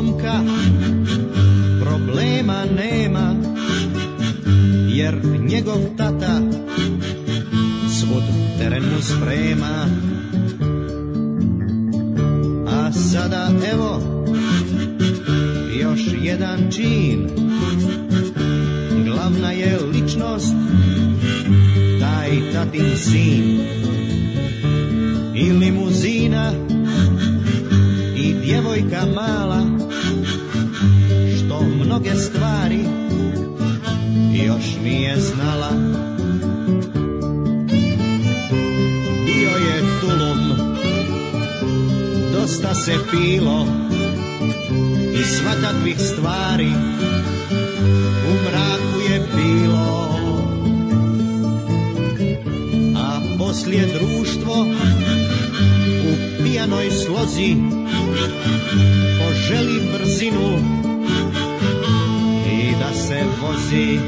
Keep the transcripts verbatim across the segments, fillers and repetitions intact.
momka problema nema, jer njegov tata svud teren mu sprema. A sada evo još jedan čin, glavna je ličnost taj tatin sin. I limuzina i djevojka mala, što mnoge stvari još nije znala. Bio je tulum, dosta se pilo i svakakvih stvari u mraku je bilo. A poslije društvo u pijanoj slozi poželi brzinu i da se vozi.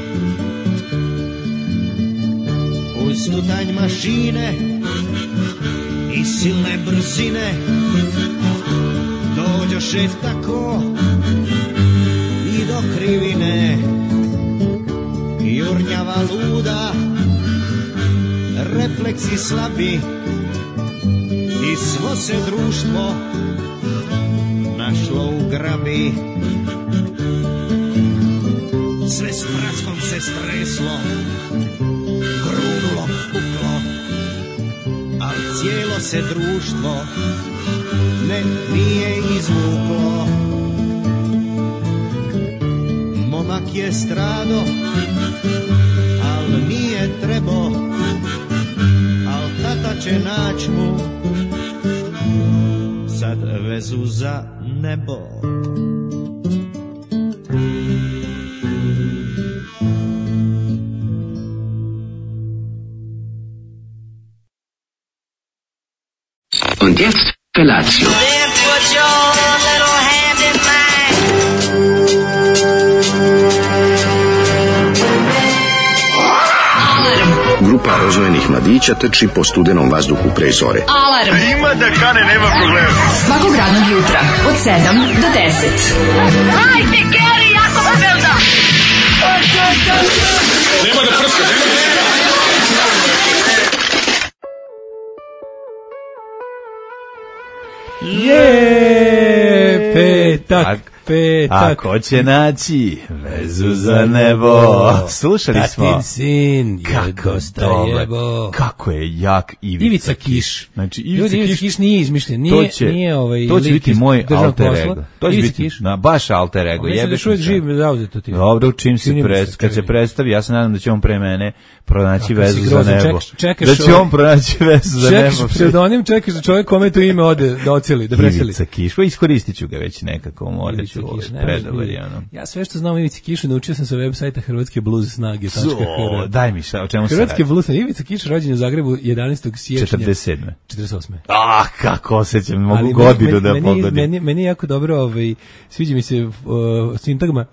Uz tutanj mašine i silne brzine dođoše tako i do krivine. Jurnjava luda, refleksi slabi i svo se društvo našlo u grabi. Sve s praskom se streslo, grunulo, puklo, al cijelo se društvo ne nije izvuklo. Momak je strado, al nije trebo, al tata će nać mu sad vezu za nebo. Und jetzt Felatio. Then put your little hand in mine. Grupa rozvojenih mladića trči po studenom vazduhu pre zore. Alarm. Ima da kane, nema problema. Svakog radnog jutra od sedam do deset. Hajde, Geri, jako se velda. Nema da prska, nema da prska. Je, petak, petak. Ako će naći vezu za nebo. Slušali smo. Tatin sin je Kako dosta dobar. jebo. Kako je jak Ivica, Ivica Kiš. Znači, Ivica Ljudi, Ivica Kiš, Kiš nije izmišljen, nije, to će, nije ovaj to će lik biti iz moj državnog alter posla. ego. To će Ivica biti Kiš. na, baš alter ego. Mislim da Jebeš što je mi se. živ zauzeto ti. Dobro, čim se, Čini mi pres, se, kad se čini. predstavi, ja se nadam da će on pre mene pronaći Kakav si vezu za grozan, nebo. čekaš- čekaš da će ovaj- on pronaći vezu za Čekaš nebo. pseudonim, čekaš da čovjek kome to ime ode da oceli, da preseli. Ivica Kiš, pa iskoristit ću ga već nekako, morat Ivica ću Kiš, ne predobar može je biti. ono. Ja sve što znam o Ivici Kišu naučio sam sa web sajta hrvatske blues snage tačka So, h r. daj mi šta, o čemu se Hrvatske radi? blues snage. Ivica Kiš rođen je u Zagrebu jedanaestog siječnja četrdeset sedme. četrdeset osme. Ah, kako osjećam, mogu Ali godinu meni, da meni, pogodim. Meni, meni je jako dobro, ovaj, sviđa mi se uh, sintagma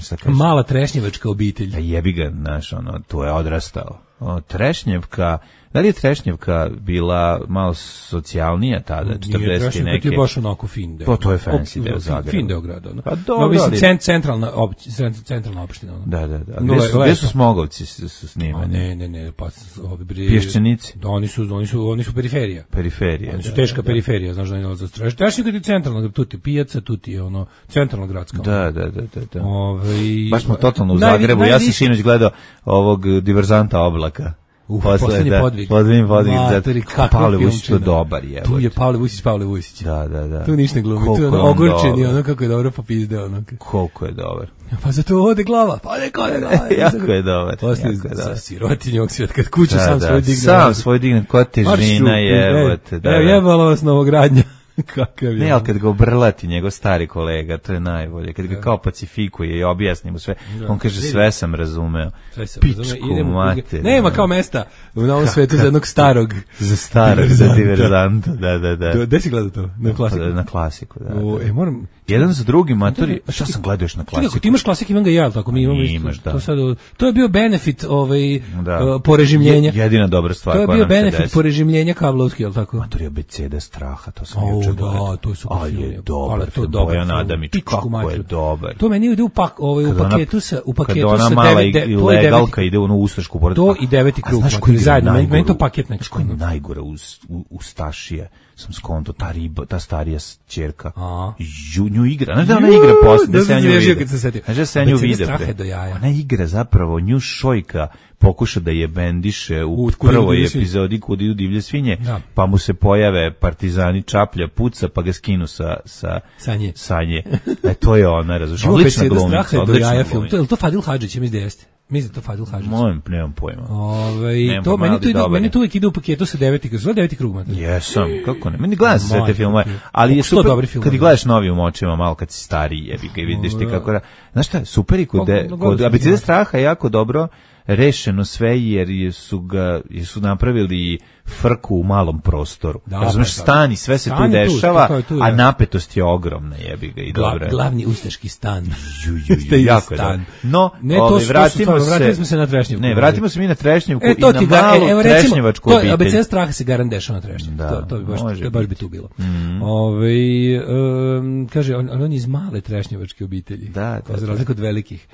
Šta kažeš? mala trešnjevačka obitelj. A jebi ga, znaš, ono, tu je odrastao. O, Trešnjevka, da li je Trešnjevka bila malo socijalnija tada, četrdeset i neke? Ti je baš onako fin deo. Pa to je fancy Op- deo fin- Zagreba. Fin deo grada. Ono. Pa dobro, No, mislim, ali- cent, centralna, op, cent, centralna opština. Ono. Da, da, da. No, Gde su, le- gde su lepo. Smogovci su, su A snimani? ne, ne, ne, pa ovi bre... Pješčanici? Da, oni su, oni su, oni su periferija. Periferije. Oni su da, teška da, da. periferija, znaš da ne nalaze straš. Teška je centralna, tu ti je pijaca, tu ti je ono, centralna gradska. Da, da, da, da, da. Ove, Baš smo totalno u Najvi- Zagrebu. Ja sam najviše- sinoć gledao ovog diverzanta Oblaka. Uf, Posle, poslednji da, podvig. Poslednji podvig. Materi, da, kakva Pavle Vujsić to filmčina. dobar je. Tu je Pavle Vujsić, Pavle Vujsić. Da, da, da. Tu ništa ne glumi, tu Koliko je ono je on ogorčen i dobar. ono kako je dobro popizdeo. Ono. Koliko je dobar. Pa zato ode glava, pa neko ode glava. Jako je dobar. Posle jako je sa dobar. sirotinjog svijeta, kad kuću Da, sam da, svoj digne. Sam svoj digne, koja težina je. Evo Da, da. jebalo vas novogradnja. Kakav je. Ne, ali kad ga obrlati njegov stari kolega, to je najbolje. Kad ga kao pacifikuje i objasni mu sve, on kaže sve sam razumeo. Sve se Pičku razume, idemo u- mater. Nema kao mesta u novom svetu za jednog starog. Za starog, za diverzanta. diverzanta, da, da, da. Gde si gledao to? Na klasiku. Na klasiku, da. O, da. e, moram... Jedan za drugim, matori, šta sam gledao još na Čekaj, ako klasiku? ti imaš klasik, imam ga i ja, ali tako mi imamo isto. Imaš, da. To, sad, to je bio benefit ovaj, Da. uh, porežimljenja. Je- jedina dobra stvar To je koja bio nam se benefit desi. porežimljenja kablovski, je li tako? Matori, abeceda straha, to sam O, juče. da, to je super A film. je dobar Ali to film, dobar Bojan film. Adamić, Pičku kako je materinu. dobar. To meni ide u, pak, ovaj, u Kad ona- paketu sa, u paketu Kad ona sa mala devet, de, i to je legalka deveti, ide u onu ustašku pored. to i deveti A krug, znaš znači, koji je zajedno, meni- najgoru- meni to paket nekako. Znaš koji je najgore uz, u, Ustašije? Sam skonto, ta riba, ta starija ćerka. A. Ju, nju igra. Znaš da ona igra posle, da da se ja sam nju zježio vidim. kad se setio. Znaš da se ja nju Abeceda vidim. straha bre. je do jaja. Ona igra zapravo, nju šojka pokuša da je bendiše u, U Kud idu prvoj divlje svinje. epizodi Kud idu divlje svinje, Da. pa mu se pojave partizani, čaplja, puca, pa ga skinu sa, sa Sanje. sanje. E, to je ona, razumiješ, Život odlična Abeceda straha glumica, je do odlična jaja film. glumica. To je li to Fadil Hadžić, ja mislim da jeste. Mislim da je to Fadil Hadžić. Molim, nemam pojma. Ovaj Nemam to pojma, meni ali to ide, dobar je. meni to uvijek ide u paketu sa deveti krug, sa deveti krug, mater. Jesam, kako ne. Meni gledam se sve te Majko filmove, ti. ali je Koliko su to super dobri filmovi. kad ih gledaš novim očima, malo kad si stariji, jebi ga i vidiš ti kako... ra- Znaš šta, super i kod, Kako- de- kako kod su Abecede filmovi. straha je jako dobro rešeno sve jer su ga jer su napravili frku u malom prostoru. Da, Razumeš, pa, da. stan i sve se Stan tu je tu, dešava, to je tu, a da. napetost je ogromna, jebi ga i Gla, dobro. je. glavni ustaški stan. Ju, ju, ju, Taj jako je stan. dobro. No, Ne, to ovaj, su- to su vratimo stvarno, se... vratili smo se na Trešnjevku. Ne, vratimo se mi na Trešnjevku E, to i na ti ga, malu e, evo recimo, trešnjevačku to, obitelj. Abeceda straha se garant dešava na Trešnjevku. Da, to, to bi baš, može to baš bi biti. tu bilo. Ovaj, em, kaže, on, ali on je iz male trešnjevačke obitelji. Da, da, Za da. razliku od velikih.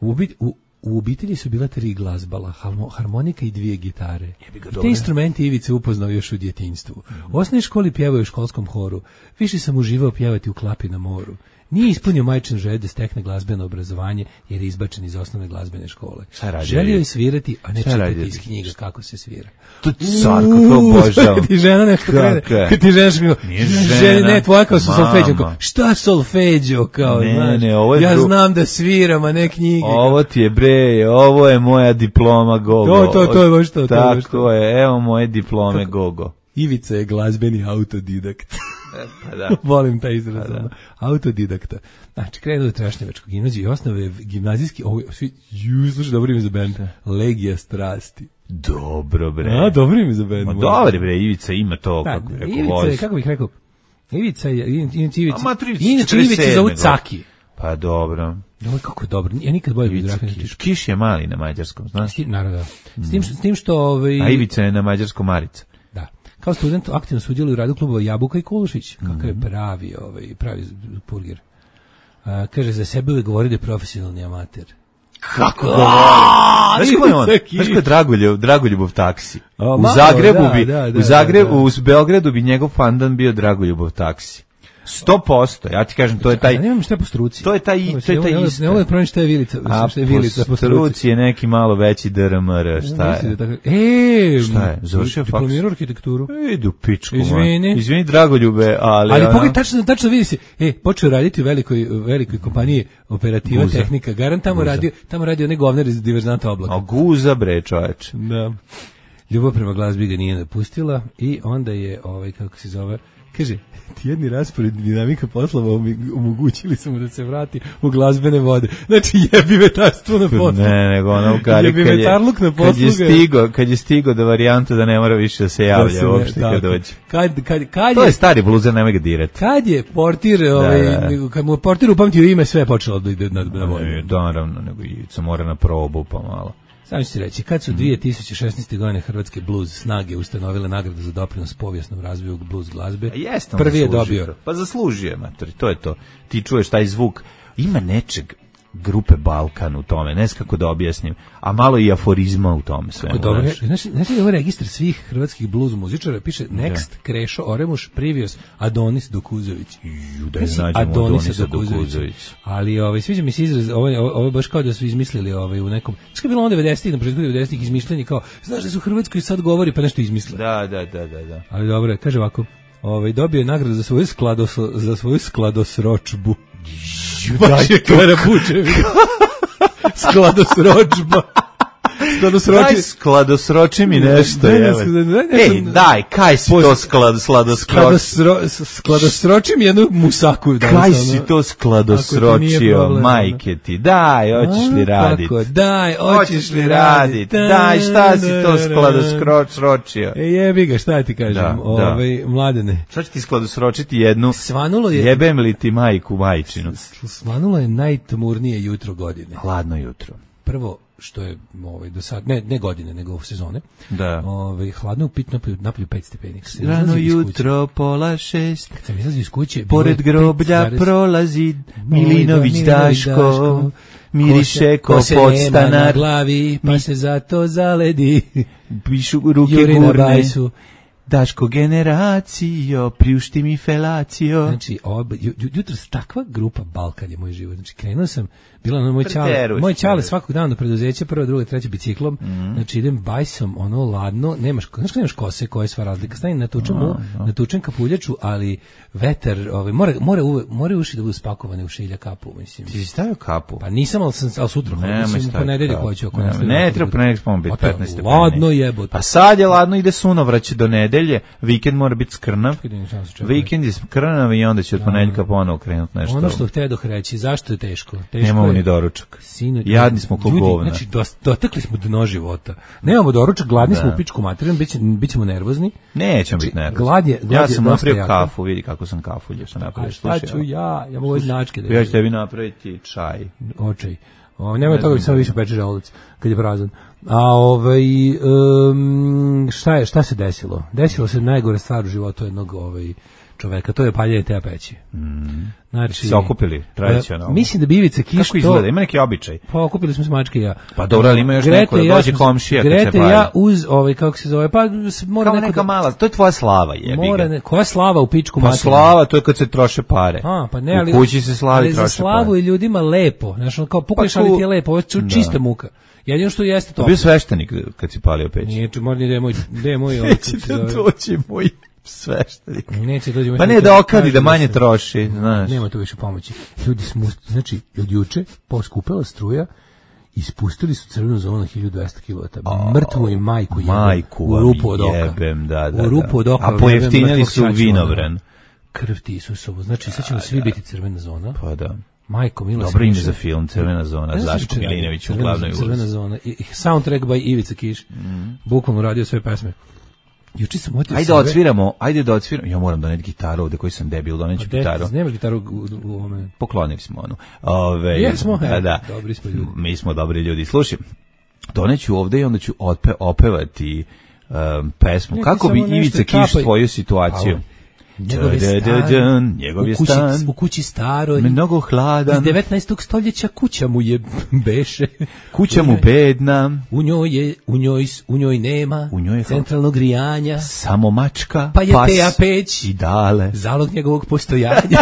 U, obi- u, u obitelji su bila tri glazbala, halmo- harmonika i dvije gitare. ga, I dobro. te instrumenti Ivica upoznao još u djetinjstvu. U osnovnoj školi pjevao u školskom horu. Više sam uživao pjevati u Klapi na moru. Nije ispunio majčin želju da stekne glazbeno obrazovanje jer je izbačen iz osnovne glazbene škole. Šta radi Želio je Ivica? svirati, a ne Šta čitati radi iz Ivica? knjiga kako se svira. To je car, kako obožavam. Kad ti žena nešto krene, Kako je? kad ti žena što Nije žena, žena, ne, tvoja kao su mama. solfeđo, kao, šta solfeđo, kao, Ne, znaš, ne, ovo je ja dru- znam da sviram, a ne knjige. Ovo ti je bre, ovo je moja diploma Gogo. To, to, to je baš to, to je baš Tako to. je, evo moje diplome Gogo. Ivica je glazbeni autodidakt. Pa da. Volim taj izraz. ono. Autodidakta. Znači, krenuo do Trešnjevačkog gimnaziju i osnove gimnazijski, ovo je, svi, ju, slušaj, dobro ime za band. Legija strasti. Dobro bre. A, dobro ime za band. Ma moram. dobro bre, Ivica ima to, Da, kako bi rekao, Ivica je, voz. kako bih rekao, Ivica je, inače Ivica, A, mater, Ivica inače Ivica se zove četrdeset sedme Caki. Pa dobro. Ovo kako je dobro, ja nikad bolje Ivica biografiju ne Kiš. tišao. Kiš je mali na mađarskom, znaš? S tim, naravno, da. S tim, što- s tim što, ovaj, A Ivica je na mađarskom Marica. da, kao student aktivno sudjeluje u radu klubova Jabuka i Kulušić, kakav Mhm. je pravi, ovaj, pravi purgir. A, kaže, za sebe uvijek govori da je profesionalni amater. Kako govori? Znaš ko je on? Ivica Kiš. Znaš ko je Dragoljub, Dragoljubov taksi? A, U malo, Zagrebu da, bi, da, da, u Zagrebu, da, da. u Beogradu bi njegov pandan bio Dragoljubov taksi. sto posto, ja ti kažem, to je taj... Zanima me šta je po struci. To je taj i- Evo, to je taj ne volim- isto. Ne volim da pronaći šta je Vilica, A šta je Vilica po po struci. struci je neki malo veći D R M R, šta Mislim je? da tako- E, Šta je? Završio faks? diplomirao arhitekturu. Idu pičku, man. Izvini. Izvini, Dragoljube, ali... Ali ono- pogledaj, tačno, tačno vidi se, e, počeo raditi u velikoj, velikoj kompaniji operativa, Guza. tehnika, garant tamo Guza. radio, tamo radio onaj govnar iz diverzanta oblaka. A guza, bre, čoveč. Da. Ljubav prema glazbi ga nije napustila i onda je, ovaj, kako se zove, kaže, tjedni raspored dinamika poslova omi- omogućili su mu da se vrati u glazbene vode. Znači, jebi vetarstvo na poslu. Ne, nego ono u kari Jebi kad je, vetarluk na kad je poslu ga je- stigo, kad je stigo do varijanta da ne mora više da se Da javlja se ne- uopšte kad tako. dođe. Kad, kad, kad To je, je stari bluzer, nemoj ga dirati. kad je portir, ovaj, da. kad mu je portir upamtio ime, sve je počelo da ide na, na vodu. E, Da, naravno, nego Ivica mora na probu pa malo. Samo ću ti reći, kad su dvije tisuće šesnaeste. godine Hrvatske blues snage ustanovile nagradu za doprinos povijesnom razvoju blues glazbe, A jeste on prvi je zaslužio dobio. to. Pa zaslužuje, mater, to je to. Ti čuješ taj zvuk. Ima nečeg grupe Balkan u tome, ne znam kako da objasnim, a malo i aforizma u tome sve. Kako dobro, znaš, znaš li ovo registar svih hrvatskih blues muzičara, piše Next, Krešo, Oremuš, Privios, Adonis Dokuzović. Da je nađemo Adonisa Dokuzović. Ali ovaj, sviđa mi se izraz, ovo, ovo, ovo je baš kao da su izmislili ovaj, u nekom, što je bilo ono devedesetih, na početku devedesetih izmišljenje kao, znaš da su u Hrvatskoj sad govori, pa nešto izmisle. Da, da, da, da, da. Ali dobro, je, kaže ovako, ovaj, dobio je nagradu za svoju, sklados, za svoju skladosročbu. Baš je Karabučević. Skladosročba. Skladosroči. Daj skladosroči mi nešto, Daj, evo. daj, daj, daj, Ej, daj, kaj si to sklad, skladosroči? Skladosro, skladosroči mi jednu musaku. danas, Kaj ono. si to Ako ti nije skladosročio, problem, majke ti? Daj, hoćeš li A, radit? kako? Daj, hoćeš li radit? Daj, šta si to skladosročio? E, jebi ga, šta ti kažem? Da, da. Ovaj, mladene. Šta će ti skladosročiti jednu? Svanulo je, Jebem li ti majku majčinu? svanulo je najtmurnije jutro godine. Hladno jutro. Prvo, što je ovaj do sad ne ne godine nego sezone. Da. Ovaj hladno upit napolju, napolju pet stepeni. Rano jutro pola šest. Kad sam izlazio iz kuće, pored groblja prolazi Milinović Daško. Miriše ko podstanar na glavi, pa se zato zaledi. Pišu ruke gurne. Daško generacijo, priušti mi felacijo. Znači, ob, jutro takva grupa Balkan je moj život. Znači, krenuo sam, bila ono moj čale, moj čale svakog dana do preduzeća, prva, druga, treća biciklom. Mm. Znači, idem bajsom, ono ladno, nemaš, znaš kad nemaš kose, koja je sva razlika. Stani, natučem, no, no. natučem kapuljaču, ali vetar, ovaj, mora, mora, mora uši da budu spakovane u šilja kapu, mislim. Ti si stavio kapu? Pa nisam, ali, sam, ali sutra, ne, mislim, po nedelju hoću. Ne, ne, ne treba po nedelju spomenu biti petnaest stepeni. Ladno jebote. Pa sad je ladno, ide sunovrać do nedelje, vikend mora biti skrnav, vikend je skrnav i onda će od ponedeljka ponovo krenuti nešto. Ono što htedoh reći, zašto je teško? Teško nemamo je, ni doručak. Sinu, jadni smo ko govna. Znači, dotakli smo dno života. Nemamo doručak, gladni da. smo u pičku materinu, bit, bit ćemo nervozni. Nećemo biti nervozni. Glad je, glad ja sam napravio jako. kafu, vidi kako sam kafu lješao napravio. Šta ću ja? Ja mogu značke da ja ću tebi napraviti čaj. Očaj. O, nema ne toga, samo više peče želudac kad je prazan. A ovaj um, šta je šta se desilo? Desilo se najgore stvar u životu jednog ovaj čoveka, to je paljenje te peći. Mm. Znači, se okupili tradicionalno. Mislim da bi Ivica Kiš kako izgleda, to, ima neki običaj. Pa okupili smo se mačke i ja. Pa dobro, ali ima još Grete neko da dođe ja, komšija kad Grete se palje. ja uz ovaj kako se zove, pa mora kao neko neka da, mala, to je tvoja slava jebi ga. Mora ne, koja slava u pičku pa materinu? Slava, to je kad se troše pare. A, pa ne, ali u kući se slavi troše pare. Za slavu i ljudima lepo, znači kao pukneš pa ali ti je lepo, ovo je čista muka. Jedino što jeste to. Bio sveštenik kad si palio peć. Nije, mora ni da je moj, da je moj. Neće da doći moj sveštenik. Neće dođe moj. Pa ne da okadi da manje troši, znaš. Nema tu više pomoći. Ljudi smo, znači, od juče poskupela struja, ispustili su crvenu zonu na hiljadu dvesta kilovata. Mrtvu i majku jebem. Majku u rupu od oka. Jebem, da, da, u rupu od oka. A pojeftinili su vinovran. Krv ti Isusovu. Znači, sad ćemo svi biti crvena zona. Pa da. Majko Milo. Dobro ime za film, Crvena zona, Zaško Milinović u glavnoj ulozi. Crvena zona, i soundtrack by Ivica Kiš. Mm. Bukvalno radio sve pesme. Juče sam otio ajde da odsviramo, ajde da odsviramo. Ja moram doneti gitaru ovde koji sam debil, doneću pa gitaru. Nemaš gitaru u, u ovome. Poklonili smo onu. Ove, Jesmo, da, da. Dobri smo ljudi. Mi smo dobri ljudi. Slušaj, doneću ovde i onda ću otpe, opevati um, pesmu. Neka kako bi Ivica Kiš tvoju situaciju? Njegov je stan, njegov je u, kući, stan u kući staroj, mnogo hladan, iz devetnaestog stoljeća kuća mu je beše, kuća mu bedna, u njoj je, u njoj, u njoj nema u njoj je centralnog grijanja, samo mačka, pa je pas teja peć i dale, zalog njegovog postojanja,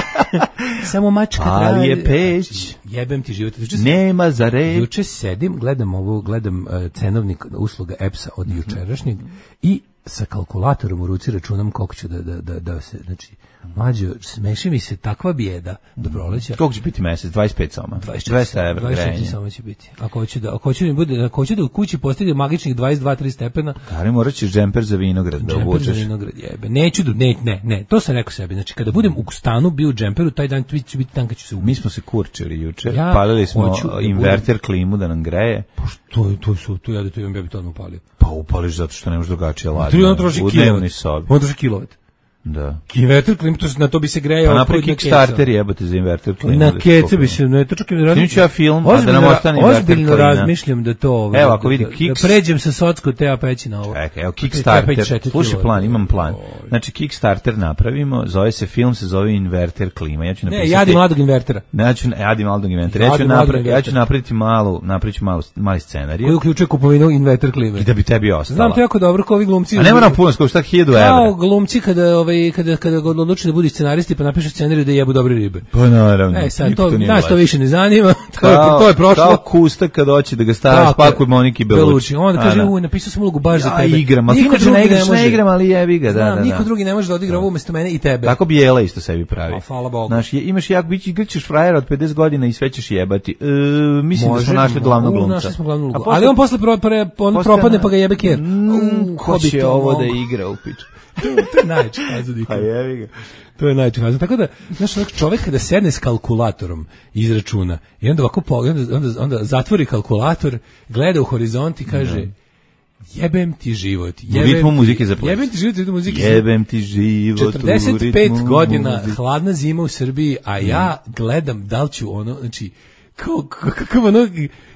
samo mačka ali traje, je peć, znači, jebem ti život. Juče nema za reč. Juče sedim, gledam ovo, gledam uh, cenovnik usluga EPS-a od mm-hmm. jučerašnjeg i sa kalkulatorom u ruci računam koliko ću da, da, da, da se, znači, mlađo, smeši mi se takva bijeda do proleća. Koliko će biti mesec? dvadeset pet soma? dvesta evra grejanje. dvadeset četiri soma će biti. Ako hoću da, ako hoću da, bude, ako hoću da u kući postavljaju magičnih dvadeset dva tri stepena. Kari, morat ćeš džemper za vinograd da obučeš. Džemper za vinograd, jebe. Neću, ne, ne, ne, to sam rekao sebi. Znači, kada budem u stanu bio u džemperu, taj dan ću biti dan kad ću se ubiti. Mi smo se kurčili juče, ja palili smo inverter budem... klimu da nam greje. Pa što, to su, to ja da to imam, ja bi to odmah upalio. Pa upališ zato što nemaš drugačije ladno. Tri on troši kilovat. On troši kilovat. Da. Inverter klim, to na to bi se grejao. Pa napravi Kickstarter jebate za inverter klim. Na kece bi se, ne, to čak i razmišljam. Ja film, a da nam ostane inverter klima. Ozbiljno razmišljam da to... Ovaj, evo, ako vidi Kicks... Da pređem sa socko te peći na ovo. Čekaj, evo, Kickstarter, slušaj plan, imam plan. Znači, Kickstarter napravimo, zove se film, se zove inverter klima. Ja ću napisati... Ne, jadi mladog invertera. Ne, ja ću, jadi mladog invertera. Ja ću, napravi, ja ću napraviti malu, napravit ću malu, mali scenarij. Koji uključuje kupovinu inverter klime. I da bi tebi ostala. Znam to jako dobro, kao ovi glumci. A ne moram puno, skoro šta hiljadu evra. Kao glumci kada, ovaj, kada, kada odluči da budu scenaristi pa napišu scenarij da jebu dobre ribe. Pa naravno. E sad to nas to više ne zanima. To je to je prošlo. Kao Kusta kad hoće da ga stavi spakuje Moniki Belucci. On kaže u napisao sam ulogu baš za tebe. Ja igram, ali niko ne igraš, ne igram, ali jebi ga, da, da. Niko drugi ne može da odigra ovo umesto mene i tebe. Tako bi Jela isto sebi pravi. A hvala Bogu. Znaš, imaš jak bić igraćeš frajera od pedeset godina i sve ćeš jebati. E, mislim da smo našli glavnog glumca. Našli smo glavnog glumca. Ali on posle on propadne pa ga jebe ker. Ko će ovo da igra u piču? To je najčešće. Pa jebi ga. To je najčešće. Tako da, znaš, čovjek kada sedne s kalkulatorom izračuna i onda ovako pogleda, onda, onda zatvori kalkulator, gleda u horizont i kaže jebem ti život. Jebem, u ritmu muzike za ples. Jebem ti život u ritmu muzike. Jebem ti život u ritmu četrdeset pet godina hladna zima u Srbiji, a ja gledam da li ću ono, znači, kao, kako ono,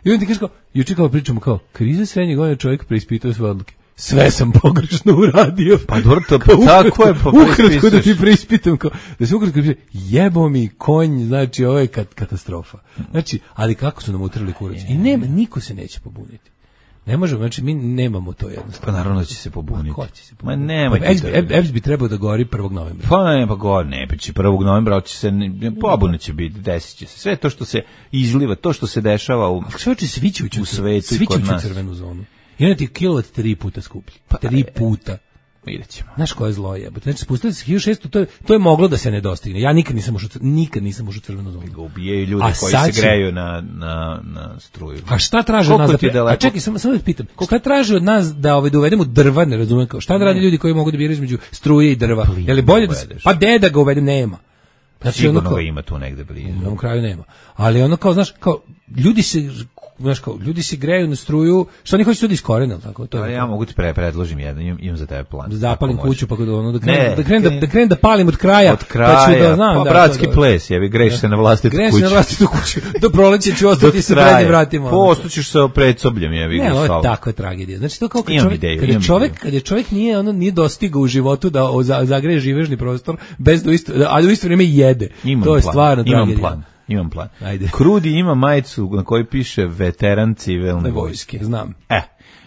i on ti kaže kao, juče kao pričamo kao, kriza srednje godine čovjek preispitao svoje odluke. Sve sam pogrešno uradio. Pa dobro, to pa tako je, pa ukratko da ti preispitam, kao, da se ukratko preispitam, jebo mi konj, znači ovo je kat, katastrofa. Znači, ali kako su nam utrli kurac? I nema, niko se neće pobuniti. Ne možemo, znači mi nemamo to jednostavno. Pa naravno da će se pobuniti. Ko će se pobuniti? Ma nemoj. E B S bi trebao da gori prvog novembra. Pa ne, pa gori, ne, pa će prvog novembra će se, pobunit će biti, desit će se. Sve to što se izliva, to što se dešava u, svi će u svetu i kod nas. Crvenu zonu. I onda ti kilovat tri puta skuplji. Pa, tri puta. Vidjet ćemo. Znaš koje zlo je? Znači, spustili se hiljadu šesto, to je, to je moglo da se ne dostigne. Ja nikad nisam ušao, nikad nisam ušao u crvenu zonu. Ubijaju ljude a koji se će... greju na, na, na struju. A šta traže od nas? Da, a čekaj, samo, samo da pitam. Šta traže od nas da, ovaj, da uvedemo drva, ne razumijem kao? Šta da radi ljudi koji mogu da biraju između struje i drva? Je li bolje da se... Pa de da ga uvedem, nema. Znači, sigurno ono kao, ga ima tu negde blizu. Na kraju nema. Ali ono kao, znaš, kao, ljudi se... Znaš kao, ljudi se greju na struju, što oni hoće to da iskorene, tako? To je. Ja mogu ti pre predložim jedan, imam, imam za tebe plan. Da zapalim kuću pa kod ono da krenem da krenem da, da krenem da palim od kraja, od kraja pa ću da znam pa da bratski da, ples, jebi greš se na vlastitu kuću. Greš se na vlastitu kuću. Do proleća ću ostati sa prednjim vratima. Postaćeš sa predsobljem, jebi ga. Ne, ovo je takva tragedija. Znači to kao kad čovjek, ideju, kad je čovjek, ideju. kad je čovjek nije ono nije dostigao u životu da zagreje živežni prostor bez da isto, ali u isto vrijeme jede. Imam to je plan, stvarno tragedija. Plan. Imam plan. Ajde. Krudi ima majicu na kojoj piše veteran civilne vojske. Znam. E,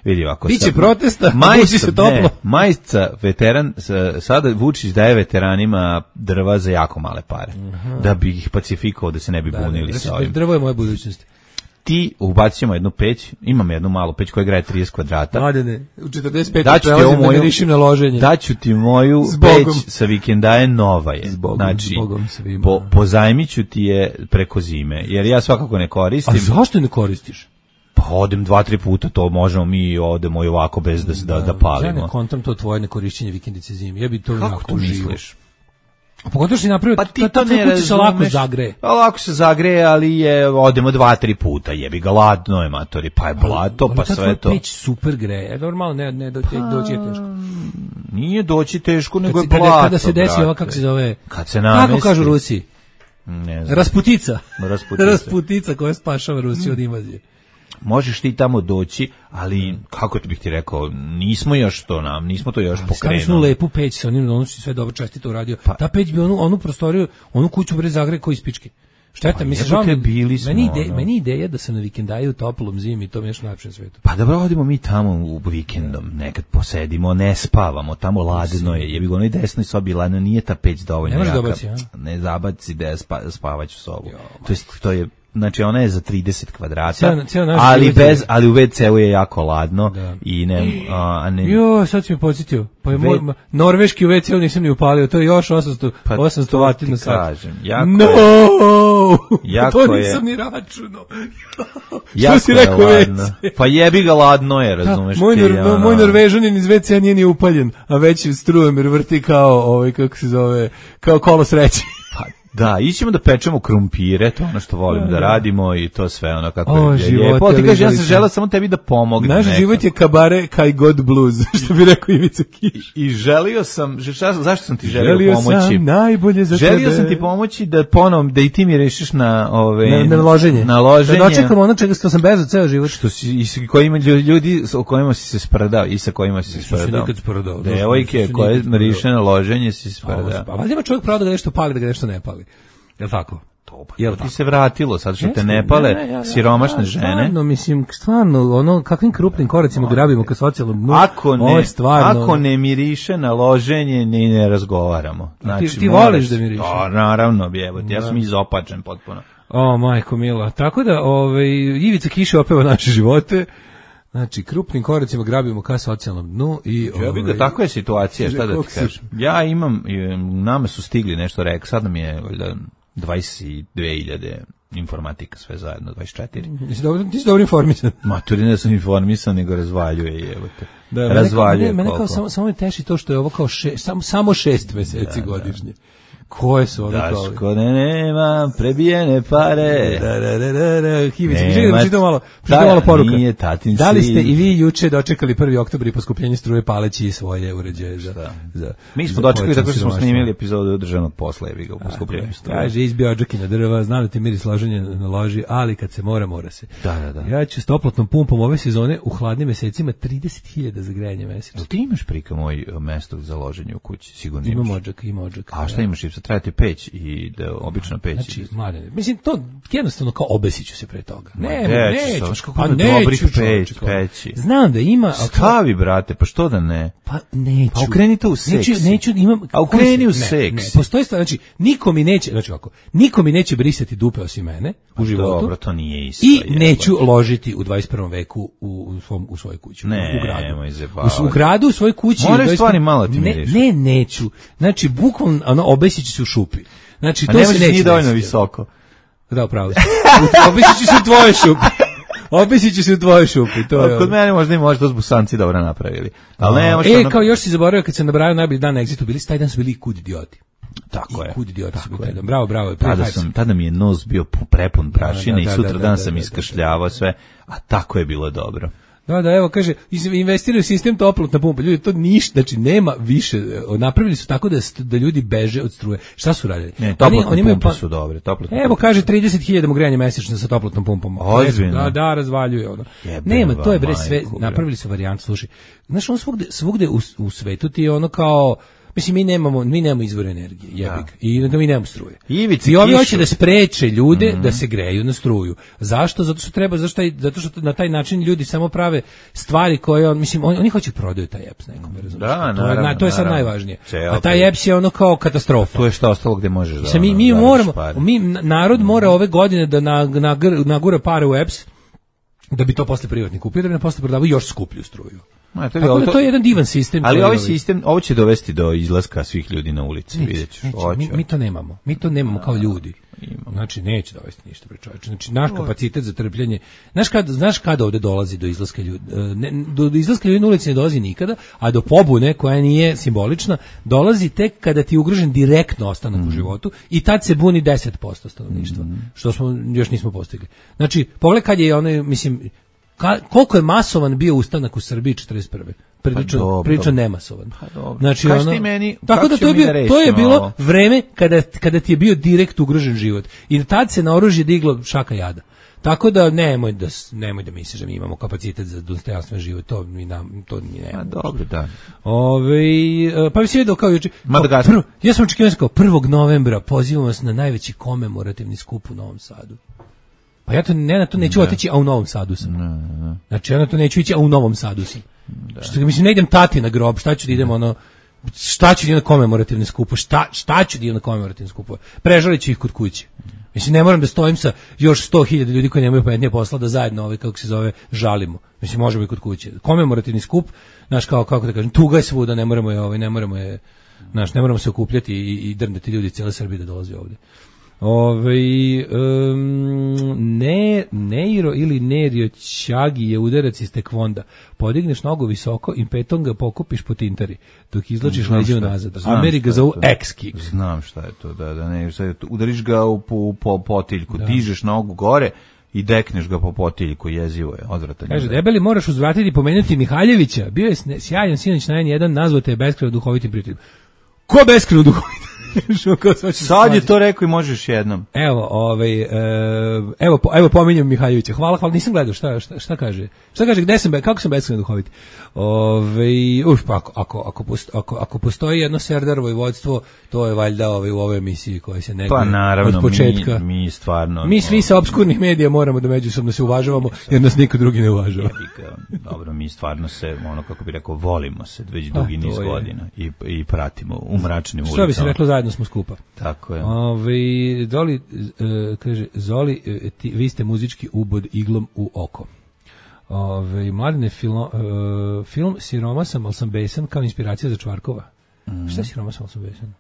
vidi ovako. Biće protesta, majica, se toplo. Ne, majica veteran, sada Vučić daje veteranima drva za jako male pare. Aha. Da bi ih pacifikovao, da se ne bi da, bunili da, sa ovim. Drvo je moja budućnost. Ti ubacimo jednu peć, imam jednu malu peć koja graje trideset kvadrata. Mladene, u četrdeset pet prelazim da ne rišim na loženje. Daću ti moju peć sa vikendaje, nova je. Zbogom, znači, zbogom svima. Po, pozajmiću ti je preko zime, jer ja svakako ne koristim. A zašto ne koristiš? Pa odem dva, tri puta, to možemo mi odemo i ovako bez da, da, da palimo. Ja ne kontam to tvoje nekorišćenje vikendice zime, ja bi to kako onako to misliš? A pogotovo što si napravio, pa ti to ne razumeš. Lako zagreje. Pa lako se zagreje, ali je, odemo dva, tri puta, jebi ga, ladno je, matori, pa je blato, pa, pa sve to. Ali peć super greje, normalno, ne, ne, do, pa, doći je teško. Nije doći teško, nego kad je blato, kada se desi ova, kako se zove, kad se namesti. Kako kažu Rusi? Ne znam. Rasputica. Rasputica. Rasputica koja spašava Rusiju od invazije. Možeš ti tamo doći, ali kako ti bih ti rekao, nismo još to nam, nismo to još ali pokrenuli. Stavili lepu peć sa onim, ono si sve dobro čestito uradio. Pa, ta peć bi onu, onu prostoriju, onu kuću bre zagre koji ispički. Šteta, pa, mislim, žao, bili smo, meni, ide, meni ideja da se na vikendaju u toplom zimi, to mi je još najlepše na svetu. Pa dobro, odimo mi tamo u vikendom, nekad posedimo, ne spavamo, tamo ladno je, jebi ga onoj desnoj sobi ladno, nije ta peć dovoljno ne jaka. Dobaci, ja? Ne zabaci da spa, spavaću sobu. Jo, to, jest, to je znači ona je za trideset kvadrata, cijel, cijel ali bez ali u ve ce u je jako ladno da. I ne a ne Jo, sad si me podsjetio. Pa je ve... moj norveški u ve ce u nisam ni upalio, to je još osamsto pa osamsto vati na sat. Kažem, jako no! jako to nisam je... ni računao. Što si rekao ve ce? Pa jebi ga, ladno je, razumeš? Da, moj, nor, ja, moj norvežanin iz ve ce nije ni upaljen, a već strujem jer vrti kao ovaj kako se zove, kao kolo sreće. Pa da, ićemo da pečemo krumpire, to ono što volim da radimo i to sve ono kako o, je lijepo. Ti kažeš, ja sam želeo samo tebi da pomognem. Naš život je kabare kaj god blues, što bi rekao Ivica Kiš. I, i želio sam, šta, zašto sam ti želio, želio pomoći? Želio sam najbolje za želio tebe. Želio sam ti pomoći da ponovom, da i ti mi rešiš na ove... Na, na loženje. Na loženje. Da dočekam ono čega što sam bežao ceo život. Što si, i s kojima ljudi o kojima si se sprdao i sa kojima si se sprdao. Što si nikad sprdao. Devojke koje riše na loženje si se sprdao. Pa valjda ima čovjek pravo da ga nešto pali, da ga nešto ne pali. Jel tako? To, pa, Jel ti tako? Se vratilo, sad što te ne pale ne, ne, ja, siromašne ja, žene. Stvarno, mislim, stvarno, ono, kakvim krupnim koracima no, grabimo ka socijalnom dnu. Ako ne, stvarno, ako ne miriše na loženje, ni ne razgovaramo. Znači, ti, ti voliš da miriše? To, naravno, bjebot, ja sam izopačen potpuno. O, majko mila. Tako da, ovaj, Ivica Kiša opeva naše živote. Znači, krupnim koracima grabimo ka socijalnom dnu i... Ja bih da tako je situacija, šta da ti kažem. Ja imam, nama su stigli nešto rek, sad nam je dvadeset dve hiljade informatika sve zajedno, dvadeset četiri. Ti si dobro, ti si dobro informisan. Maturi ne sam informisan, nego razvaljuje, evo te. Da, mene razvaljuje. Mene, mene kao samo, samo me teši to što je ovo kao še, samo, samo šest meseci da, godišnje. Koje su ono kao... Daško ne nema prebijene pare. Da, da, da, da, da. Hivić, želim da malo, da, malo poruka. Nije tatin da li ste i vi juče dočekali prvi oktobar i poskupljenje struje paleći svoje uređaje za... za Mi smo dočekali tako što smo snimili epizodu državnog posla, jebi ga u poskupljenju struje. Kaže, izbio odžaki na drva, znam da ti miris loženje na loži, ali kad se mora, mora se. Da, da, da. Ja ću s toplotnom pumpom ove sezone u hladnim mesecima trideset hiljada za grejanje mesečno. Ti imaš prika moj mesto za loženje u kući, sigurno imaš. Imam odžak, ima odžak. A šta imaš, sad trebate peć i da obična peć. Znači, mladene, mislim to jednostavno kao obesiću se pre toga. Ne, ne, neću, pa neću peć, peći. Znam da ima, stavi brate, pa što da ne? Pa neću. Pa okreni to u seks. Neću, neću, imam. A okreni u seks. Ne, postoji stvar, znači niko mi neće, znači kako, niko mi neće brisati dupe osim mene u životu. Dobro, to nije isto. I neću ložiti u dvadeset prvom veku u u svom u svojoj kući, ne, u gradu. Nemoj zebavati. U, u gradu u svojoj kući. Moraš stvari malo ti ne, ne, neću. Znači bukvalno ono obesiću se u šupi. Znači to se neće. Nije dovoljno visoko. Da, pravo. Obesiću se u tvoje šupi. Obesiću se u tvoje šupi. To je. Kod mene možda i možda to Busanci dobro napravili. Al ne, možda. E, kao još si zaboravio kad se nabrajao najbolji dan na Exitu, bili taj dan su bili kud idioti. Tako I je. Kud idioti su bili taj dan. Bravo, bravo. Tada sam, tada mi je nos bio prepun prašine i sutra dan sam iskašljavao sve, a tako je bilo dobro. Da, da, evo, kaže, investiraju u sistem toplotna pumpa. Ljudi, to ništa, znači, nema više. Napravili su tako da, da ljudi beže od struje. Šta su radili? Ne, toplotne oni, pumpe pa, su dobre. Toplotne evo, pumpe kaže, trideset hiljada mu grejanje mesečno sa toplotnom pumpom. Ozbiljno? Da, da, razvaljuje ono. Jebe, nema, to je bre sve, napravili su varijantu, slušaj. Znaš, on svugde, svugde u, u svetu ti je ono kao... Mislim, mi nemamo, mi nemamo izvor energije, jebik. I da mi nemamo struje. Ivici I ovi hoće da spreče ljude mm-hmm. da se greju na struju. Zašto? Zato što treba, zašto, zato što na taj način ljudi samo prave stvari koje on, mislim, on, oni hoće prodaju taj E P S nekom, razumiješ? Da, to, naravno, je, to je sad naravno. najvažnije. Ceo, a taj E P S je ono kao katastrofa. To je što ostalo gde možeš da... Mislim, mi, mi moramo, mi, narod mora ove godine da nagura na, na pare u E P S da bi to posle privatni kupio, da bi na posle prodavao još skuplju struju. Ma, to, je, ovo, to, to je jedan divan sistem. Ali ovaj sistem, ovo će dovesti do izlaska svih ljudi na ulici, vidjet ćeš. Mi, mi to nemamo, mi to nemamo kao ljudi. Imamo. Znači, neće dovesti ništa pre čovječe. Znači, naš kapacitet za trpljenje, znaš kad, znaš kada ovde dolazi do izlaska ljudi? Ne, do, do izlaska ljudi na ulici ne dolazi nikada, a do pobune, koja nije simbolična, dolazi tek kada ti je ugrožen direktno ostanak mm. u životu i tad se buni deset posto stanovništva, mm. što smo još nismo postigli. Znači, pogledaj kad je onaj, mislim, Ka, koliko je masovan bio ustanak u Srbiji četrdeset prve. Prilično, pa prilično nemasovan. Pa znači, Kaži ono, ti meni, tako da to je, bio, to je bilo vreme kada, kada ti je bio direkt ugrožen život. I tad se na oružje diglo šaka jada. Tako da nemoj da nemoj da misliš da mi imamo kapacitet za dostojanstven život, to mi nam to mi nemamo. A dobro, da. Ove, pa bi se vidio kao juče. Madagaskar. Ja sam očekivao kao prvog novembra pozivamo vas na najveći komemorativni skup u Novom Sadu. Pa ja to ne na to neću ne. otići, a u Novom Sadu sam. Ne, ne. Znači ja na to neću ići, a u Novom Sadu sam. Da. Što mislim ne idem tati na grob, šta ću da idem ono šta ću da idem na komemorativne skupu, šta šta ću da idem na komemorativne skupove. Prežaliću ih kod kuće. Mislim ne moram da stojim sa još sto hiljada ljudi koji nemaju pametnije posla da zajedno ovaj kako se zove žalimo. Mislim možemo i kod kuće. Komemorativni skup, znaš kao kako da kažem, tuga je svuda, ne moramo je ovaj ne moramo je znaš, ne moramo se okupljati i, i drndati ljudi cijele Srbije da dolaze ovde. Ove, um, ne, Neiro ili Nerio Ćagi je udarac iz tekvonda. Podigneš nogu visoko i petom ga pokupiš po tintari, dok izlačiš leđe nazad. Ameri ga zovu X-kick. Znam šta je to, da, da ne, udariš ga u, u, po potiljku, da. Dižeš nogu gore i dekneš ga po potiljku, jezivo je, odvratan. Kaže, debeli moraš uzvratiti i pomenuti Mihaljevića, bio je sjajan sinoć na en jedan, nazvate je beskrajno duhovitim prijateljom. Ko beskrajno duhovitim? Sad je to rekao i možeš jednom. Evo, ovaj, evo, evo pominjem Mihajlovića. Hvala, hvala, nisam gledao šta, šta, šta kaže. Šta kaže, gde sam, kako sam beskrajno duhovit? Ovaj, uf, pa ako, ako, ako, postoji, ako, ako postoji jedno Serdarovo vojvodstvo, to je valjda ovaj, u ovoj emisiji koja se neguje pa, naravno, od početka. Mi, mi stvarno... Mi svi sa obskurnih medija moramo da međusobno se uvažavamo, jer nas niko drugi ne uvažava. Dobro, mi stvarno se, ono kako bi rekao, volimo se već dugi niz godina i, i pratimo u mračnim ulicama. Što bi se reklo, zajedno smo skupa. Tako je. Ove, Zoli, uh, kaže, Zoli, uh, ti, vi ste muzički ubod iglom u oko. Ove, Mladine, filo, uh, film Siroma sam, ali sam besan kao inspiracija za Čvarkova. Mm. Šta je Siroma sam, ali sam besan?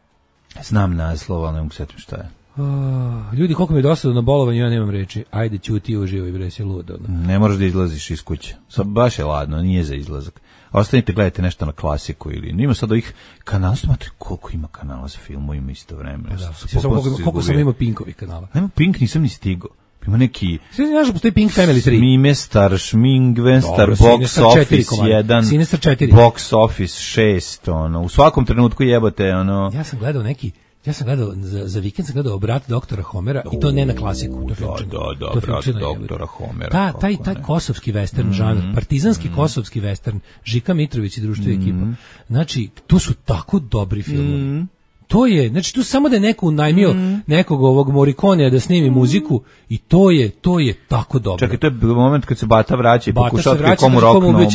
Znam naslov, ali ne mogu setim šta je. Oh, ljudi, koliko mi je dosadno na bolovanju, ja nemam reči. Ajde, ćuti, uživaj, bre, si ludo. Ne moraš da izlaziš iz kuće. Sad baš je ladno, nije za izlazak. Ostanite, gledajte nešto na klasiku ili nima sad ovih kanala, znate koliko ima kanala za filmovima isto vreme. Pa da, sam koliko, koliko sam imao Pinkovih kanala. Nema Pink, nisam ni stigao. Ima neki... Sve znaš da postoji Pink Family tri. Smimestar, Šmingvenstar, Box Office jedan, Box Office šest, ono, u svakom trenutku jebote, ono... Ja sam gledao neki... Ja sam gledao, za, za vikend sam gledao Brat doktora Homera i to ne na klasiku. To da, da, da, Brat doktora Homera. Ta, taj, taj kosovski western mm, žanr, partizanski mm, kosovski western, Žika Mitrović i društvo mm, ekipa. Znači, to su tako dobri filmovi. Mm. To je, znači tu samo da je neko unajmio mm. nekog ovog Morikonea da snimi mm. muziku i to je, to je tako dobro. Čekaj, to je moment kad se Bata vraća i pokušava da komu roknu. Ne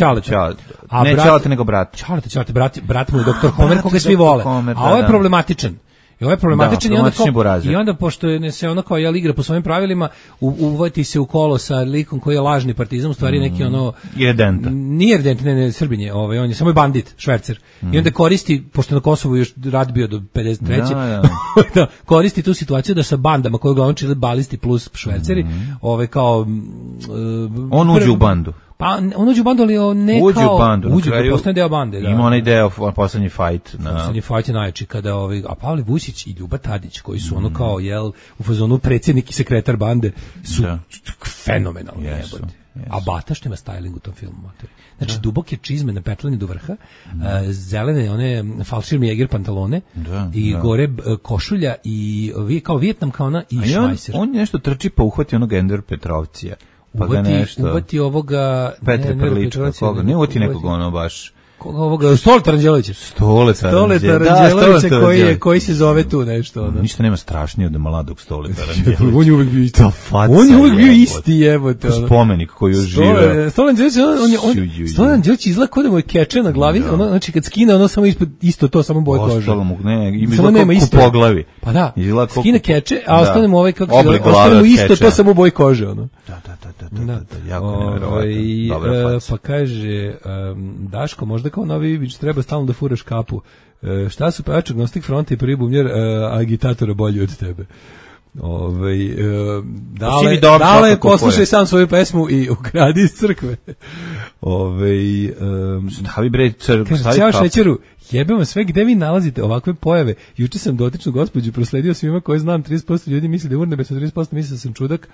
Čaleta, nego brat. Čaleta, Čaleta, brat, brat mu je doktor Homer koga svi vole. A ovo je problematičan. I ovo je problematičan da, i, onda kao, i onda pošto je se ono kao jel igra po svojim pravilima u, uvati se u kolo sa likom koji je lažni partizan, u stvari neki ono Iredenta. Nije Iredenta, ne, ne, Srbin je, ovaj, on je samo je bandit, švercer. Mm. I onda koristi, pošto na Kosovu još rat bio do pedeset treće Da, da. da koristi tu situaciju da sa bandama koje uglavnom čine balisti plus šverceri, mm. ovaj kao uh, on uđe u bandu. Pa on uđe u bandu, ali ne uđe kao... U bandu, uđe u bandu, postane deo bande. Da. Ima onaj deo, poslednji fight. Na... Poslednji fight je najjači, kada ovi, a Pavle Vusić i Ljuba Tadić, koji su mm. ono kao, jel, u fazonu predsjednik i sekretar bande, su da. fenomenalni. Jesu, jesu. A Bata što ima styling u tom filmu. Znači, da. duboke čizme na petlani do vrha, mm. uh, zelene, one falširni jeger pantalone, da, i da. gore uh, košulja i kao Vijetnam kao ona i šmajser. On, on nešto trči pa uhvati onog Ender Petrovcija. Pa uvati, uvati ovoga... Petre ne, Prlička, koga? Ne uvati nekog ono baš... Koga ovoga? Stoleta Ranđelovića. Stoleta Ranđelovića da, koji, je, koji se zove tu nešto. Ono. Ništa nema strašnije od mladog Stoleta Ranđelovića. On je uvijek bio isti. On je uvijek bio isti, jebote. Spomenik koji je živeo. Stoleta Ranđelović izgleda kod da mu je keče na glavi, da. ono, znači kad skine ono samo ispod, isto to, samo boje kože. Ostalo mu, ne, ima isto po glavi. Pa da, skine keče, a ostane mu ovaj, kako se ostane mu isto to, samo boje kože. Ono. Da, da, da, da, da, da, jako nevjerovatno. Dobra faca. Pa kaže, Daško, možda kao Novi Ivić, treba stalno da furaš kapu. E, šta su pevač Agnostik Fronta i prvi bumljer e, agitatora bolji od tebe? Ove, e, dale, dale poslušaj sam svoju pesmu i ukradi iz crkve. Ove, e, stavi bre crkvu, stavi kapu. Ćao Šećeru, jebemo sve, gde vi nalazite ovakve pojave? Juče sam dotičnu gospođu prosledio svima koje znam, trideset posto ljudi misli da je urnebe, trideset posto misli da sam čudak,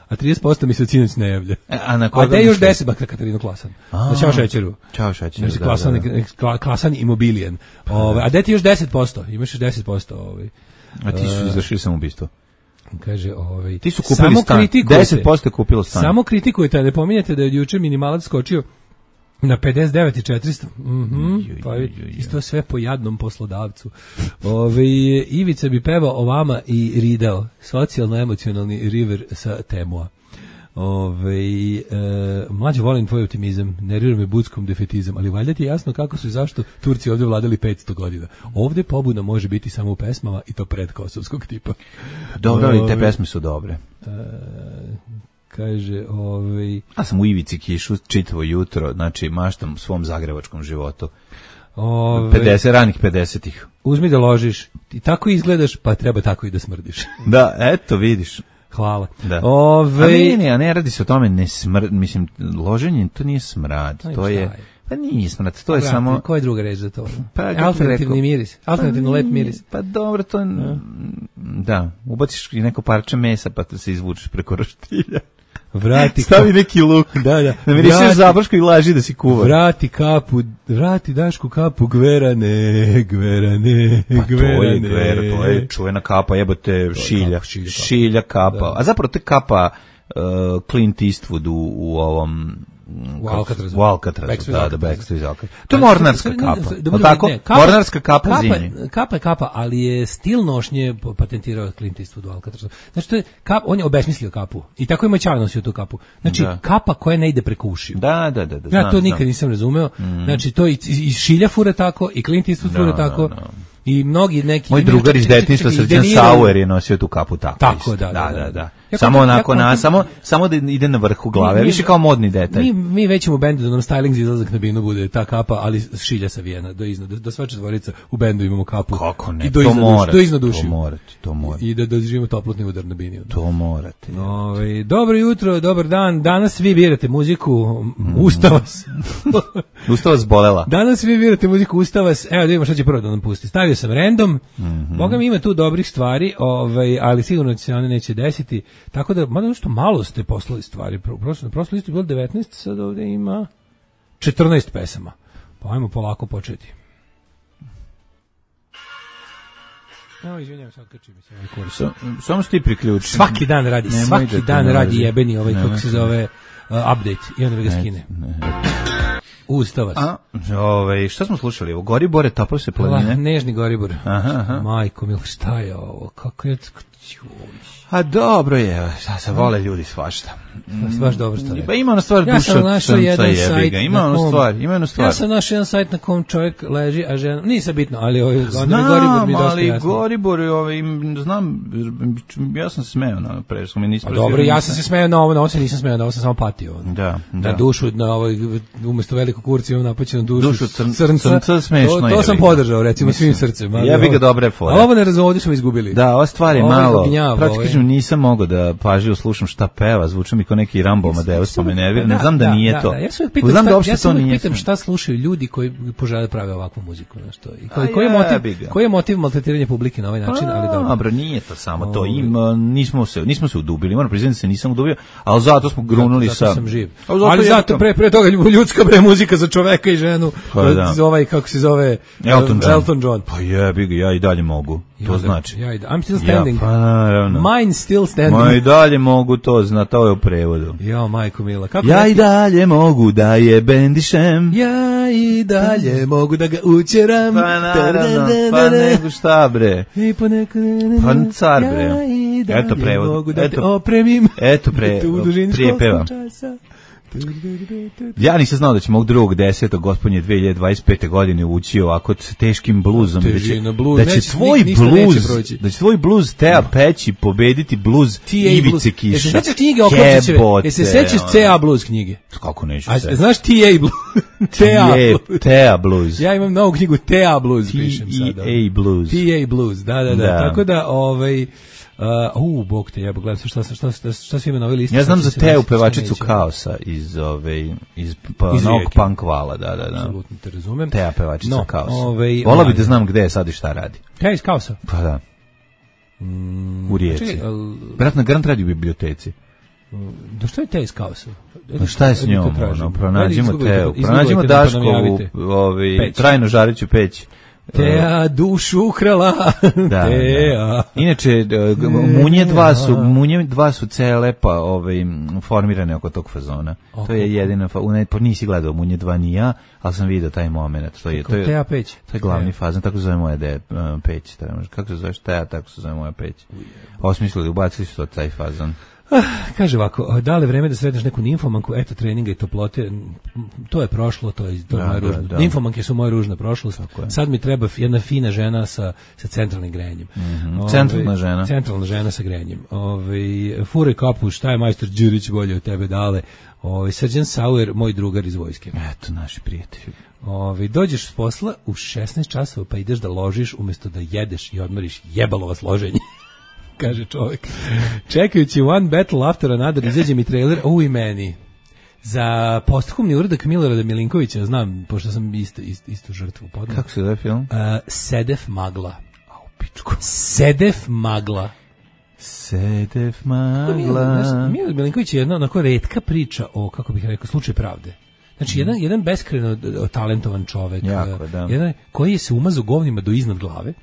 a trideset posto mi se od sinoć ne javlja. A na koga? A da još deset bakra Katarinu Klasan. A, Ćao Šećeru. Ćao Šećeru. Znači, klasan, da, da. Klasan imobilijen. Ove, a da ti još deset posto? Imaš još deset posto. Ovaj. A ti su izvršili samoubistvo. Kaže, ovaj, ti su kupili stan. deset posto je kupilo stan. Samo kritikujete, ne pominjete da je juče minimalac skočio na pedeset devet hiljada četiristo. Mhm. Pa isto sve po jadnom poslodavcu. Ove, Ivica bi pevao o vama i ridao. Socijalno-emocionalni river sa Temua. Ove, e, mlađe, volim tvoj optimizam, nervira me budskom defetizam, ali valjda ti je jasno kako su i zašto Turci ovdje vladali petsto godina. Ovdje pobuna može biti samo u pesmama i to predkosovskog tipa. Dobro, ali te pesme su dobre. E, kaže, ovaj... Ja sam u Ivici Kišu čitavo jutro, znači maštam svom zagrebačkom životu. Ove... pedeset, ranih pedesetih. Uzmi da ložiš, ti tako izgledaš, pa treba tako i da smrdiš. Da, eto, vidiš. Hvala. Da. Ove... A ne, ne, a ne radi se o tome, ne smrd, mislim, loženje, to nije smrad, no, to je... je... Pa nije smrad, to je Vrati, samo... Koja je druga reč za to? Pa, alternativni miris, alternativno pa, lep miris. Pa dobro, to... Ja. Da, ubaciš i neko parče mesa pa se izvučeš preko roštilja. Vrati stavi neki luk. Da, da. Ne mirišeš zabrško i laži da si kuvar. Vrati kapu, vrati Dašku kapu, gverane, gverane, pa gverane. To je gver, to je čuvena kapa, jebote, šilja, šilja, šilja kapa. Da. A zapravo te kapa uh, Clint Eastwood u, u ovom... U Alcatrazu. U Alcatrazu, da, da, Backstreet iz Alcatrazu. To je mornarska kapa. Da, tako? Ne, kapa, mornarska kapa, kapa zimi. Kapa je kapa, ali je stil nošnje patentirao Clint Eastwood u Alcatrazu. Znači, to je kap, on je obesmislio kapu. I tako je Mačar nosio tu kapu. Znači, da. Kapa koja ne ide preko ušiju. Da, da, da. da ja to nikad znam. Nisam razumeo. Mm. Znači, to i, i Šilja fura tako, i Clint Eastwood fura no, tako. No, no. I mnogi neki... Moj drugar iz detinjstva, Srđan Sauer, je nosio tu kapu tako. Tako, da, da, da. da. Ja samo kontam- onako ja na kontam- samo samo da ide na vrhu glave, Mi- mi- više kao modni detalj. Mi, mi već u bendu da nam styling za izlazak na binu bude ta kapa, ali šilja savijena do iznad, da sva četvorica u bendu imamo kapu. Kako ne? I do to iznad, duši, morate, do iznad duši. to morate, to morate. I da doživimo toplotni udar na bini. To morate. Ovaj, dobro jutro, dobar dan. Danas vi birate muziku mm. Ustavas. Ustava zbolela. Danas vi birate muziku Ustavas. Evo da vidimo šta će prvo da nam pusti. Stavio sam random. Mm-hmm. Boga mi ima tu dobrih stvari, ovaj, ali sigurno će se one neće desiti. Tako da, mada nešto malo ste poslali stvari. Pro, prošlo, prošlo listu je bilo devetnaest, sad ovdje ima četrnaest pesama. Pa ajmo polako početi. Evo, izvinjam, sad kačim se ovaj kurs. Sa, samo što ti priključi. Svaki dan radi, Nemoj svaki da te dan nalazi. radi jebeni ovaj, Nemoj kako se te- zove, uh, update, i onda ga skine. Ustavac. A, ovaj, šta smo slušali? Ovo Goribore, toplo se planine. La, nežni Goribor. Aha, aha. Majko, mil, šta je ovo? Kako je... A dobro je, šta se vole ljudi svašta. Baš dobro što Pa rekao. ima ona stvar Ja duša sam od našao srca jedan jebi sajt ga. Ima na ona kom- stvar, ima ona stvar. Ja sam našao jedan sajt na kom čovjek leži, a žena... Nisam bitno, ali ovaj, onda mi Goribor Znam, mi je dosta ali jasno. Goribor, ovaj, znam, ja sam se smeo na presku, mi nismo... Pa dobro, ja sam se smeo na ovo, na ovo se nisam smeo, na ovo sam samo patio. Da, da. Na dušu, na ovoj, umjesto velikog kurca imam napaćenu dušu, Dušu crn- crnca. crnca smešno To, je, to sam jebi ga. podržao, recimo, svim srcem. ali Jebi ga, ovo- dobre fore. Ali ovo ne razumodi smo izgubili. Da, ova stvar je Ovo je malo, gnjav, praktično ovo je. nisam mogao da pažljivo slušam šta peva, zvuči mi kao neki Rambo Amadeus, pa me nervira, ne znam da nije to. Ja se uvijek pitam, Znam šta, da uopšte ja se to uvijek nije. pitam šta slušaju ljudi koji požele da prave ovakvu muziku. Znaš, to. I koji, A koji, je motiv, jebi ga. koji je motiv maltretiranja publike na ovaj način, ali dobro. Dobro, nije to samo to. Ima, nismo se, nismo se udubili. Moram priznati da se nisam udubio, ali zato smo grunuli zato sa. sam živ. A zato Ali je zato to- pre, pre toga ljudska bre muzika za čoveka i ženu. Pa da. Za ovaj, kako se zove? Elton John. Elton John. Pa jebi ga, ja i dalje mogu. I To onda- znači. Ja, i da- I'm still standing. Ja, pa naravno. Mine still standing. Ma i dalje mogu to, zna, to je u prevodu. Jo, majko mila. Kako Ja neki- i dalje mogu da je bendišem. Ja i dalje mogu da ga učeram. Pa naravno, pa nego šta bre. I ponekad... Pa car, bre. Ja i dalje Eto prevod. mogu da te Eto- opremim. eto pre- U dužini prije školskog peva. časa. Ja nisam znao da će mog drugog desetog gospodnje dve hiljade dvadeset pete godine ući ovako s teškim bluzom. Da će, Težina, bluz, da će neće- tvoj ni- ništa neće bluz, proći. da će tvoj bluz Teja Peći pobediti bluz T A Ivice Blues. Kiša. Jesi se sećaš knjige Oklopčićeve? Jebote, Jesi se sećaš ono. C A Blues knjige? Kako neću A se? znaš T A Blues? T A Je, Blues. Teja Blues. Ja imam novu knjigu T A Blues, pišem sada. T E A Blues. T A Blues, da, da, da. Da. Tako da, ovaj... Uh, u, bog te, ja gledam šta, šta, šta, šta, šta svi ima na ovoj listi. Ja znam sad za se Teju desiti, šta pevačicu neće. Kaosa iz ove iz pa Iz novog Rijeke. punk vala, da, da, da. Apsolutno te razumem. Teja pevačica No, Kaosa. ovaj, Vola bi mlađe. da znam gde je sad i šta radi. Teja iz Kaosa. Pa da. U Rijeci. Čekaj, al, Vjerojatno garant radi u biblioteci. da što je Teja iz Kaosa? Pa šta je s Ajde, to njom? tražim. Ono, pronađimo Ajde, Teju. izgooglajte, Pronađimo izgooglajte da pa nam Daškovu javite. ovaj, Peć. trajno žareću peć. Teja dušu ukrala. Da, Teja. da. Inače, e, g- Munje dva su, Munje dva su cele pa ovaj, formirane oko tog fazona. To je jedina, fa- ne, pa nisi gledao Munje dva ni ja, ali sam vidio taj moment. To je, to je, Teja Peć. to je glavni Teja. fazon, tako se zove moja de, uh, peć. trebaš- Kako se zoveš Teja, tako se zove moja peć. Osmislili, ubacili su to taj fazon. Kaže ovako, da li je vreme da sretneš neku nimfomanku, eto treninga i toplote, to je prošlo, to je, to je Da, moja da, ružna. da. Nimfomanke su moja ružna prošlost. je. Sad mi treba jedna fina žena sa, sa centralnim grejanjem. Ovaj, Centralna žena. Centralna žena sa grejanjem. Ovaj fure kapu, šta je majstor Đurić bolje od tebe dale? Ovaj Srđan Sauer, moj drugar iz vojske. Eto, naši prijatelji. Ovaj dođeš s posla u šesnaest časova pa ideš da ložiš umjesto da jedeš i odmoriš, jebalo vas loženje. Kaže čovjek. Čekajući One Battle After Another izađe mi trailer o i meni. Za posthumni uradak Milorada Milinkovića, znam, pošto sam isto, isto, isto žrtvu podnao. Kako se zove film? Uh, Sedef Magla. A u pičku. Sedef Magla. Sedef Milorad, magla. znaš, Milorad Milinković je jedna onako retka priča o, kako bih rekao, slučaju pravde. Znači, jedan, jedan beskreno d- talentovan čovek. Jako, uh, da. Jedan koji je se umazao govnima do iznad glave.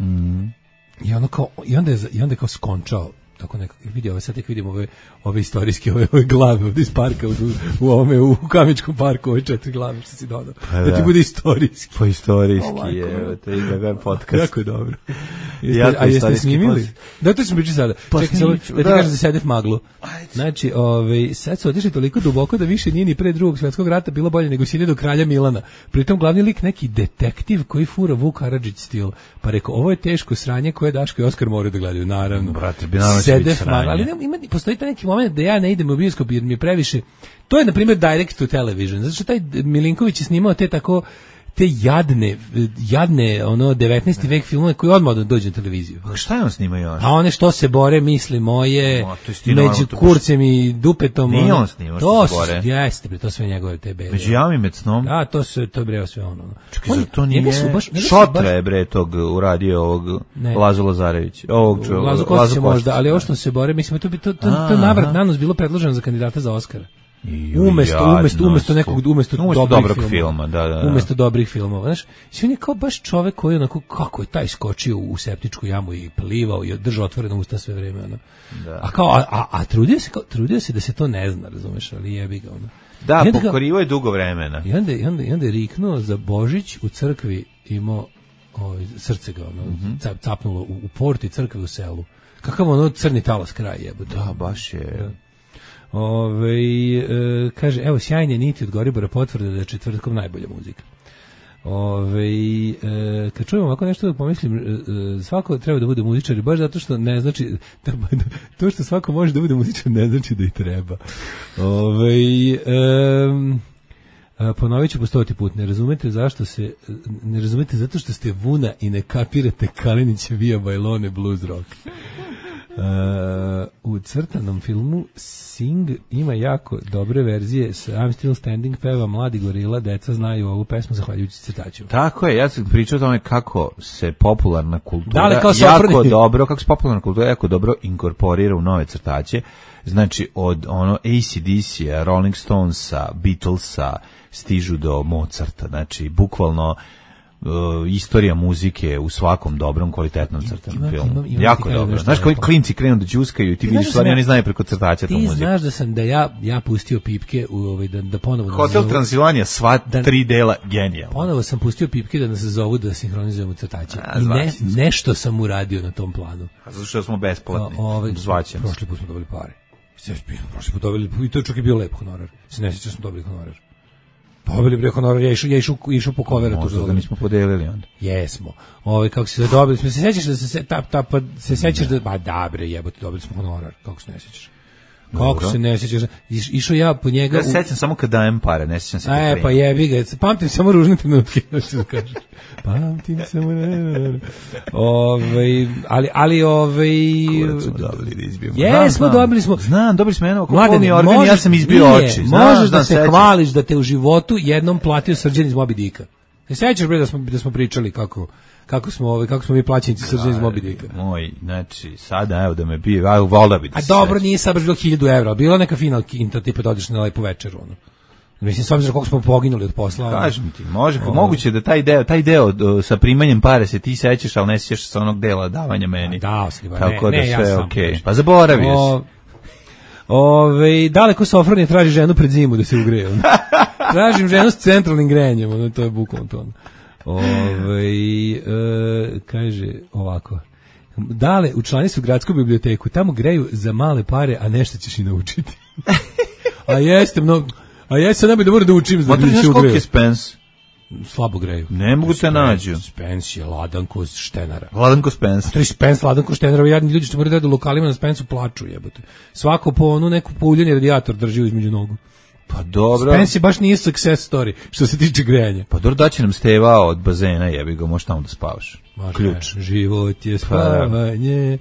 I ono kao i onda je i onda je kao skončao tako nekako vidi ove sad tek vidimo ove ove istorijske ove, ove glave ovdje iz parka u, u ovome u Kamičkom parku ove četiri glave što si dodao Pa da ti da. bude istorijski. Po istorijski O, majko je, mila. to je kakav podcast. Jako je dobro. Jeste, Jako a jeste istorijski snimili? podcast. Da, to ćemo pričati sada. Pa Čekaj, samo snimit ću, da ti da. kažem za Sedef Maglu. Znači, ovaj, sad su otišli toliko duboko da više nije ni pre drugog svjetskog rata bilo bolje nego sine do kralja Milana. Pritom glavni lik neki detektiv koji fura Vuk Karadžić stil. Pa rekao, ovo je teško sranje koje Daško i Oskar moraju da gledaju, naravno. Brate, bi naravno ćemo Zedef, ali ne, ima, postoji taj neki moment da ja ne idem u bioskop jer mi je previše. To je, na primjer, direct to television. Zato što taj Milinković je snimao te tako te jadne, jadne ono devetnaesti vek filmove koji odmah dođu na televiziju. A šta je on snimao još? A one što se bore, misli moje, no, među kurcem i dupetom. Nije ono, on snimao što se bore. Jeste, bre, to sve njegove te bede. Među jami med snom. A, to se to breo sve ono. Čekaj, on, to nije baš, Šotra je bre tog uradio ovog ne. Lazo Lazarević. Ovog čo, Lazo Kostić možda, ali ovo što se bore, mislim, to bi to, to, to navrat nanos bilo predloženo za kandidata za Oskara. Umesto, umesto, umesto nekog, umesto, umesto dobrih filma, filma, da, da, da. Umesto dobrih filmova, znaš, on je kao baš čovek koji onako, kako je taj skočio u septičku jamu i plivao i držao otvorena usta sve vreme, ono. Da. A kao, a, a, a trudio se, kao, trudio se da se to ne zna, razumeš, ali jebi ga, ono. Da, pokorivo je dugo vremena. I onda, i onda, i onda je riknuo za Božić u crkvi, imao, ovaj, srce ga, ono, mm-hmm. cap, capnulo u, u porti crkve u selu. Kakav ono crni talas kraj jebote. Da, baš je. Da. Ove, e, kaže, evo, sjajne niti od Goribora potvrde da je četvrtkom najbolja muzika. Ove, e, kad čujem ovako nešto da pomislim, e, svako treba da bude muzičar, baš zato što ne znači, da, to što svako može da bude muzičar ne znači da i treba. Ove, e, ponovit ću po stoti put, ne razumete zašto se, ne razumete zato što ste vuna i ne kapirate Kalinića Via Bailone blues rock. Uh, u crtanom filmu Sing ima jako dobre verzije s I'm Still Standing peva Mladi gorila, deca znaju ovu pesmu zahvaljujući crtačima. Tako je, ja sam pričao o tome kako se popularna kultura da, jako dobro, kako se popularna kultura jako dobro inkorporira u nove crtače, znači od ono A C D C-a, Rolling Stonesa, Beatlesa stižu do Mozarta, znači bukvalno Uh, istorija muzike u svakom dobrom kvalitetnom crtanom filmu. Imam, imam jako dobro. Znaš kako klinci krenu da đuskaju i ti vidiš stvari, oni znaju preko crtača tu muziku. Ti znaš da sam da ja ja pustio pipke u ovaj da da ponovo Hotel nazovu, Transilvanija sva da, tri dela genijalno. Ponovo sam pustio pipke da nas zovu da sinhronizujemo crtače. A, I ne, nešto sam uradio na tom planu. A zato što smo besplatni. Ovaj zvaćemo. Prošli put smo dobili pare. Sve prošli put dobili i to čak i bio lep honorar. Se ne sjećam smo dobili honorar. Dobili bre honorar, ja išao, ja išao, išao po koveru. Možda ga nismo podelili onda. Jesmo. Ovaj kako se dobili, smo se sećaš da se ta ta pa se sećaš da ba da bre, jebote, dobili smo honorar, kako se ne sećaš. Kako Dobro. se ne sećaš? Iš, išao ja po njega. Ja se sećam samo kad dajem pare, ne sećam se. E, pa jebi ga, pamtim samo ružne trenutke, što da kažeš. Pamtim samo ne. Ovaj, ali ali ovaj Jesmo, dobili smo. Znam, dobili smo jedno kolni organ, ja sam izbio oči. Možeš da se hvališ da te u životu jednom platio Srđan iz Moby Dicka. Se sećaš bre da smo da smo pričali kako kako smo ovaj kako smo mi plaćenici Srđan iz Moby Dicka. Moj, znači sada evo da me bio, a volda bi. A dobro, nije sad baš bilo hiljadu evra, bilo neka final kinta tipa da odeš na lepu večeru ono. Mislim, s obzirom koliko smo poginuli od posla. Kažem ti, može, o, moguće da taj deo, taj deo do, sa primanjem pare se ti sećaš, ali ne sećaš sa onog dela davanja meni. Da, si ba, tako ne, da ne, sve ja okej. Okay. Pa zaboravio o, si. Ove, daleko Sofronije traži ženu pred zimu da se ugreje. Tražim ženu s centralnim grejanjem, ono, to je bukvalno to. Ove, e, kaže ovako. Dale, učlani su gradsku biblioteku, tamo greju za male pare, a nešto ćeš i naučiti. A jeste mnogo. A ja se ne bih da moram da učim da bi se ugreju. Koliko je Spence? Slabo greju. Ne mogu te nađu. Spence je ladanko štenara. Ladanko Spence. To je Spence ladanko štenara. Jadni ljudi što moraju da u lokalima na Spencu plaču, jebote. Svako po onu neku pouljeni radijator drži između nogu. Pa dobro. Spence baš nije success story što se tiče grejanja. Pa dobro, daće nam Steva od bazena, jebi ga, možeš tamo da spavaš. Ključ. Život je spavanje.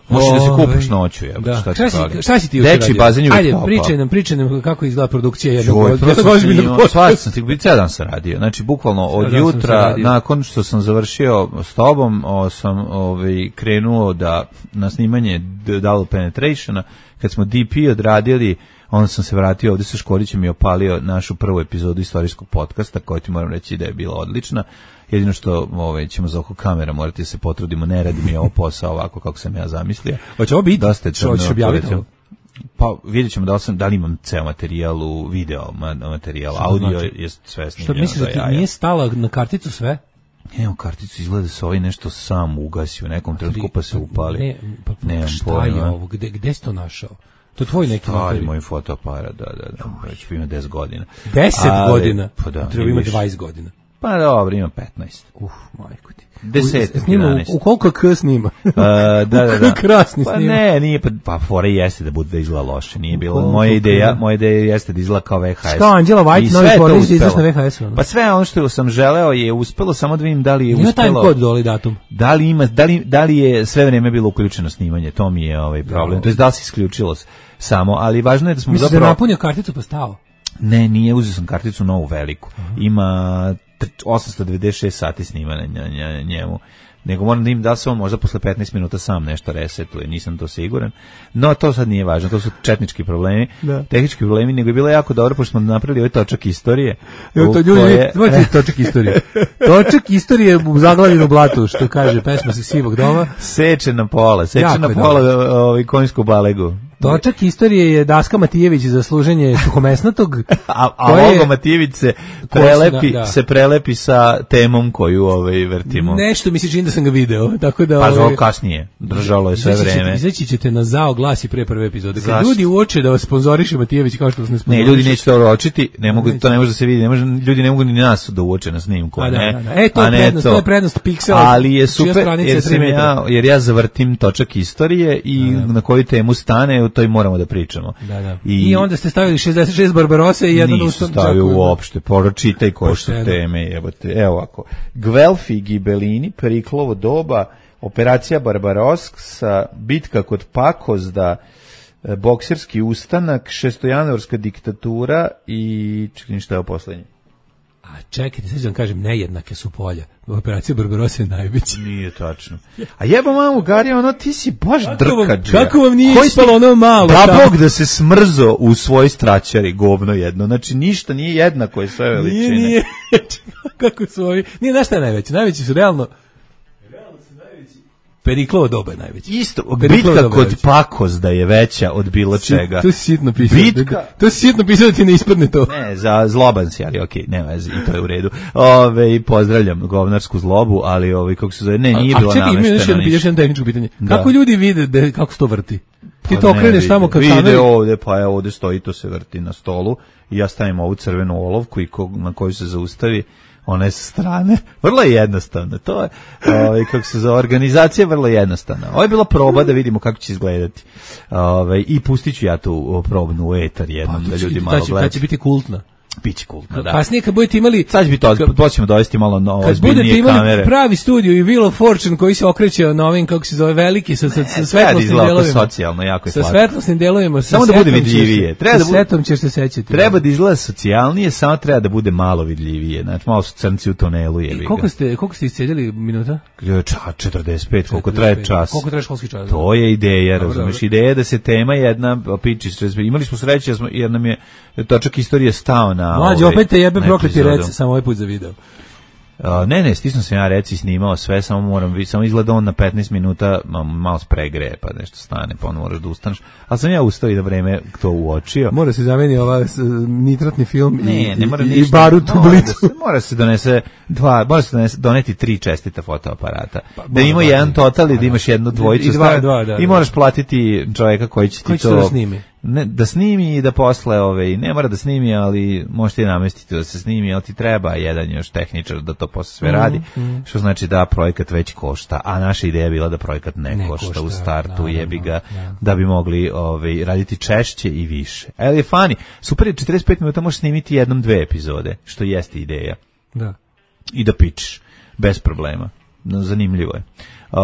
Možeš da se kupaš noću, je. Da. Šta, šta, si, šta si ti još radio? Bazen je Ajde, pričaj nam, pričaj nam kako izgleda produkcija jednog ozbiljnog posla. Sam ti bio cijel dan sam radio. Znači, bukvalno od jutra, nakon što sam završio s tobom, o, sam ovaj, krenuo da na snimanje Double Penetrationa, kad smo D P odradili, onda sam se vratio ovdje sa Škorićem i opalio našu prvu epizodu istorijskog podcasta, koja ti moram reći da je bila odlična. Jedino što ovaj, ćemo za oko kamera morati se potrudimo, ne radi mi ovo posao ovako kako sam ja zamislio. Hoće ovo biti? Što ćeš objaviti? Pa vidjet ćemo da li, sam, da li imam ceo materijal u video materijal, što audio znači? Je sve snimljeno. Što misliš da ti nije stala na karticu sve? Ne, u karticu izgleda se ovaj nešto sam ugasio u nekom trenutku pa se upali. Ne, pa, pa šta je ovo? Gde, gde si to našao? To je tvoj neki stari moj fotoaparat, da, da, da. Već ima deset godina. deset godina? Pa da. Treba ima dvadeset godina. Pa dobro, ima petnaest. Uf, majko ti. Desetak, snima, jedanaest. u koliko k snima? Uh, da, da, da. Krasni pa snima. ne, nije, pa, pa fora jeste da bude da izgleda loše, nije bilo. Koliko Moja ideja, k? moja ideja jeste da izgleda kao V H S. Kao Angela White, I novi sve je to pornić da izaš na uspelo. V H S-u. Pa sve ono što sam želeo je uspelo, samo da vidim da li je Ima uspelo. time kod dole datum. Da li ima, da li, da li je sve vreme bilo uključeno snimanje, to mi je ovaj problem. Da. To jest da li se isključilo samo, ali važno je da smo Mislim da zapravo... je napunio karticu pa stao. Ne, nije, uzeo sam karticu novu veliku. Ima osamsto devedeset šest sati snimanja na njemu. Nego moram da im da se on možda posle petnaest minuta sam nešto resetuje, nisam to siguran. No, to sad nije važno, to su četnički problemi, Da. tehnički problemi, nego je bilo jako dobro, pošto smo napravili ovaj točak istorije. Evo to u ljudi, koje- znate točak istorije. Točak istorije u zaglavljenom u blatu, što kaže pesma sa Sivog doma. Seče na pola, seče Jako na je pola ovaj, konjsku balegu. Točak istorije je Daska Matijević za služenje suhomesnatog. A, a koje- Olgo Matijević se koje se prelepi, da- da. se prelepi sa temom koju ovaj, vrtimo. Nešto mi se čini da sam ga video, tako da... Pa ovaj, zove kasnije, držalo je sve izaći ćete- vreme. Izaći ćete na zao glasi pre prve epizode. Kad Zašto? ljudi uoče da vas sponzoriše Matijević kao što vas ne Ne, sponzoriše. ljudi neće to uočiti, ne mogu, Neće. to ne može da se vidi, ne može, ljudi ne mogu ni nas da uoče na snimku, A da, ne. da, da. E, to je a ne prednost, to je prednost Pixela, Ali je čija super, stranica jer, je sam tri metra. ja, jer ja zavrtim točak istorije i na koju temu stane, o toj moramo da pričamo. Da, da. I, onda ste stavili šezdeset šest Barbarosa i jedan Nisu ustan. stavio uopšte, pročitaj koje su Pošteno. teme, jebote. Evo ovako. Gvelfi Gibelini, Periklovo doba, Operacija Barbarossa, bitka kod Pakozda, e, bokserski ustanak, šestojanuarska diktatura i čekaj šta je ovo poslednje. A čekajte, sad ću vam kažem, nejednake su polja. Operacija Barbarossa je najveća. Nije tačno. A jeba mamu, Gari, ono, ti si baš Kako vam- drkađija. kako vam nije Koji ispalo si- ono malo Da tamo? Bog da se smrzo u svoj straćari, govno jedno. Znači, ništa nije jednako je sve veličine. Nije, nije. Kako su ovi... Nije, znaš šta je najveće? Najveći su realno... Realno su najveći... Periklovo doba je najveći. Isto, Periklovo bitka doba kod je veća. Pakozda je veća od bilo čega. To si sitno pisao. Bitka- To si sitno pisao da ti ne ispadne to. Ne, za zloban si, ali okej, nema veze, i to je u redu. Ove, i pozdravljam govnarsku zlobu, ali ovaj kako se zove, ne, nije a bilo čekaj, ima još namešteno jedno, još ništa. jedno tehničko pitanje. Da. Kako ljudi vide da, kako se to vrti? Ti Pa to ne okreneš vide. tamo kad Vide kameri... ovde, pa evo ovde stoji, to se vrti na stolu i ja stavim ovu crvenu olovku i ko, na koju se zaustavi, ona je sa strane. Vrlo je jednostavno. To je, ovaj, kako se zove, organizacija je vrlo jednostavna. Ovo je bila proba da vidimo kako će izgledati. Ovaj, i pustit ću ja tu probnu u etar jednom, da ljudi malo Ta će, ta gledaju. će biti kultna. Biće kultno, da. Kasnije kad budete imali... Sad će biti to, to ćemo dovesti malo na Kad budete ozbiljnije imali kamere. pravi studio i Wheel of Fortune koji se okreće na ovim, kako se zove, veliki, sa, sa, sa Treba da svetlosnim izgleda oko delovima. socijalno, jako je Sa slatko. svetlosnim delovima. sa Samo da bude setom ćeš vidljivije. se- Treba da sa bude- setom ćeš se sećati. Treba da izgleda socijalnije, samo treba da bude malo vidljivije. Znači, malo su crnci u tunelu, jebi ga. Koliko ste, koliko ste iscedili minuta? Ča, četrdeset pet, koliko traje čas. Koliko traje školski čas? To je ideja, Dobro, razumeš, dobro. ideja je da se tema jedna piči, imali smo sreće jer smo- jer nam je točak istorije stao na Mlađe, ovaj, opet te jebe na prokleti epizodu. rec, samo ovaj put za video. A, ne, ne, stisno sam ja reci snimao sve, samo moram vidjeti, samo izgleda on na petnaest minuta ma- malo spregreje, pa nešto stane, pa onda moraš da ustaneš. Ali sam ja ustao i da vreme to uočio. Mora se zameni ova s, nitratni film Ne, i, ne mora i, i ništa. barut u Mora da blicu. se- Mora se donese dva, mora se donese, doneti tri čestita fotoaparata. da mora ima dva, jedan da. total i Da, da imaš jednu dvojicu. i dva, staviti. dva, da, I da. moraš platiti čovjeka koji će ti Koji će to... to da snimi? Ne, da snimi i da posle, ove, ne mora da snimi, ali možete i namestiti da se snimi, ali ti treba jedan još tehničar da to posle sve radi, što znači da projekat već košta, a naša ideja je bila da projekat ne, Ne košta, košta, u startu, naravno, jebi ga, da. da bi mogli ove, raditi češće i više. E, ali je fani, super je, četrdeset pet minuta možeš snimiti jednom dve epizode, što jeste ideja. Da. I da pičeš, bez problema. No, zanimljivo je. Uh,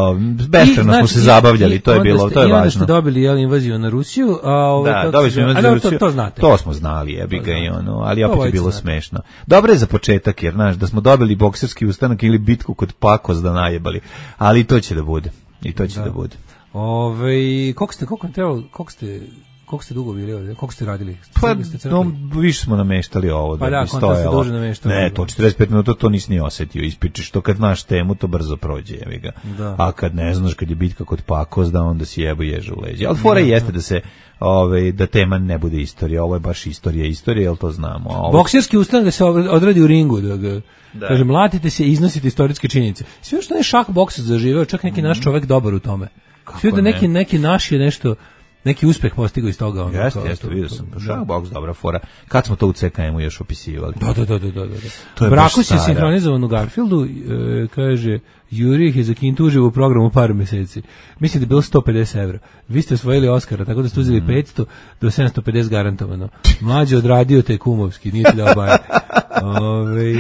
beskreno I, smo znači, se i- zabavljali, i to je onda bilo, ste- to je i onda ste važno. dobili jel, invaziju na Rusiju, a ovo Da, dobili smo invaziju na Rusiju. To, to znate. To smo znali, jebi ga i ono, ali opet je Obojica bilo znate. smešno. Dobro je za početak, jer znaš, da smo dobili bokserski ustanak ili bitku kod Pakozda najebali, ali i to će da bude. I to će da, bude. Ove, koliko ste, koliko vam trebalo, koliko ste, koliko ste dugo bili ovdje, koliko ste radili? Pa, Crkli ste, crkli? no, više smo nameštali ovo Pa da, da, bi kontra ste stojalo. duže nameštali. Ne, to četrdeset pet minuta to nisi ni osetio, ispičiš to kad znaš temu, to brzo prođe, jebi ga. Da. A kad ne znaš, kad je bitka kod Pakozda, onda si jebo ježe u leđe. Ali fora jeste da se, ovaj, da tema ne bude istorija, ovo je baš istorija, istorija, jel to znamo. A ovo, Bokserski ustanak da se odradi u ringu, da ga, Da. kažem, mlatite se i iznosite istorijske činjenice. Sve što je šah boks zaživeo, čak neki naš čovek dobar u tome. Sve da ne? neki, neki naš je nešto, neki uspeh postigao iz toga. Ono, jeste, kao, jeste, to, vidio to, sam. da. Shockbox, dobra fora. Kad smo to u C K M-u još opisivali? Da, da, da, da, da, da. To je Brakus baš je stara. sinhronizovan u Garfieldu, e, kaže, Juri ih je za Kintu uživo u programu par meseci. Mislim da je bilo sto pedeset evra. Vi ste osvojili Oskara, tako da ste uzeli petsto do sedamsto pedeset garantovano. Mlađe odradio te kumovski, nije ti dao baje. Ove,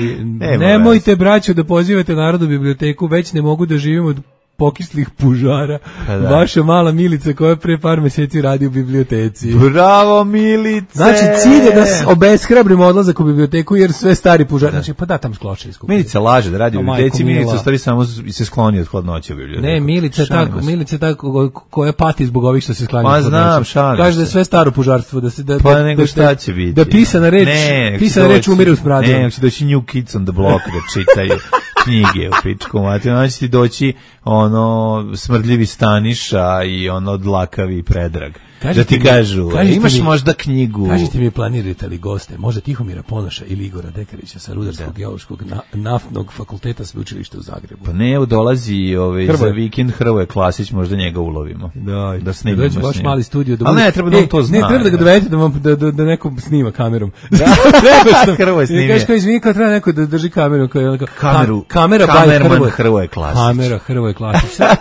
nemojte, braćo, da pozivate Narodnu biblioteku, već ne mogu da živimo od pokislih pužara. Pa da. Vaša mala Milica koja pre par meseci radi u biblioteci. Bravo, Milice! Znači, cilj je da s- obeshrabrimo odlazak u biblioteku jer sve stari pužari. Da. Znači, pa da, tam skločili skupili. Milica laže da radi u O, biblioteci, majko Milica mila. u stvari samo z- se skloni od hladnoće u biblioteku. Ne, Milica je Šalimo tako, se. Milica je tako ko- koja pati zbog ovih što se sklanja. Ma od znam, hladnoće. šalim Kaže da je se. sve staro pužarstvo, da se da Pa da, nego da- šta će biti? Da pisana reč, Ne, nek će pisana reč doći- umire u smradu. Ne, nek će doći New Kids on the Block da čitaju knjige u pičku materiju. Onda će ti doći ono smrdljivi Staniša i ono dlakavi Predrag. Da ti mi- kažu, kažite imaš mi- možda knjigu. Kažite mi, planirate li goste, možda Tihomira Ponoša ili Igora Dekarića sa Rudarskog geološkog na, naftnog fakulteta sveučilišta u Zagrebu. Pa ne, dolazi ovaj, za Hrvoje. vikend Hrvoje Klasić, možda njega ulovimo. Da, da snimimo dođe s baš njim. mali studio da Ali bude- ne, treba da on E, to zna. Ne, treba da ga da. dovedete da, vam, da, da, da neko snima kamerom. Da, Hrvoje snimi. Kažeš kao izvini, kao treba neko da drži kameru. Kao, onako, Kameru, ka- kamera by kamerman Hrvoje. Hrvoje Klasić. Kamera Hrvoje Klasić. Sad,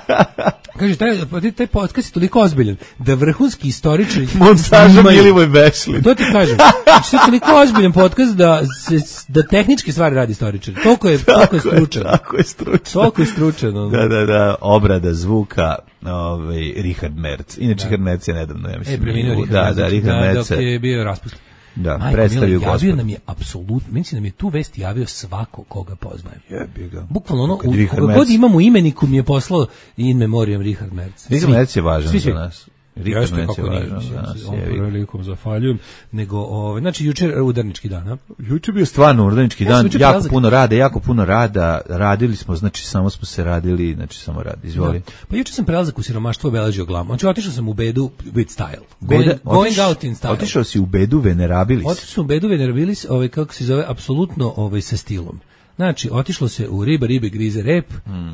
kaže, taj, taj podcast je toliko ozbiljan da vrhunski istoričari Montaža snimaju- Milivoj Bešlin. To ti kažem. Znači, to je toliko ozbiljan podcast da, se, da tehničke stvari radi istoričar. Toliko je, toliko je stručan. Tako je stručan. Toliko je stručan. Ono. Da, da, da, obrada zvuka, ovaj, Richard Merc. Inače, Richard Merc je nedavno, ja mislim. E, preminuo u- Richard Da, da, Richard Merc. dok je bio raspustljen. Da, Majko predstavio mila, javio gospod. nam je apsolutno, mislim da nam je tu vest javio svako koga poznajem. Jebi ga. Bukvalno ono, Kad u, Richard koga Merc- god imam u imeniku mi je poslao in memoriam Richard Merc. Richard Svi. Merc je važan Svi, za svi. nas. Richard Jeste, Merc je kako nije, važan mislim, za nas. on jebi ga. prilikom zahvaljujem, nego, ovaj, znači, jučer udarnički dan, a? Juče je bio stvarno urodnički Ja sam dan, juče jako prelazak- puno rada, jako puno rada, radili smo, znači samo smo se radili, znači samo rad, izvoli. Da. Pa juče sam prelazak u siromaštvo obeležio glavom. Znači, otišao sam u bedu with style. Beda, Going, going otiš- out in style. Otišao si u bedu Venerabilis. Otišao sam u bedu venerabilis, ovaj, kako se zove, apsolutno ovaj, sa stilom. Znači, otišlo se u riba, ribe, grize, rep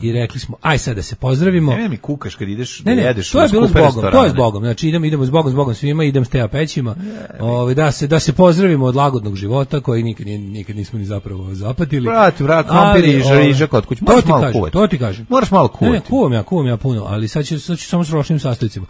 i rekli smo, aj sad da se pozdravimo. Ne, ne mi kukaš kad ideš Ne, da ne, jedeš to je u bilo s skupe Bogom, to je s restorane. Bogom. Znači idemo, idemo s Bogom, s Bogom svima, idem s teja pećima. Ovaj da se da se pozdravimo od lagodnog života koji nikad nije- nikad nismo ni zapravo zapatili. Vrati, vrati, Ali, krompir i riža, ovaj, riža kod kuće. To Moraš ti malo kažem, kuvati. to ti kažem. Moraš malo Ne, ne, kuvati. kuvam ja, kuvam ja puno, ali sad ću, sad ću samo s ročnim sastojcima.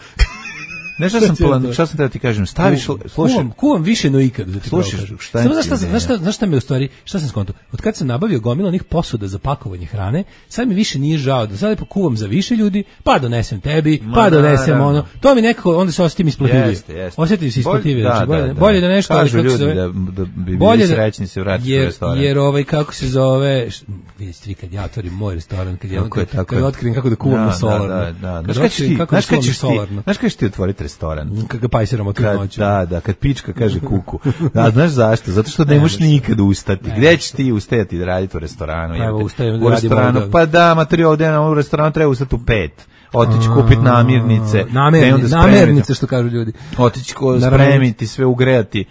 Ne, šta sam Šta će plan, to? šta sam da ti kažem, staviš, slušaj, Kuvam, kuvam više no ikad, da ti Slušaj, pravo kažem. šta Samo ti znaš šta, je sam- znaš šta, znaš šta me u stvari, šta sam skontao? Od kad sam nabavio gomilu onih posuda za pakovanje hrane, sad mi više nije žao da sad lepo kuvam za više ljudi, pa donesem tebi, Ma, pa donesem naravno. ono. To mi nekako, onda se osjetim isplativije. Jeste, jeste. Osjetim se isplativije. Bolje- Znači, da, bolje, da, da. bolje da nešto, ali Kažu kako se ljudi zove, da- da bi bili bolje da- srećni se vratiti u jer, restoran. Jer ovaj, kako se zove, š- vidite, tri, kad ja otvorim moj restoran, kad, ja, Tako je, kad, tako kad je. otkrijem kako da kuvam Da, na solarno. Da, da, da. Kad Znaš kad ćeš otkrijem ti, kako da znaš kad kuvam na ćeš ti, solarno. znaš kad ćeš ti otvoriti restoran? Kad ga pajsiramo tu Kad, noću. da, da, kad pička kaže kuku. Da, znaš zašto? Zato što ne možeš nikad ustati. Gde ćeš ti ustajati da raditi u restoranu? Pa evo, jebote? ustajem da u radim restoranu, ovdje. pa da, materijal ovdje na- u restoranu treba ustati u pet. Otići kupiti namirnice. Namerni, te onda spremiti. namernice, što kažu ljudi. Otići ko Naravno. spremiti, sve ugrejati.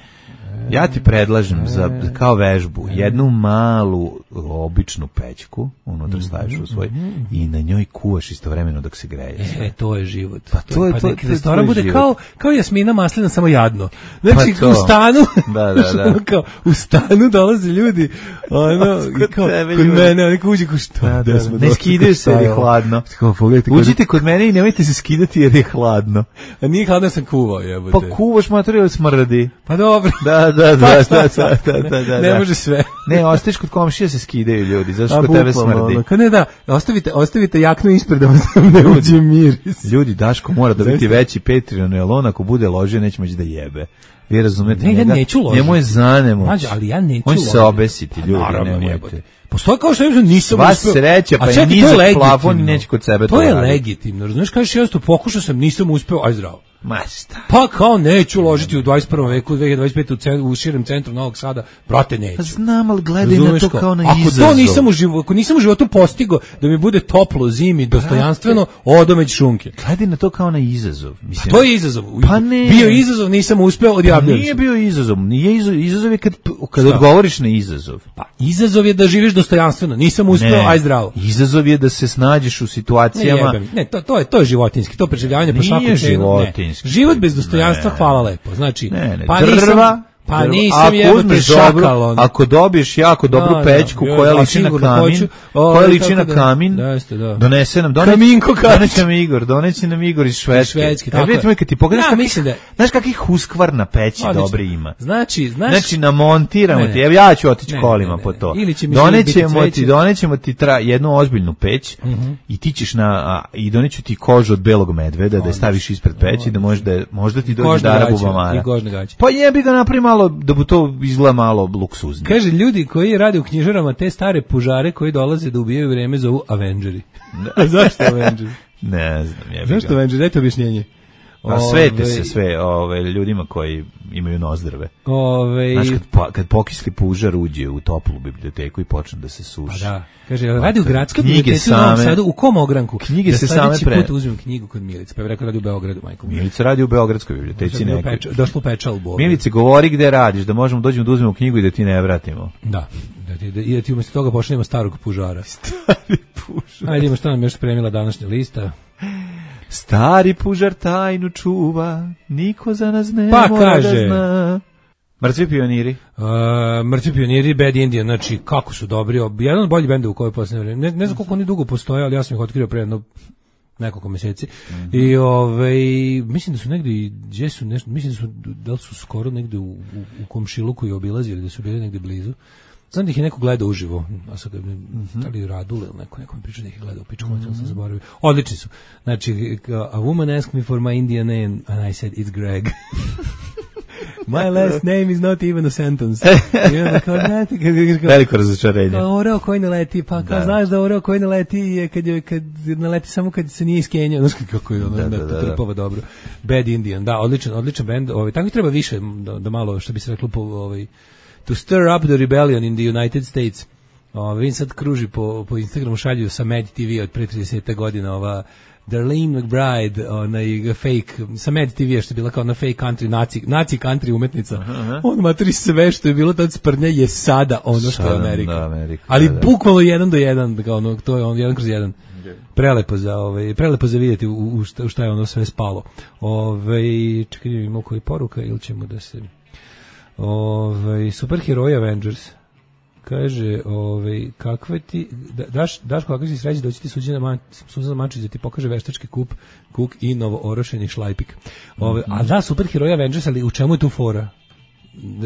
Ja ti predlažem za kao vežbu jednu malu običnu pećku, unutra staviš u svoj i na njoj kuvaš istovremeno dok se greje. E, to je život. Pa to je- pa to je- nek to je restoran tvoj bude život. kao, kao Jasmina Maslina, samo jadno. Znači, Pa to. u stanu, Da, da, da. ono kao, u stanu dolaze ljudi, ono, i Kod kao, tebe kod ljudi. mene, oni kao uđe, kao šta, Da, gde da, smo ne došli, skidaju se jer je kao, hladno. Kao, pogledajte, kod- Uđite kod mene i nemojte se skidati jer je hladno. a nije hladno, sam kuvao, jebote. Pa kuvaš materijal smrdi. Pa dobro. Da, da, da, Pa da, šta da, sad? da, da, da, Ne da. može sve. Ne, ostaješ kod komšija se skidaju ljudi, zato što A, kod tebe bukvalno, smrdi. ono, kao ne da, ostavite, ostavite jaknu ispred da vam ne uđe miris. Ljudi, Daško mora da biti Zaista. veći Patreon, jer on ako bude ložio neće moći da jebe. Vi razumete Ne, ja njega? neću ložiti. Njemu je zanemoć. Mlađe, ali ja neću On će se ložiti. obesiti, Pa ljudi, naravno, nemojte. jebote. Postoji kao što ja nisam Sva uspeo. sreća, pa A i čekaj, to je nizak legitimno. plafon i neće kod sebe to To je raditi. legitimno, razumiješ, kažeš jednostavno, pokušao sam, nisam uspeo, aj zdravo. Ma šta? Pa kao neću ložiti u dvadeset prvom veku, dve hiljade dvadeset pete u, cen, u širem centru Novog Sada, brate, neću. Pa znam, ali gledaj na Razumeš to kao, kao na ako izazov. to nisam u životu, ako nisam u životu postigao da mi bude toplo zimi, dostojanstveno, odom već šunke. Gledaj na to kao na izazov. Mislim, To je izazov. Pa ne. Bio je izazov, nisam uspeo, Pa odjavljujem nije se. bio izazov. Nije izazov, izazov je kad, kad Šta? odgovoriš na izazov. Pa izazov je da živiš dostojanstveno, nisam uspeo, aj zdravo. Izazov je da se snađeš u Ne, situacijama. jebem. ne, to, to je to je životinjski, to preživljavanje po svaku Nije cenu. životinjski. Starinski. Život bez dostojanstva, ne, hvala lepo. Znači, ne, ne, pa drva, nisam, pa drva. nisam Ako jebote uzmeš šakal. dobro, On. ako dobiješ jako dobru Da, pećku da, koja ja, liči na sigurno kamin, hoću. O, koja liči tako na da- kamin, da, jeste, da. donese nam, donese, Kaminko Katić. donese nam Igor, donese nam Igor iz Švedske. Švedske, E, tako vidite je. mi kad ti pogledaš, Ja, kakvih- mislim da je- znaš kakvih huskvar na peći Odlično. dobri ima. Znači, znaš, Znači namontiramo Ne, ne. ti, evo ja ću otići Ne, kolima ne, ne, po ne. to. Ili će mi Donećemo biti ti, cveće. donećemo ti tra, jednu ozbiljnu peć i ti ćeš na a, i doneću ti kožu od belog medveda da je staviš ispred peći da možda je- možda ti dođe kožne dara gaće, bubamara. i kožne gaće. Pa jebi ga napravi malo da bu to izgleda malo luksuznije. Kaže, ljudi koji rade u knjižarama te stare pužare koji dolaze da ubijaju vreme zovu Avengeri. A zašto Avengeri? Ne znam, jebi Zašto ga. Avengeri? Dajte objašnjenje. A svete Ove, se sve ove, ljudima koji imaju nozdrave. Ove, Znaš, kad, po, kad pokisli pužar uđe u toplu biblioteku i počne da se pa suši. da. Kaže, radi u gradskoj Knjige biblioteci u Novom same- Sadu, u kom ogranku? Knjige da se sledeći same pre- put uzmem knjigu kod Milice, pa je rekao radi u Beogradu, majko. Milica radi u Beogradskoj biblioteci nekoj. Peč, došlo pečalbu. ovdje. Milice, govori gde radiš, da možemo dođemo da uzmemo knjigu i da ti ne vratimo. Da. Da ti, da, i da ti umjesto toga pošaljemo starog pužara. Stari pužar. Ajde, ima što nam još spremila današnja lista. Stari pužar tajnu čuva, niko za nas ne Pa mora kaže. da zna. Mrtvi pioniri. Uh, Mrtvi pioniri, Bad Indian, znači kako su dobri, ob- jedan od boljih benda u kojoj posljednje vreme, ne, ne znam koliko oni dugo postoje, ali ja sam ih otkrio pre jedno nekoliko mjeseci. Mm-hmm. I ovaj mislim da su negdje, gdje su nešto, mislim da su, da li su skoro negdje u, u, u komšiluku i obilazili, da su bili negdje blizu. Znam da ih je neko gledao uživo, a sad mm-hmm. da li Radule ili neko, neko mi priča da ih je gledao, pičku, mm-hmm. sam zaboravio. Odlični su. Znači, a woman asked me for my Indian name, and I said, it's Greg. My last name is not even a sentence. I onda kao, znate, kad, kao, Veliko razočarenje. kao oreo koji ne leti, pa kao Da. znaš da oreo koji ne leti je kad, je, kad ne leti samo kad se nije iskenjao. Znaš kako je ono, Da, da, da, da, trpava dobro. Bad Indian, da, odličan, odličan band. Ovaj, tako treba više, da, da malo, što bi se reklo, po, ovaj, to stir up the rebellion in the United States. Ovaj, vidim sad kruži po, po Instagramu, šalju sa Mad T V od pre trideset godina, ova Darlene McBride, onaj fake, sa Mad T V što je bila kao na fake country, naci, naci country umetnica. Uh-huh. On matri sve što je bilo tad sprnja je sada ono što Sada, je Amerika. da, Amerika, Ali da, da. bukvalno jedan do jedan, kao ono, to je on jedan kroz jedan. Prelepo za ovaj prelepo za vidjeti u, u, šta, u šta je ono sve spalo. Ovaj čekaj, imamo koji poruka ili ćemo da se ovaj superheroji Avengers. Kaže, ovaj kakve ti da, daš daš kakve si sreće doći ti Suđana Man, Suzana Mančić da ti pokaže veštački kup kuk i novo orošeni šlajpik. Ovaj mm-hmm. a da superheroji Avengers, ali u čemu je tu fora?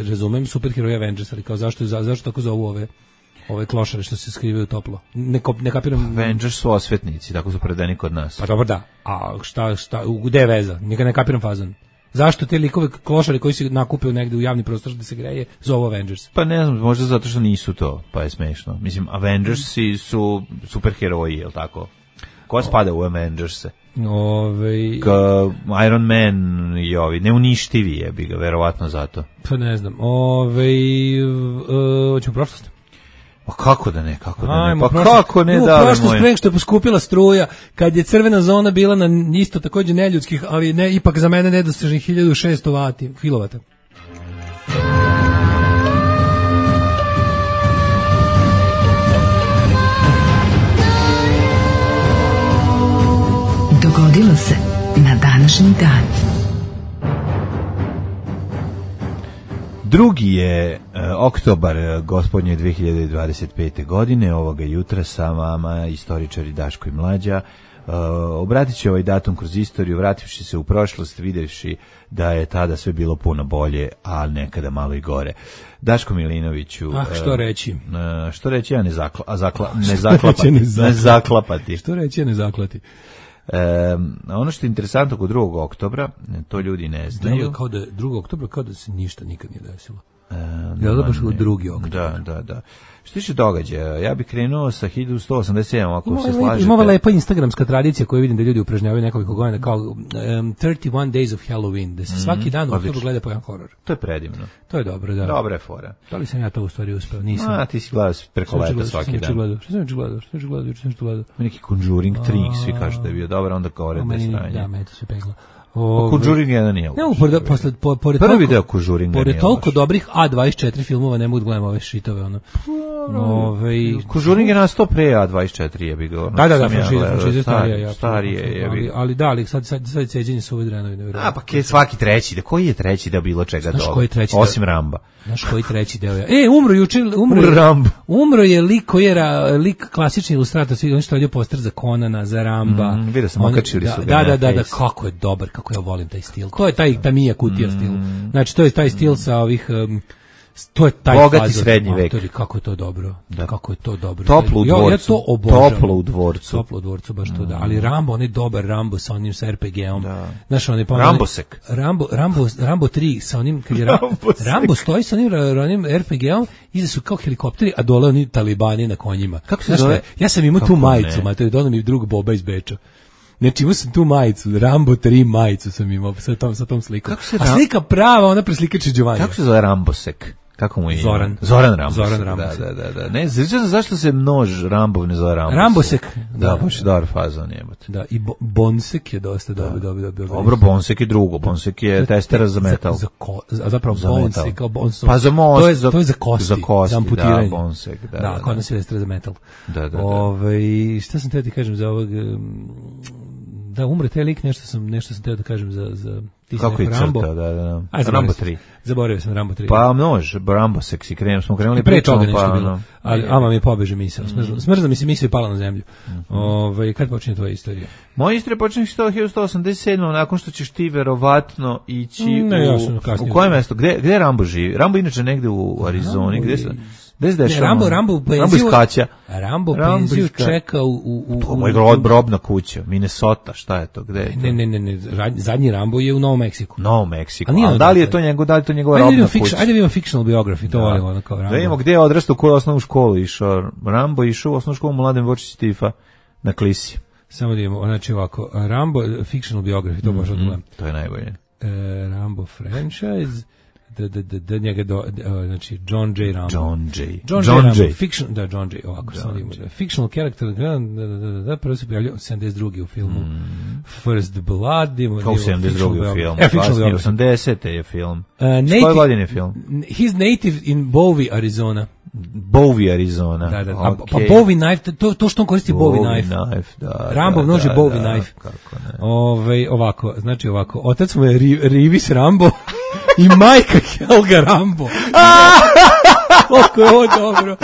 Razumem superheroji Avengers, ali kao zašto za, zašto tako zovu ove ove klošare što se skrivaju toplo. Ne, ne kapiram. Avengers su osvetnici, tako su predani kod nas. Pa dobro da. A šta šta gde je veza? Nikad ne kapiram fazon. Zašto te likove klošari koji se nakupe negde u javni prostor da se greje zovu Avengers? Pa ne znam, možda zato što nisu to, pa je smešno. Mislim, Avengersi su superheroji, je li tako? Ko spada u Avengerse? Ove... Ka Iron Man i ovi, neuništivi je bi ga, verovatno zato. Pa ne znam. Ove... Uh, hoćemo prošlost? Pa kako da ne, kako da ne, Ajmo, pa prošlost. kako ne U da prošlost pre nego što je poskupila struja, kad je crvena zona bila na isto takođe neljudskih, ali ne ipak za mene nedostižnih hiljadu šesto vati, kilovata. Dogodilo se na današnji dan. Drugi je uh, oktobar uh, gospodnje dve hiljade dvadeset pete. godine, ovoga jutra sa vama istoričari Daško i Mlađa. Uh, obratit će ovaj datum kroz istoriju, vrativši se u prošlost, videvši da je tada sve bilo puno bolje, a nekada malo i gore. Daško Milinoviću... Ah, što reći? Uh, što reći, ja ne, zakla, a zakla, ne zaklapati. ne zaklapati. Što reći, ja ne zaklati. Um, ono što je interesantno kod drugog oktobra, to ljudi ne znaju. Drugo, kao da drugog oktobra kao da se ništa nikad nije desilo. Um, Ja da baš u drugi oktobar. Da, da, da. Što tiče događaja, ja bih krenuo sa hiljadu sto osamdeset sedam, ako Ima se lepa, slažete. ima ova lepa instagramska tradicija koju vidim da ljudi upražnjavaju nekoliko godina kao um, thirty one days of Halloween, da se Mhm, svaki dan u odlično. oktobru gleda po jedan horor. To je predivno. To je dobro, da. Dobra je fora. Da li sam ja to u stvari uspeo? Nisam. A, ti si gledao preko leta svaki dan. Što sam juče gledao? Što sam juče gledao? Što sam juče gledao? Neki Conjuring tri, svi kažu da je bio dobar, onda kao red Meni, stranje. da, me to se pegla. O, Conjuring jedan nije. Ne, pored, posle, po, pored Prvi toliko, deo Conjuringa pored nije toliko loš. dobrih A dvadeset četiri filmova ne mogu da gledam ove šitove, ono. Ove, Kužurnik je nastao pre A dvadeset četiri je bi ga. Da, da, da, franšiza starija, ja. Starije je bi. Ali, ali da, ali sad, sad, sad ceđenje su ove drenovi. A, pa ke svaki treći, da koji je treći da bilo čega dobro? Koji treći? Osim Ramba. Znaš koji treći deo je? E, umro juče, umro, umro Rambo. Umro je lik koji je ra, lik klasični ilustrator, svi oni što radio poster za Conana, za Ramba. Mm, vidio sam, okačili su ga. Da, da, da, da, kako je dobar, kako ja volim taj stil. To je taj Tamija Kutija mm. stil. Znači, to je taj stil sa ovih... Um, to je taj bogati fazor, srednji vek. Matori, kako je to dobro. Da. Kako je to dobro. Toplo u dvorcu. Ja, ja to obožavam. Toplo u dvorcu. Toplo u dvorcu, baš to da. Ali Rambo, on je dobar Rambo sa onim sa er pe ge-om. Da. Znaš, on je pa Rambosek. Rambo, Rambo, Rambo tri sa onim, kad je Rambo, Rambo stoji sa onim, onim er pe ge-om, iza su kao helikopteri, a dole oni talibani na konjima. Kako se znaš, zove? Ja sam imao tu majicu, ma to je donao mi drug Boba iz Beča. Znači imao sam tu majicu, Rambo tri majicu sam imao sa tom, sa tom slikom. A slika prava, ona preslikače Giovanni. Kako se zove Rambosek? Kako mu je? Zoran. Zoran Rambosek. Zoran Rambosek. Da, da, da. Ne, znači zašto se množ Rambov ne zove Rambosek? Rambosek. Da, da baš dobar fazon jebote. Da, i bo, Bonsek je dosta dobro, dobro, dobro. Dobro, Bonsek je drugo, Bonsek je testera za metal. Za, za ko, a zapravo za Bonsek, kao Bonson. Pa za most, to je, za, to je za kosti, za kosti, za amputiranje. Da, Bonsek, da. Da, kod nas je testera za metal. Da, da, da. Ove, šta sam teo ti kažem za ovog... Da, umre taj lik, nešto sam, nešto sam teo da kažem za... za kako je Rambo. crta, da, da. Aj, Rambo tri. Zaboravio sam Rambo tri. Pa množ, Rambo seksi, krenemo, smo krenuli pre toga nešto pa, bilo. No, ali ama mi pobeže misao. Mm. Smrzla mi se misao i pala na zemlju. Mm -hmm. Ove, kad počinje tvoja istorija? Moja istorija počinje hiljadu sto osamdeset sedam nakon što ćeš ti verovatno ići ne, u... Ja sam kasnije. U koje mesto? Gde, gde Rambo živi? Rambo inače negde u Arizoni. Rambo gde se... Gde se dešava? Rambo, Rambo, Rambo iskaća. Rambo penziju čeka u... u, u to moj grod, brobna kuća, Minnesota, šta je to, gde je to? Ne, ne, ne, ne, zadnji Rambo je u Novom Meksiku. Novom Meksiku, ali da li je to njegov, da li je to njegova robna kuća? Ajde vidimo fictional biography, to volimo ono kao Rambo. Da vidimo gde je odrastao, u koju osnovnu školu išao. Rambo išao u osnovnu školu Mladen Vočić Tifa na Klisi. Samo da vidimo, znači ovako, Rambo, fictional biography, to možemo da gledam. To je najbolje. Rambo franchise... Da, da, da, da njega do, da, znači John J. Rambo. John J. John, John J. J. Rambo, fiction, da, John J. Ovako, sam imao, da, fictional character, da, da, da, da, da, prvo se pojavljao sedamdeset drugi u filmu mm. First Blood. Ima, kao sedamdeset drugi u filmu, e, fictional osamdesete je film. Uh, native, koje godine je film? He's native in Bowie, Arizona. Bowie, Arizona. Da, da, okay. Pa Bowie knife, to, to što on koristi Bowie, Bowie knife. knife da, Rambo nož je da, Bowie da, knife. Kako ne. Ove, ovako, znači ovako, otac mu je Rivis Rambo i majka Helga Rambo. Koliko je ovo dobro.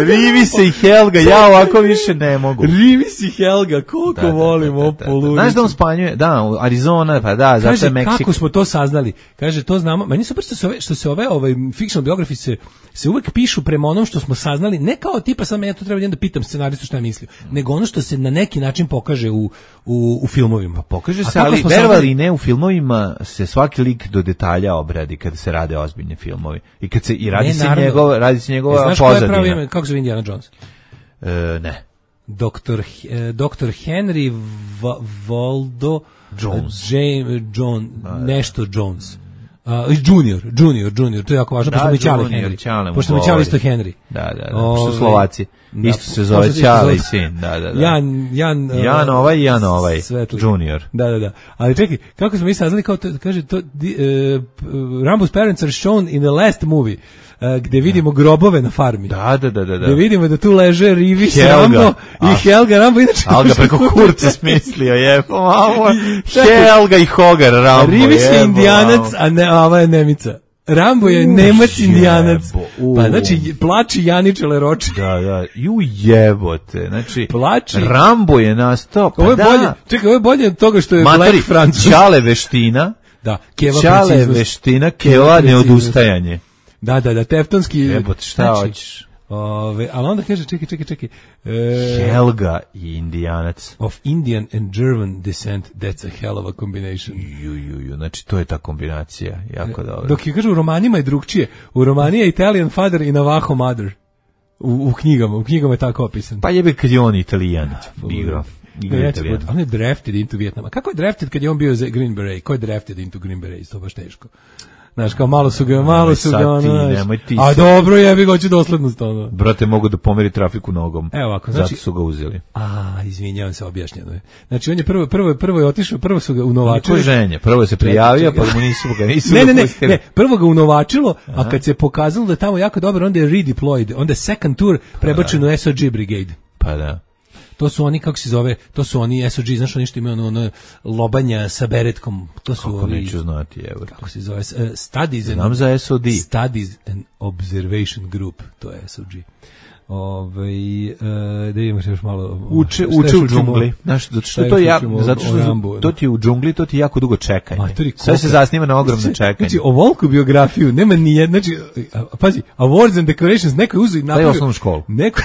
Rivis i Helga, ja ovako više ne mogu. Rivis i Helga, koliko da, volim ovo poludicu. Znaš da on spanjuje, da, Arizona, pa da, zato je Meksiko. Kaže, kako smo to saznali? Kaže, to znamo. Meni super što se ove, što se ove ovaj, fictional biography se, se uvek pišu prema onom što smo saznali, ne kao tipa sad me ja to treba da pitam scenaristu šta je mislio, nego ono što se na neki način pokaže u, u, u filmovima. Pa pokaže se, ali verovali ne, u filmovima se svaki lik do detalja obradi kada se rade ozbiljni filmovi. I kad se i radi ne, se naravno, njegov, radi se njegova znaš pozadina. Znaš ko je pravi, kako se Indiana Jones? E, ne. Doktor eh, doktor Henry Va, Valdo Jones. James John nešto Jones. Uh, junior, junior, junior, to je jako važno, da, pošto mi Ćale Henry. Pošto mi Ćale isto Henry. Da, da, da, pošto Slovaci. Da, isto se zove Ćale i sin, da, da, da. Jan, Jan, Jan ovaj, Jan ovaj, Svetli. Junior. Da, da, da. Ali čekaj, kako smo mi saznali, kao to, kaže, to, di, uh, Rambo's parents are shown in the last movie. Uh, gde vidimo grobove na farmi. Da, da, da, da. Gde vidimo da tu leže Rivis Rambo i a, Helga Rambo. Inače, Alga preko kurca smislio, je. Mamo, Helga i Hogar Rambo. Rivis je Indijanac, a, ne, a ova je Nemica. Rambo je Nemac Indijanac. Pa znači plači Janiče Leroče. Da, da. Ju jebote. Znači plači. Rambo je nastao. Pa ovo je da. bolje. Čekaj, ovo je bolje od toga što je Matari, Black Francus. Ćale veština. Da, Keva Ćale veština, Keva neodustajanje. Da, da, da, teftonski. Jebote, šta znači, hoćeš? Ove, ali onda kaže, čekaj, čekaj, čekaj. E, Helga i Indijanac. Of Indian and German descent, that's a hell of a combination. Ju, ju, ju, znači to je ta kombinacija, jako dobro. Dok je kaže, u romanima je drugčije. U romani je Italian father i Navajo mother. U, u knjigama, u knjigama je tako opisan. Pa jebe kad je on Italijan, igrao. Ne, on je drafted into Vietnam. A kako je drafted kad je on bio za Green Beret? Ko je drafted into Green Beret? To baš teško. Znaš, kao malo su ga, malo su ga, ono, znaš. Nemoj ti A dobro, jebi ga, hoću doslednost, ono. Brate, mogu da pomeri trafiku nogom. Evo ovako, znači, zato su ga uzeli. A, izvinjavam se, objašnjeno je. Znači, on je prvo, prvo, prvo je otišao, prvo su ga unovačili. Niko ženje, prvo je se prijavio, pa mu nisu ga, nisu ne, ga ne, pustili. ne, ne, prvo ga unovačilo, a kad se pokazalo da je tamo jako dobro, onda je redeployed, onda je second tour prebačen u S O G Brigade. Pa da. To su oni, kako se zove, to su oni S O G, znaš oni što imaju ono, ono lobanja sa beretkom, to su kako ovi, neću znati, evo. kako se zove, uh, Studies and, znam za S O D. Studies and Observation Group, to je S O G. Ove, uh, da imaš još malo uče uče u džungli, znaš, zato što to ja zato što Rambu, to ti u džungli, to ti jako dugo čekanje. Sve se zasniva na ogromno čekanje. Znači, ovolku biografiju nema ni jedna, znači, pazi, awards and decorations, neko je uzeo i napravio osnovnu školu. Neko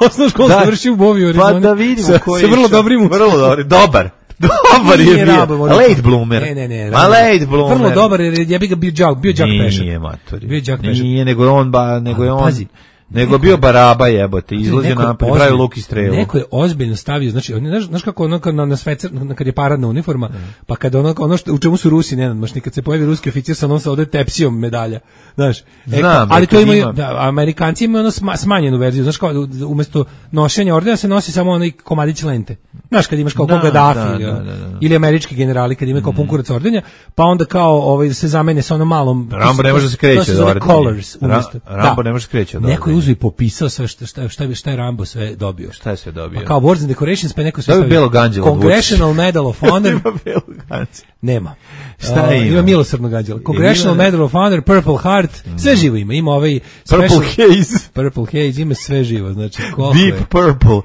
osnovnu školu završio u Bovi, pa da vidimo koji je vrlo dobrim, vrlo dobar, dobar. Dobar je bio. Late bloomer. Ne, ne, ne. Ma late bloomer. Vrlo dobar jer je bio đak, bio đak pešan. Nije, matori. Bio đak pešan. Nije, nego je on ba, nego je on. Pazi. Nego neko, bio baraba jebote, izlazio na pravi luk i strelu. Neko je ozbiljno stavio, znači, znaš, znaš kako ono na, na svecer, na, kad je paradna uniforma, mm. pa kad ono, ono što, u čemu su Rusi, ne znam, maš nikad se pojavi ruski oficir sa onom sa ovdje tepsijom medalja, znaš. E, Znam, ali to imaju, ima. Da, Amerikanci imaju ono sma, smanjenu verziju, znaš kao, umjesto nošenja ordena se nosi samo onaj komadić lente. Znaš, kad imaš kao da, Gaddafi da, ili, da, da, da. ili američki generali, kad imaju kao pun kurac ordenja, pa onda kao ovaj, se zamene sa onom malom... Rambo ne može da se kreće od ordenja. Colors, umjesto. Ra, Rambo da. ne može da se kreće od ordenja. Neko je uzeo i popisao sve šta, šta, šta, šta je Rambo sve dobio. Šta je sve dobio? Pa kao Awards and Decorations, pa neko sve stavio. Belo ganđelo. Congressional Medal of Honor. Nema belo ganđelo. Nema. Šta uh, ima? Ima milosrdno ganđelo. Congressional ima... Medal of Honor, Purple Heart, mm. sve živo ima. Ima ovaj... Purple special, Haze. Purple Haze, ima sve živo. Znači, Deep je. Purple.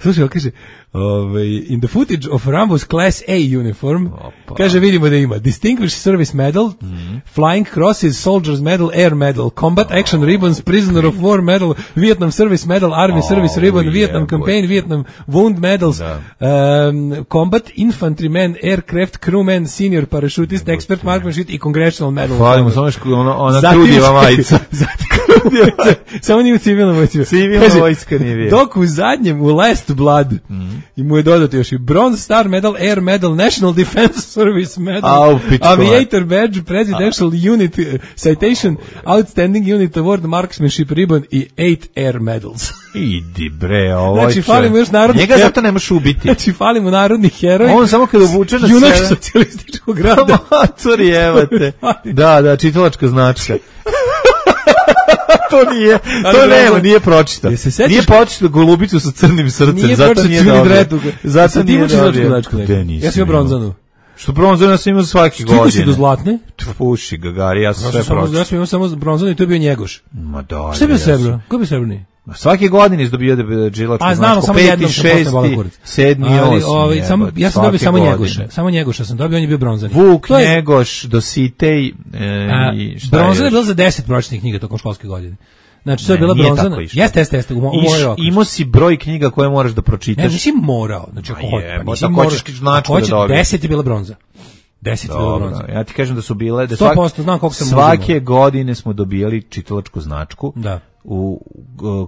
Slušaj, on kaže, ovaj, in the footage of Rambo's Class A uniform, Opa. kaže, vidimo da ima Distinguished Service Medal, mm. Flying Crosses, Soldiers Medal, Air Medal, Combat oh. Action Ribbons, Prisoner of War Medal, Vietnam Service Medal, Army oh, Service Ribbon, yeah, Vietnam boy. Campaign, Vietnam Wound Medals, um, Combat Infantryman, Aircraft Crewman, Senior Parachutist, Expert Marksmanship i Congressional Medal. Hvalimo, samo što ona, ona trudjeva majica. Samo nije u civilnom vojsku. Civilna vojska nije bio. Dok u zadnjem, u Last Blood, mm. i mu je dodato još i Bronze Star Medal, Air Medal, National Defense Service Medal, Au, Aviator Badge, Presidential A. Unit Citation, Outstanding Unit Award, Marksmanship Ribbon i eight Air Medals. Idi bre, ovo znači, falimo još narodnih njega zato nemaš ubiti. Znači, falimo narodnih heroja. On samo kad obuče na sebe. Junak socijalističkog rada. Matori, evo te. Da, da, čitalačka značka. To nije, to ali nema, nije pročitao. Nije pročitao Golubicu sa crnim srcem, nije zato nije dobio. Zato nije dobio. Ja sam imao bronzanu. Što bronzanu ja sam imao svake godine. Stigu si do zlatne? Puši Gagari, ja sam sve pročitao. Ja sam imao samo bronzanu i to je bio Njegoš. Ma da. Šta je bio srebro? Ko je bio srebrni? Svake godine izdobio da džilačku značku. A znamo, samo jednom sam šesti, sedmi, osmi. Samo, ja sam dobio samo Njegoša. Samo Njegoša sam dobio, on je bio bronzani. Vuk, je, Njegoš, Dositej e, a, i šta bronzan je bilo za deset pročitnih knjiga tokom školske godine. Znači, to je bila bronzana. Jeste, jeste, jeste, u mojoj okruž. Imao si broj knjiga koje moraš da pročitaš. Ne, nisi morao. Znači, ako je, pa nisi morao. Značku da dobiješ. deset je bila bronza. deset je bila bronza. Ja ti kažem da su bile... Da sto posto, znam koliko sam svake uzimao. Godine smo dobijali čitalačku značku. Da. U,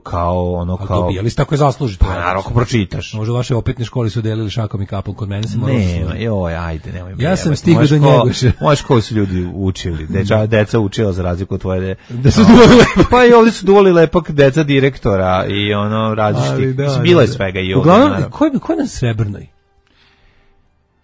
kao ono kao dobijali ste tako je zaslužite. Pa naravno ako pročitaš. Može vaše opetne škole su delili šakom i kapom, kod mene se moralo. Ne, joj, ajde, nemoj me. Ja sam stigao do Njegoša. Moje škole su ljudi učili, deca deca učila za razliku od tvoje. Da su duvali. Pa i ovdje su duvali lepak deca direktora i ono različitih. Da, bilo je svega i ovdje. Uglavnom, ko je ko je na Srebrnoj?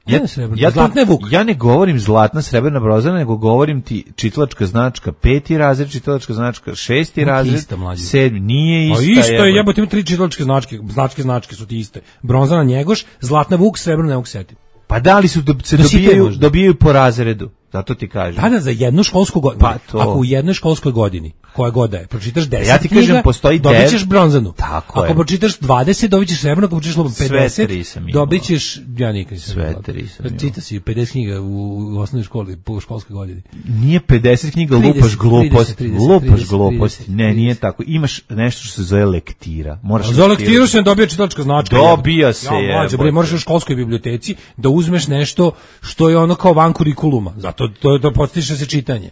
Ja, ja, to, ja ne govorim zlatna, srebrna, bronzana, nego govorim ti čitalačka značka peti razred, čitalačka značka šesti no, razred, ista, sedmi, nije ista. A isto je, jebote, ima tri čitalačke značke, značke značke su ti iste. Bronzana Njegoš, zlatna Vuk, srebrna ne mogu setiti. Pa da li su do, se dobijaju, dobijaju po razredu? Zato ti kažem. Da, da, za jednu školsku godinu. Pa to. Ako u jednoj školskoj godini, koja god da je, pročitaš deset ja ti kažem, knjiga, postoji dobit ćeš bronzanu. Tako ako je. pročitaš dvadeset, dobit ćeš srebrno, ako pročitaš pedeset, dobit ćeš, ja nikad nisam sve tri sam imao. Čita si pedeset knjiga u, u osnovnoj školi, po školskoj godini. Nije pedeset knjiga, trideset, lupaš gluposti. trideset, lupaš trideset, gluposti. trideset, ne, nije tako. Imaš nešto što se zove lektira. Moraš za lektiru se ne dobija čitalačka značka. Dobija se je. Ja, mlađe, bre, moraš u školskoj biblioteci da uzmeš nešto što je ono kao van kurikuluma. Zato to to postiže se čitanje.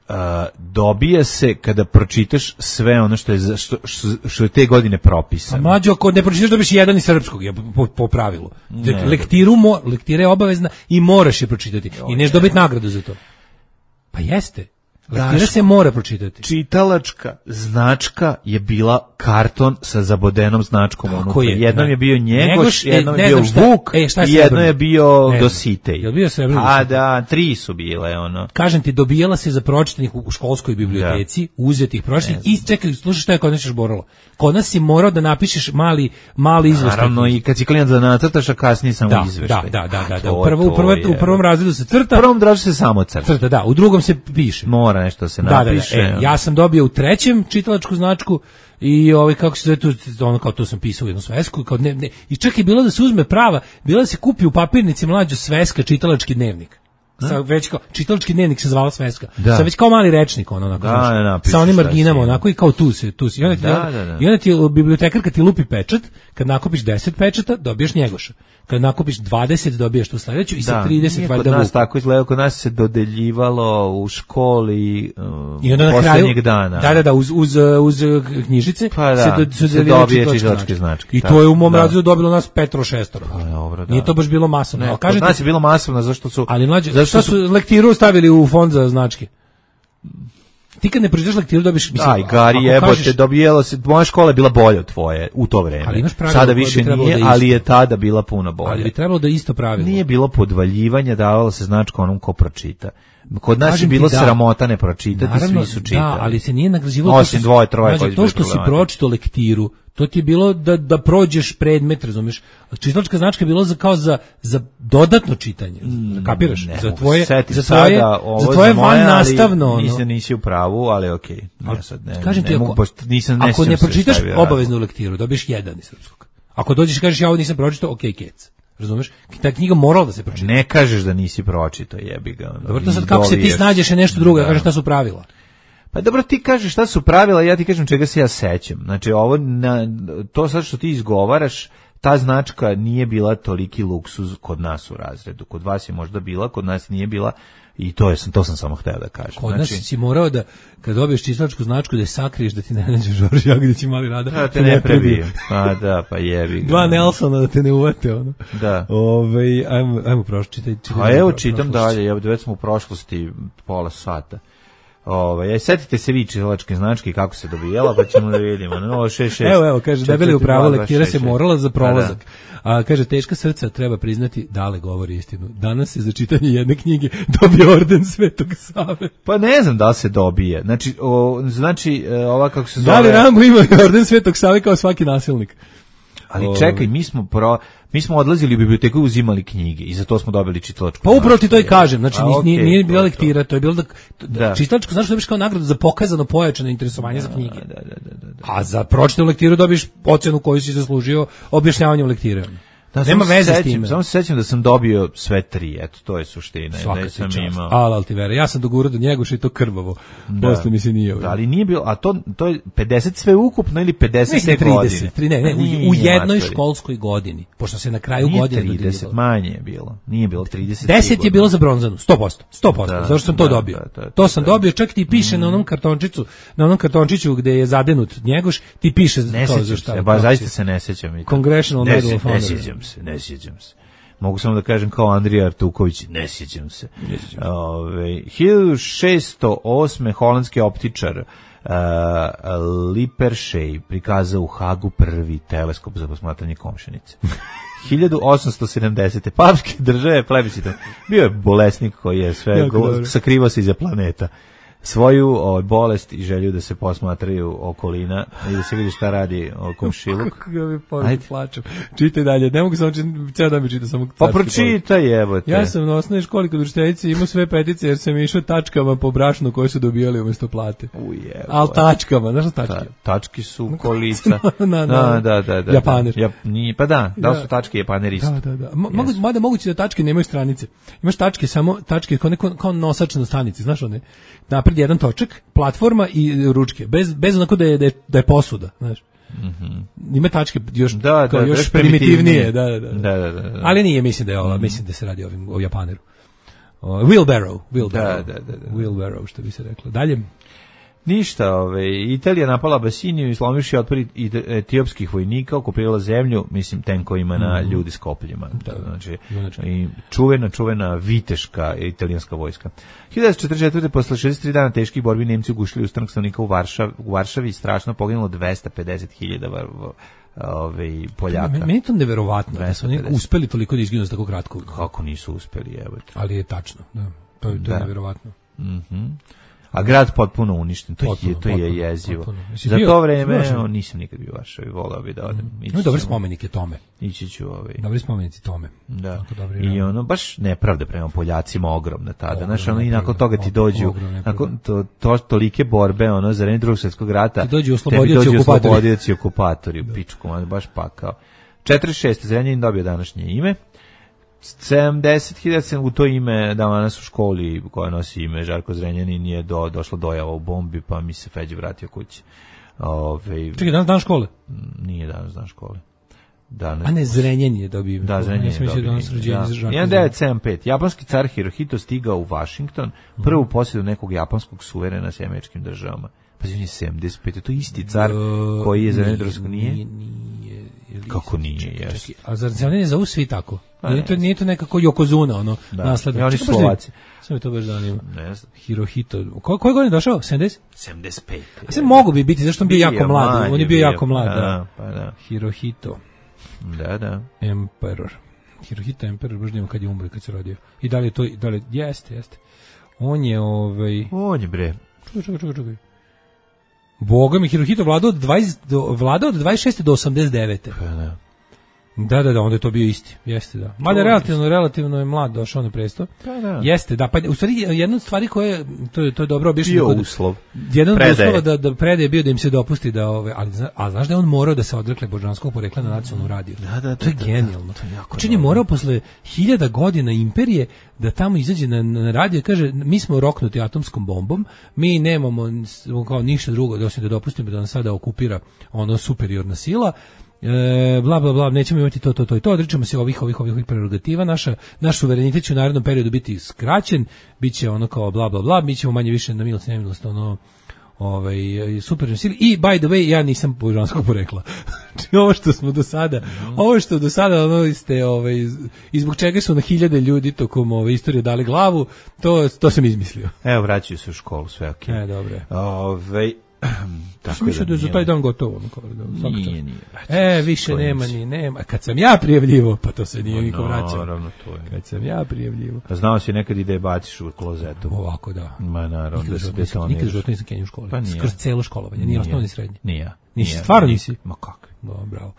Uh, dobija se kada pročitaš sve ono što je za, što, što, što je te godine propisano. A mlađo, ako ne pročitaš dobiš jedan iz srpskog, je po, po pravilu. Ne, lektiru, mo, lektira je obavezna i moraš je pročitati. Jo, i neš dobiti nagradu za to. Pa jeste. Lektira se mora pročitati. Čitalačka značka je bila karton sa zabodenom značkom unutra. Je, jednom ne, je bio Njegoš, Njegoš jednom je bio šta, Vuk e, i jedno je bio ne, Dositej. Je bio srebrni? A da, tri su bile ono. Kažem ti, dobijala se za pročitanih u školskoj biblioteci, da. Uzetih pročitanih i čekaj, slušaj šta je kod nas još boralo. Kod nas si morao da napišeš mali mali izveštaj. Naravno i kad si klijent da nacrtaš, a kasnije samo da, izveštaj. Da, da, da, da. U prvom u prvom razredu se crta. U prvom razredu se samo crta. Crta, da, u drugom se piše. Mora nešto se napiše. Da, da, da. E, ja sam dobio u trećem čitalačku značku i ovaj kako se zove tu, ono kao to sam pisao u jednu svesku, kao ne, ne, i čak je bilo da se uzme prava, bilo da se kupi u papirnici mlađo sveska čitalački dnevnik. Sa već kao čitalački dnevnik se zvala sveska. Da. Sa već kao mali rečnik ono onako. Da, sa onim marginama onako i kao tu se tu se. I onda, da, da, da. I onda ti bibliotekarka ti lupi pečat, kad nakupiš deset pečata dobiješ Njegoša. Kad nakupiš dvadeset dobiješ tu sledeću i sa trideset valjda. Kod nas tako izgleda, kod nas se dodeljivalo u školi uh, i onda na kraju dana. Da, da, da, uz uz uz knjižice pa da, se, do, se, se dobije čitalačke značke. I to je u mom razredu dobilo nas petro šestoro. Pa dobro, da. Nije to baš bilo masovno. Ne, kažete, nas je bilo masovno zašto su ali mlađe, zašto su lektiru stavili u fond za značke? Ti kad ne pročitaš lektiru dobiš mislim. Aj, Gari jebote, dobijelo se, moja škola je bila bolja od tvoje u to vreme. Sada više nije, da ali je tada bila puno bolja. Ali bi trebalo da isto pravilo. Nije bilo podvaljivanja, davalo se značka onom ko pročita. Kod nas kažem je bilo da, sramota ne pročitati, naravno, svi su čitali. Da, ali se nije nagrađivalo. Osim dvoje, troje koji to što si pročitao lektiru, to ti je bilo da da prođeš predmet, razumeš? Čitalačka značka je bilo za kao za za dodatno čitanje, mm, kapiraš? Ne, za tvoje za tvoje sada, za tvoje van nastavno. Nisam nisi u pravu, ali okej. Okay. Ja sad ne. Kažem ti, ne ako, mogu, nisam ne ako ne pročitaš obaveznu lektiru, dobiješ jedan iz srpskog. Ako dođeš i kažeš ja ovo nisam pročitao, okej, okay, kec. Razumeš? Ta knjiga morala da se pročita. Ne kažeš da nisi pročitao, jebi ga. Dobro, to sad kako se ti snađeš je nešto drugo, da. Kažeš šta su pravila. Pa dobro, ti kažeš šta su pravila, ja ti kažem čega se ja sećam. Znači, ovo, na, to sad što ti izgovaraš, ta značka nije bila toliki luksuz kod nas u razredu. Kod vas je možda bila, kod nas nije bila i to je to sam samo hteo da kažem. Kod znači, nas si morao da, kad dobiješ čitalačku značku, da je sakriješ da ti ne nađe Žorž Jagodić i Mali Rada. Da te ne prebiju. Pa da, pa jebi ga. Dva Nelsona da te ne uvate, ono. Da. Ove, ajmo, ajmo prošli, čitaj. čitaj A evo čitam dalje, evo već smo u prošlosti pola sata. Ovaj, setite se vi čitalačke značke kako se dobijala, pa ćemo da vidimo. No, šest, šest, evo, evo, kaže, debeli upravo, lektira se morala za prolazak. A kaže, teška srca, treba priznati, Dale govori istinu. Danas se za čitanje jedne knjige dobije orden Svetog Save. Pa ne znam da li se dobije. Znači, o, znači ova kako se zove... Da li Rambo ima orden Svetog Save kao svaki nasilnik? Ali čekaj, mi smo pro, mi smo odlazili u biblioteku i uzimali knjige i za to smo dobili čitalačku. Pa upravo ti to i kažem, znači A, nije, okay, nije bila lektira, to je bilo da, da. čitalačku, znaš što dobiš kao nagradu za pokazano pojačano interesovanje da, za knjige. Da, da, da, da, da. A za pročitanu lektiru dobiš ocenu koju si zaslužio objašnjavanjem lektire. Da, nema veze s tim. Samo se sećam da sam dobio sve tri, eto, to je suština. Svaka ti čast. Al Altivera, ja sam dogurao do Njegoša i to krvavo. Posle mi se nije. Da, ali nije bilo, a to to je pedeset sve ukupno ili pedeset sve trideset, godine? Ne, ne, u, u jednoj školskoj godini, pošto se na kraju nije godine trideset, manje je bilo. Nije bilo trideset. deset je bilo za bronzanu, sto posto. sto posto. Da, zašto sam to da, dobio? Da, da, to sam da. dobio, čak ti piše mm. na onom kartončiću, na onom kartončiću gde je zadenut Njegoš, ti piše ne kao za šta. Ba zaista se ne sećam. Congressional Medal of Honor. Ne sjećam se, ne sjećam se. Mogu samo da kažem kao Andrija Artuković, ne sjećam se. Ove, hiljadu šesto osme holandski optičar uh, Lippershey prikazao u Hagu prvi teleskop za posmatranje Komšenice. hiljadu osamsto sedamdesete papske države plebiscitom. Bio je bolesnik koji je sve go, sakrivao se iza planeta. Svoju o, bolest i želju da se posmatraju okolina i da se vidi šta radi o komšiluk. Kako ga mi poruku plačem. Čitaj dalje, ne mogu samo čitati, ceo dan mi čita samo pa pročitaj, evote. Ja sam na osnovnoj školi kod učiteljice imao sve petice jer sam išao tačkama po brašnu koje su dobijali umjesto plate. Uje. Al tačkama, znaš šta tačke? Ta, tački su kolica. na, na, na, da, da, da. Japaner. Ja, nije, pa da, da li su tačke Japaner isto? Da, da, da. Mogu, yes. Mada moguće da tačke nemaju stranice. Imaš tačke samo, tačke kao, neko, kao nosač na stanici, znaš one? Napred jedan točak, platforma i ručke, bez bez onako da je da je, da je posuda, znaš. Mhm. Mm Ima tačke još da, kao da, još primitivnije, da, da, da. Da, da, da, da. Ali nije, mislim da je ova, mm. mislim da se radi o ovim o Japaneru. Uh, wheelbarrow, wheelbarrow. Da, da, da, da. Wheelbarrow, što bi se reklo. Dalje. Ništa, ove, Italija napala Abisiniju i slomivši otpor etiopskih vojnika, okupirala zemlju, mislim, tenkovima na ljudi s kopljima. Da, znači, i čuvena, čuvena viteška italijanska vojska. hiljadu devetsto četrdeset četvrte posle šezdeset tri dana teških borbi Nemci ugušili ustanak stanovnika u Varšavi, u Varšavi strašno poginulo dvesta pedeset hiljada ove Poljaka. Meni je to neverovatno da su oni uspeli toliko da izginu za tako kratko. Kako nisu uspeli, evo. Ali je tačno, da. To je, to je neverovatno. Mhm. A grad potpuno uništen, to potpuno, je to potpuno, je jezivo. Potpuno. Za bio, to vreme no, nisam nikad bio u Varšavi, voleo bih da odem. Mm. No, dobri spomenik je tome. Ići ću ovaj. Dobri spomenici tome. Da. I ono baš nepravda prema Poljacima ogromna tada. Znaš, ono i nakon toga ti dođu nakon to, to tolike borbe, ono za vreme Drugog svjetskog rata. Ti dođu oslobodioci okupatori. Oslobodioci okupatori, u pičku, baš pakao. četrdeset šeste Zrenjanin dobio današnje ime. sedamdeset hiljada sam u to ime danas u školi koja nosi ime Žarko Zrenjanin je do, došla dojava u bombi pa mi se Feđe vratio kući. Ove, Čekaj, danas dan škole? Nije danas dan škole. Danas, a ne Zrenjanin je dobio ime. Da, Zrenjanin je dobio ime. hiljadu devetsto sedamdeset pete Japanski car Hirohito stigao u Washington, prvu posjedu nekog japanskog suverena s američkim državama. Pa on je sedamdeset pete to isti car koji je za Nedrovsko nije? Nije, nije. Kako nije, jes. A zar se ne zovu svi tako? Nije to, nije to nekako Yokozuna, ono, da. nasledno. Ja, oni su Slovaci. Sve mi to baš zanima. Ne znam. Hirohito. Ko, koje godine je došao? sedamdeset? sedamdeset pete A se mogu bi biti, zašto on bio jako mlad. On je bio jako mlad, da. da. Pa da. Hirohito. Da, da. Emperor. Hirohito Emperor, baš nema kad je umro, kad se rodio. I da li je to, da li, jeste, jeste. On je, ovaj... On je, bre. Čekaj, čekaj, čekaj, čekaj. Boga mi, Hirohito vladao od, dvadeset, do, vladao od dvadeset šeste do osamdeset devete Pa da. Da, da, da, onda je to bio isti. Jeste, da. Mada relativno, relativno je mlad došao na presto. Da, da. Jeste, da. Pa u stvari jedna od stvari koje to je to je dobro objašnjeno. Bio uslov. Jedan od uslova da da predaje bio da im se dopusti da ove, ali a znaš da je on morao da se odrekne božanskog porekla na nacionalnom radiju. Da, da, to je genijalno. Čini morao posle hiljada godina imperije da tamo izađe na, na radio i kaže mi smo roknuti atomskom bombom, mi nemamo kao ništa drugo da osim da dopustimo da nas sada okupira ono superiorna sila. E, bla bla bla, nećemo imati to to to i to, odričemo se ovih ovih ovih prerogativa, naša naš suverenitet će u narednom periodu biti skraćen, biće ono kao bla bla bla, mi ćemo manje više na milost i nemilost ono ovaj super sili i by the way ja nisam božanskog porekla. Znači ovo što smo do sada, ovo što do sada ono ste ovaj i zbog čega su na hiljade ljudi tokom ove istorije dali glavu, to to sam izmislio. Evo vraćaju se u školu, sve okej. Okay. E, dobro. Ovaj tako da, da je za taj dan gotovo. Da, nije, nije. E, više nema ni nema. Kad sam ja prijavljivo, pa to se nije no, niko vraćao. Naravno, to je. Kad sam ja prijavljivo. Pa znao si nekad i da je baciš u klozetu. Ovako, da. Ma naravno, nikad da se detoniraš. Nikad životno nisam kenio u školi. Pa nije. Kroz celo školovanje, nije osnovni srednji. Nije. Nisi, stvarno nisi? Ma kako? No, bravo.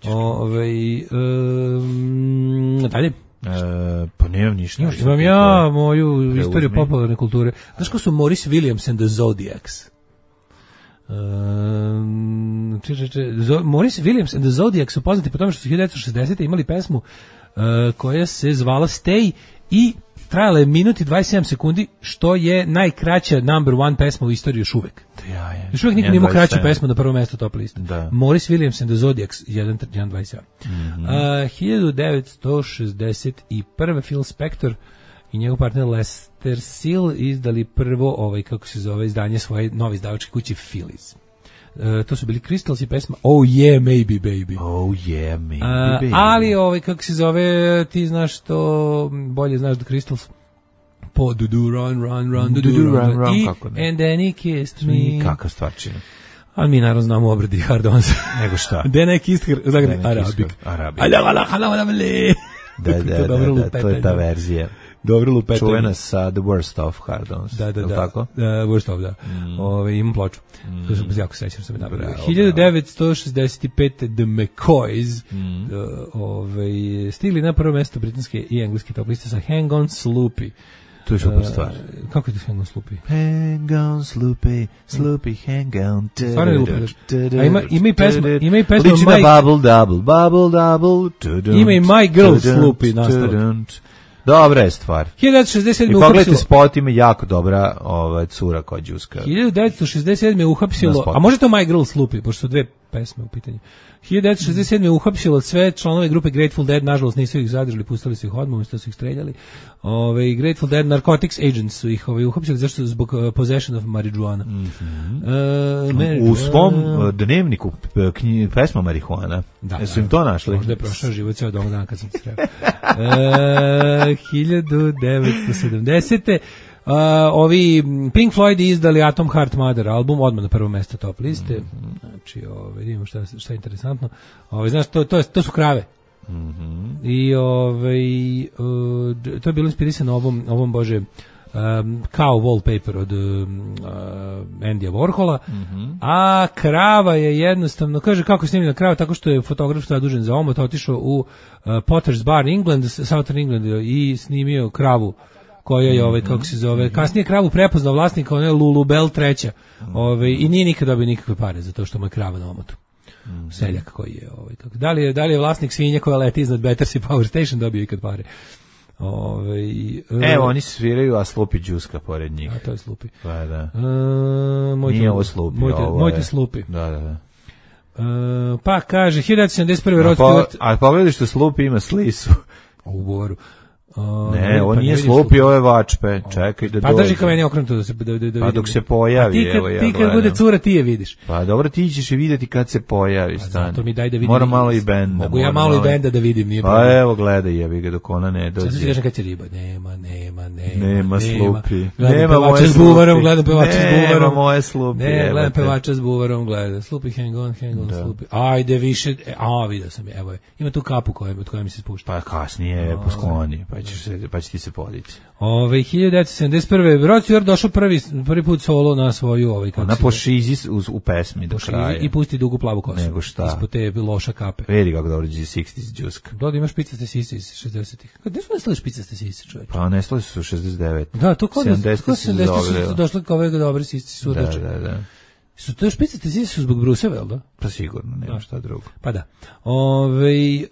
Ove, um, dalje. E, pa nemam ništa. Još, imam ja moju istoriju popularne kulture. Znaš ko su Maurice Williams and the Zodiacs? Um, če, če, če, Maurice Williams and the Zodiacs su poznati po tome što su hiljadu devetsto šezdesete imali pesmu uh, koja se zvala Stay i trajala je minut i dvadeset sedam sekundi, što je najkraća number one pesma u istoriji još uvek. Ja, ja. Još uvek niko nije imao kraću pesmu na prvo mesto top liste. Da. Maurice Williams and the Zodiacs jedan dvadeset sedam. Mm-hmm. Uh, hiljadu devetsto šezdeset prve Phil Spector i njegov partner Lester Seal izdali prvo ovaj kako se zove izdanje svoje nove izdavačke kuće Phillies. Uh, to su bili Crystals i pesma Oh Yeah Maybe Baby. Oh Yeah Maybe uh, Baby. Ali ovaj kako se zove ti znaš to bolje znaš da Crystals po do do run run run do do run, run, run i kako ne? And then he kissed me. Kakva stvarčina. Ali mi naravno znamo obradi Hardons. Nego šta? Then I kissed her. Zagradi Arabik. Arabik. Ala ala ala ala Da, da, da, da, to je ta verzija. Dobro lupetanje. Čuvena sa The Worst of Hardons. Da, da, da. Tako? Uh, worst of, da. Mm. Ove, imam ploču. Mm. To sam jako sećam sam je napravio. hiljadu devetsto šezdeset pete The McCoys mm. uh, ove, stigli na prvo mesto britanske i engleske top liste sa Hang On Sloopy. To je super stvar. Uh, kako je to Hang On Sloopy? Hang on Sloopy, Sloopy hang on. Stvarno je lupaš. A ima, ima i pesma, ima i pesma Liči na Bubble Double, Bubble Double. Ima i My Girl Sloopy nastavak. Dobra je stvar. hiljadu devetsto šezdeset sedme I pogledajte spot, ima jako dobra ova, cura koja džuska. hiljadu devetsto šezdeset sedme uhapsilo, a može to My Girl Sloopy, pošto su dve pesma u pitanju. hiljadu devetsto šezdeset sedme uhapsilo sve članove grupe Grateful Dead, nažalost nisu ih zadržali, pustili su ih odmah, umjesto su ih streljali. Ove, Grateful Dead Narcotics Agents su ih ove, uhapsili zašto zbog uh, possession of marijuana. Mm-hmm. Uh, u svom uh, dnevniku knji, pesma marihuana. Da, Jesu im to našli? Možda je prošao život ceo dom dana kad sam se sreo. uh, hiljadu devetsto sedamdesete Uh, ovi Pink Floyd izdali Atom Heart Mother album, odmah na prvo mesto top liste. Mm-hmm. Znači, ovaj, vidimo šta, šta je interesantno. Ovaj, znaš, to, to, je, to su krave. Mm-hmm. I ovaj, uh, to je bilo inspirisano ovom, ovom bože, um, kao wallpaper od um, uh, Andyja Warhola, mm-hmm. a krava je jednostavno, kaže kako je snimljena krava, tako što je fotograf zadužen za omot, otišao u uh, Potter's Bar England, Southern England i snimio kravu koja je, ovaj, kako se zove, kasnije kravu prepoznao vlasnika, ona je Lulubel treća, ovaj, i nije nikad dobio nikakve pare za to što mu je krava na omotu. Seljak koji je, ovaj, kako, da li je, da li je vlasnik svinja koja leti iznad Battersea Power Station dobio ikad pare? Ovaj, evo, oni sviraju, a Slupi džuska pored njih. A to je Slupi. Pa da. Uh, moj nije ovo Slupi, moj te, ovo moj je. te Slupi. Da, da, da. Uh, pa kaže, hiljadu devetsto sedamdeset prve Rod po, Stewart. a pogledaj što Slupi ima slisu. U Boru. Uh, ne, on pa nije Slupi, ovo je Vačpe. Čekaj da pa dođe. Pa drži ka meni okrenuto da se da, da, da pa dok se pojavi, ti kad, evo ja ti kad bude cura ti je vidiš. Pa dobro, ti ćeš je vidjeti kad se pojavi, stani. Zato mi daj da vidim. Mora malo i benda. Mogu ja malo i benda da vidim, nije pa problem. Pa evo, gledaj, jebi ga dok ona ne dođe. Sad se kažem kad će riba, nema, nema, nema. Nema Slupi. Nema moje s buvarom, gledam pevača s buvarom. Nema moje Slupi. Ne, gledam pevača s buvarom, gledam. Slupi, hang on, hang on, Slupi. Ajde više, a vidio sam je, evo je. Ima tu kapu koja od koje mi se spušta. Pa kasnije po skloni, pa ćeš se pa će ti se podići. Ove hiljadu devetsto sedamdeset prve Rod Stewart došao prvi prvi put solo na svoju ovaj kako na pošizi u, u pesmi do kraja i pusti dugu plavu kosu. Nego šta? Ispod te loša kape. Vidi kako dobro šezdesetih džuska. Da, imaš špicaste sise iz šezdesetih. Kad nismo nestali špicaste sise, čovjek? Pa nestali su šezdeset devet. Da, to kod sedamdesetih su došli kao ove dobre sise su da, da, da. Su to špicaste sise su zbog Brusa, vel da? Pa sigurno, nema šta drugo. Pa da. Ovaj uh,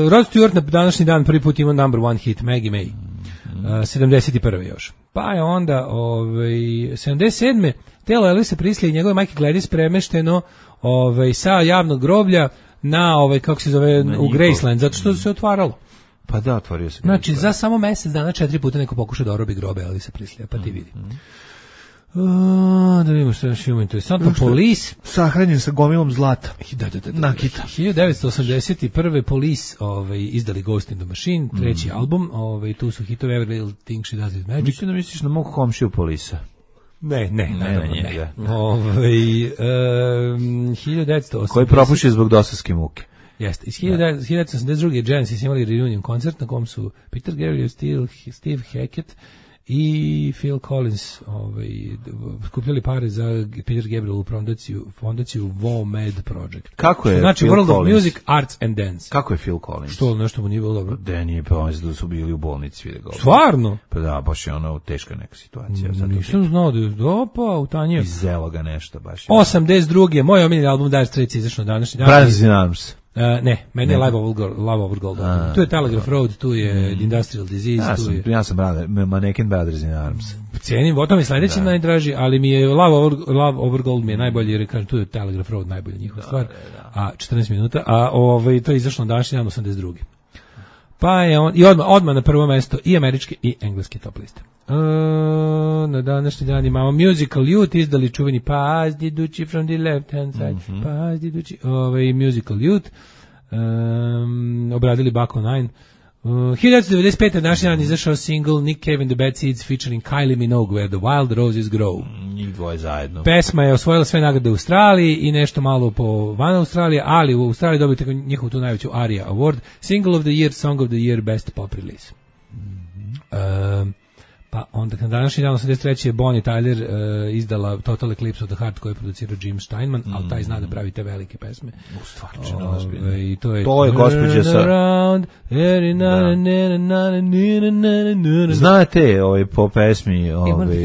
Rod Stewart na današnji dan prvi put ima number one hit Maggie May. Uh, sedamdeset prve još. Pa je onda ovaj sedamdeset sedme telo Elvisa Presley i njegove majke Gladys premešteno ovaj sa javnog groblja na ovaj kako se zove na u Graceland zato što se otvaralo. Pa da, otvorio se. Znači za samo mjesec dana četiri puta neko pokuša da orobi grobe Elvisa Presleya, pa ti vidi. Mm-hmm. Uh, da vidimo što još imamo interesantno. Police sahranjen sa gomilom zlata. Da, da, da, da. Nakita. hiljadu devetsto osamdeset prve Police ovaj, izdali Ghost in the Machine, treći mm. album, ovaj, tu su hitovi Every Little Thing She Does Is Magic. Mislim da misliš na mog komšiju Polisa. Ne, ne, ne, naravno ne. ne. Ovaj, um, hiljadu devetsto osamdeset koji propuši zbog dosovske muke. Jeste. Iz hiljadu devetsto osamdeset druge Genesis imali reunion koncert na kom su Peter Gabriel, Steve, Steve Hackett i Phil Collins ovaj, skupljali pare za Peter Gabriel fondaciju, fondaciju WOMED Project. Kako je znači Phil World Collins? of Music, Arts and Dance. Kako je Phil Collins? Što, nešto mu nije bilo dobro? Da nije, pa on da su bili u bolnici. Vidio Stvarno? Pa da, baš je ono teška neka situacija. Zato nisam znao da je dopa, utanio. Izelo ga nešto baš. osamdeset druge moj omiljeni album Dire Straits izašao na današnji dan. Brothers in Arms. Uh, ne, meni je Love Over Gold. Love Over Gold. A, tu je Telegraph Road, tu je mm. Industrial Disease. Ja tu sam, je... ja sam brother, Mannequin Brothers in Arms. Cijenim, o tome sljedeći da. najdraži, ali mi je Love Over, Love Over Gold mi je najbolji, jer kažem, tu je Telegraph Road najbolja njihova stvar, da, da. a četrnaest minuta, a ovaj, to je izašlo na današnji dan osamdeset druge. Pa je on, i odmah, odmah na prvo mesto i američke i engleske top liste. Uh, na današnji dan imamo Musical Youth, izdali čuveni Pass Diducci from the left hand side, mm-hmm. Pass Diducci, ovaj, Musical Youth, um, obradili Baco Nine. Uh, hiljadu devetsto devedeset pete današnji dan izašao single Nick Cave and the Bad Seeds featuring Kylie Minogue Where the Wild Roses Grow. Njih dvoje zajedno. Pesma je osvojila sve nagrade u Australiji i nešto malo po van Australije, ali u Australiji dobite njihovu tu najveću ARIA Award. Single of the Year, Song of the Year, Best Pop Release. Mm-hmm. Um, pa onda na današnji dan osamdeset treće je Bonnie Tyler uh, izdala Total Eclipse of the Heart koju je producirao Jim Steinman, mm. ali taj zna da pravi te velike pesme. U stvarno ozbiljno. I to je to je gospođa sa around, da. Znate ovaj po pesmi ovaj I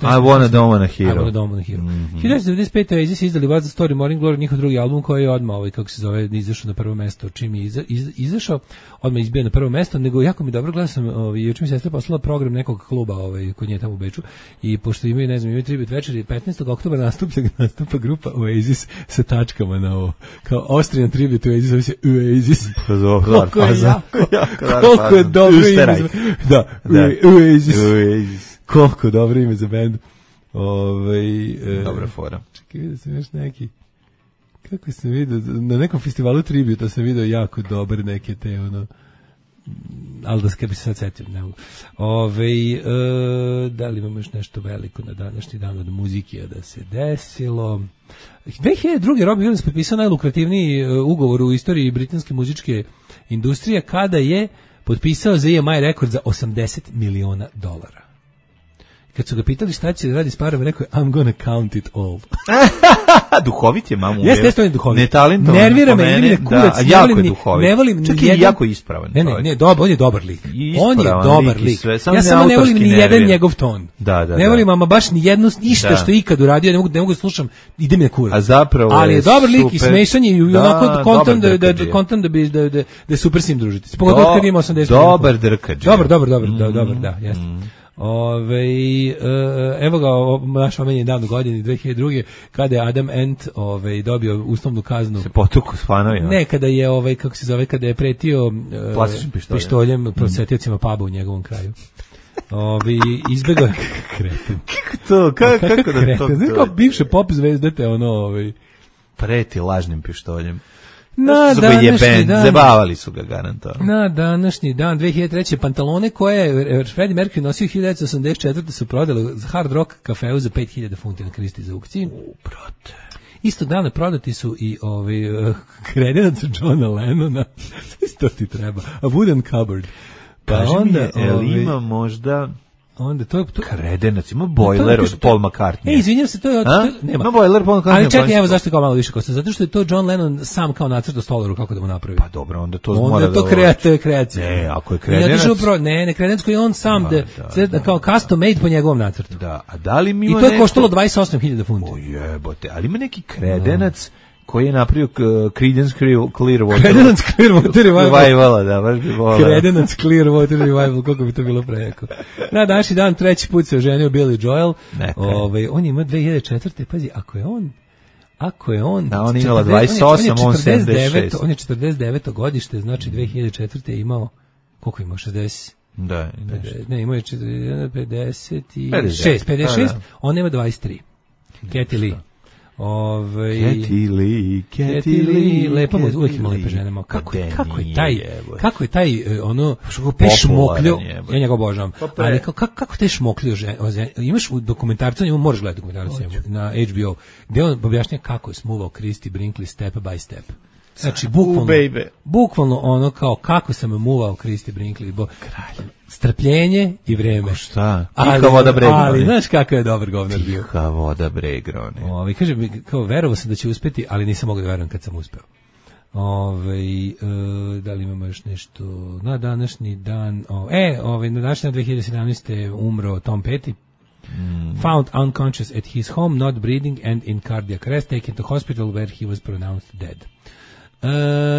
Wanna Don't Wanna Hero. I Wanna Don't Wanna Hero. hiljadu devetsto devedeset pete Oasis izdali What's the Story Morning Glory, njihov drugi album koji je odmah ovaj kako se zove izašao na prvo mesto, čim je iza, izašao odmah izbio na prvo mesto, nego jako mi dobro gledao sam ovaj juče mi sestra poslala program nekog kluba kluba ovaj, kod nje tamo u Beču i pošto imaju, ne znam, imaju tribut večeri, petnaestog oktobra nastupa, nastupa grupa Oasis sa tačkama na ovo. Kao Austrian tribute Oasis, zove se Oasis. Pa zove, koliko je jako, jako, koliko je dobro ime za, da, Oasis. Oasis. Koliko dobro ime za bend. Ovaj, e, dobra fora. Čekaj, vidio sam još neki, kako sam vidio, na nekom festivalu tributa sam vidio jako dobre neke te, ono, ali da se bi se sad setio, ne mogu. Ove, e, da li imamo još nešto veliko na današnji dan od muzike da se desilo? dve hiljade druge. Robbie Williams potpisao najlukrativniji ugovor u istoriji britanske muzičke industrije kada je potpisao za E M I rekord za osamdeset miliona dolara. Kad su ga pitali šta će da radi s parama, rekao je I'm gonna count it all. Duhovit je, mamu. Jeste, jeste on je duhovit. Netalentovan. Nervira me, ili me kurac. Da, jako je duhovit. Ne volim čak i jako ispravan. Ne, ne, ne, dobar, on je dobar lik. Ispravan on je dobar lik. Sve, ja samo ne volim ni jedan njegov ton. Da, da, ne volim ama baš ni jedno, ništa da. Što je ikad uradio, ne mogu, ne mogu slušam, ide mi na kurac. A zapravo ali je dobar lik i smešan je i da, onako kontent da, da, da, kontent da bi, da, da, da super s njim družiti. Pogotovo kad ima osamdeset. Dobar drkađe. Dobar, dobar, dobar, da, dobar, da, jeste. Ove, evo ga, naš omenjen dan u godini dve hiljade druge. kada je Adam Ant ove, dobio uslovnu kaznu. Se potuku s fanovima. Ne, kada je, ovaj, kako se zove, kada je pretio plastičnim pištoljem, pištoljem prosetiocima puba u njegovom kraju. Ove, izbegao kreten. Kako to? Kako, kako da to? Znaš kao bivše pop zvezdete, ono, ovaj. Preti lažnim pištoljem. Na današnji dan, zabavali su ga garantovano. Na današnji dan dve hiljade treće. pantalone koje je Freddie Mercury nosio hiljadu devetsto osamdeset četvrte su prodali za Hard Rock kafeu za pet hiljada funti na Kristi za aukciji. U, brate. Isto dana prodati su i ovaj uh, kredenac Johna Lennona. Isto ti treba. A wooden cupboard. Pa kaži onda, mi, je, ovaj, ima možda... Onda to je to kredenac, ima bojler od Paul McCartney. Ej, izvinjavam se, to je od, to, nema. Ima bojler Paul McCartney. Ali čekaj, evo zašto kao malo više košta. Zato što je to John Lennon sam kao nacrtao stolaru kako da mu napravi. Pa dobro, onda to onda mora to da kreacija, kreacija. Ne, ako je kredenac. Ja ne, ne kredenac koji on sam da, da, da kao custom made po njegovom nacrtu. Da, a da li mi ima i to je koštalo dvadeset osam hiljada funti. O jebote, ali ima neki kredenac koji je napravio uh, Creedence Clearwater. Creedence Clearwater Revival, da, baš bi volao. Creedence Clearwater Revival, kako bi to bilo prejako. Na današnji dan treći put se oženio Billy Joel. Ovaj, on ima dve hiljade četvrte. Pazi, ako je on ako je on da, on imala dvadeset osam, on sedamdeset šest. On je četrdeset deveto godište, znači dve hiljade četvrte je imao, koliko imao, šezdeset? Da, pedeset, ne, imao je pedeset šest, pedeset šest, on ima dvadeset tri. Katy Lee. Ove, Katy Lee, Katy Lee, lepo mu uvijek ima lepe žene, kako, kako je taj, kako je taj, ono, te šmokljo, ja njega obožavam, ali kako, kako te šmokljo žene, imaš u dokumentarcu, njemu moraš gledati dokumentarcu na H B O, gdje on objašnja kako je smuvao Christy Brinkley step by step. Znači, bukvalno, bukvalno ono kao kako sam muvao Christy Brinkley, bo strpljenje i vreme. Šta? Tiha voda bre. Ali znaš kako je dobar govnar bio. Tiha voda bre, grone. Ovi, kaže mi, kao verovao sam da će uspeti, ali nisam mogao da verujem kad sam uspeo. Ove, e, da li imamo još nešto na današnji dan? O, e, ove, na današnji dan dve hiljade sedamnaeste. umro Tom Petty. Mm. Found unconscious at his home, not breathing and in cardiac arrest, taken to hospital where he was pronounced dead. Uh,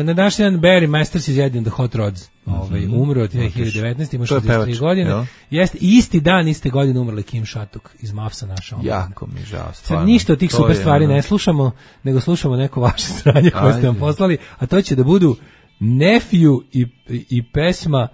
na današnji dan Barry Masters iz Eddie and the Hot Rods, mm-hmm. ovaj, umro od dve hiljade devetnaeste. ima šezdeset tri godine. Ja. Jeste, isti dan, iste godine umrla Kim Shattuck iz Mavsa naša. Jako mi žao, stvarno. Ništa od tih super stvari ne slušamo, nego slušamo neko vaše sranje koje ste vam poslali, a to će da budu Nephew i, i pesma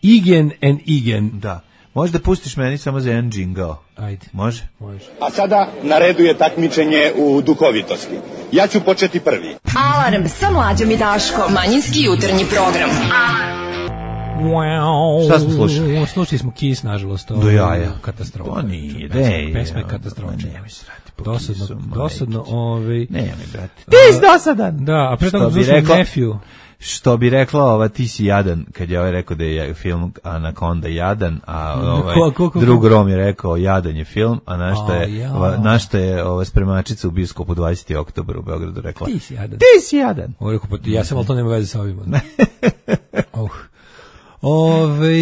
Igen and Igen. Da. Možda pustiš meni samo za jedan džingao. Ajde. Može? Može. A sada na redu je takmičenje u duhovitosti. Ja ću početi prvi. Alarm sa Mlađom i Daškom. Manjinski jutarnji program. Wow. Šta smo slušali? Slušali smo Kiss, nažalost. Do jaja. Katastrofa. To nije. Pesma je katastrofa. Nemoj se rati po dosadno, Kissu. Dosadno, ovaj... Nemoj, brate. Ti si dosadan. Da, a pre toga slušali Nephew. Što bi rekla ova ti si jadan, kad je ovaj rekao da je film Anaconda jadan, a ovaj ko, ko, ko, drug Rom je rekao jadan je film, a našta je, ja. ova, našta je ova spremačica u bioskopu dvadesetog oktobra u Beogradu rekla ti si jadan. Ti si jadan. Ovo rekao, pa ja sam, ali to nema veze sa ovim. uh. Ove,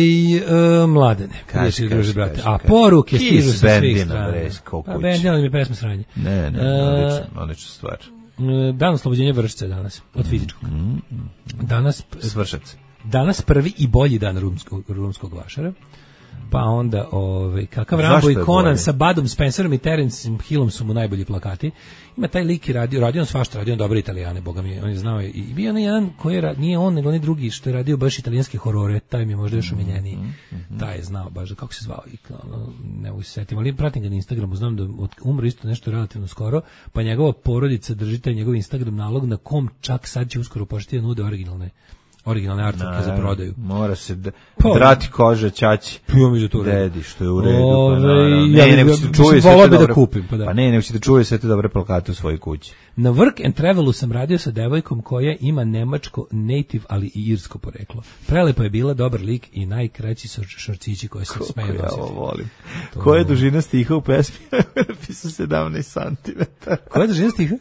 uh, mladene, kaži, kaži, brate. A poruke stižu sa svih strana. A Bendina mi je pesma sranje. Ne, ne, odlična, odlična stvar. Dan oslobođenja Vršca danas, od fizičkog. Danas Svršac. Danas prvi i bolji dan rumskog, rumskog vašara. Pa onda, ovaj, kakav Rambo i Conan sa Budom Spencerom i Terencem Hillom su mu najbolji plakati. Ima taj lik i radio, radio on svašta, radio on dobre Italijane, boga mi, on je znao i bio on jedan koji je, nije on, nego oni drugi što je radio baš italijanske horore, taj mi je možda još omiljeniji. Mm-hmm. Taj je znao baš, kako se zvao, i, ne mogu se setiti, ali pratim ga na Instagramu, znam da umro isto nešto relativno skoro, pa njegova porodica drži taj njegov Instagram nalog na kom čak sad će uskoro početi da nude originalne originalne artworke za prodaju. Mora se d- drati kože ćaći. Dedi, što je u redu. Ove, pa ne, ne, nego ćete čuje sve da dobro, kupim, pa, da. pa ne, nego ćete čuje sve te dobre plakate u svojoj kući. Na Work and Travelu sam radio sa devojkom koja ima nemačko native, ali i irsko poreklo. Prelepo je bila, dobar lik i najkraći šorcići koje sam smeo nositi. Ja ovo volim. To... Koja je dužina stiha u pesmi? Napisao sedamnaest santimetara. Koja je dužina stiha?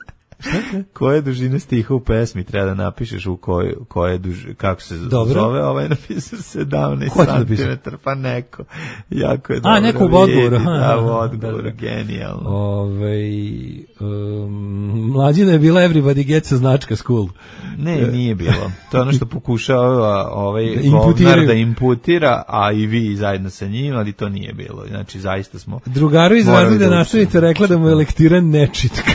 Koja je dužina stiha u pesmi? Treba da napišeš u kojoj koje duž, kako se dobro. Zove, ovaj napisao sedamnaest santimetara, pa neko. Jako je dobro. A, neko u odgovoru. Da, u odgovoru, genijalno. Ove, um, mlađina je bila Everybody Gets a značka school. Ne, nije bilo. To je ono što pokušava ovaj da govnar da imputira, a i vi zajedno sa njim, ali to nije bilo. Znači, zaista smo... Drugaru iz razreda nastavnica rekla da mu je lektira nečitka.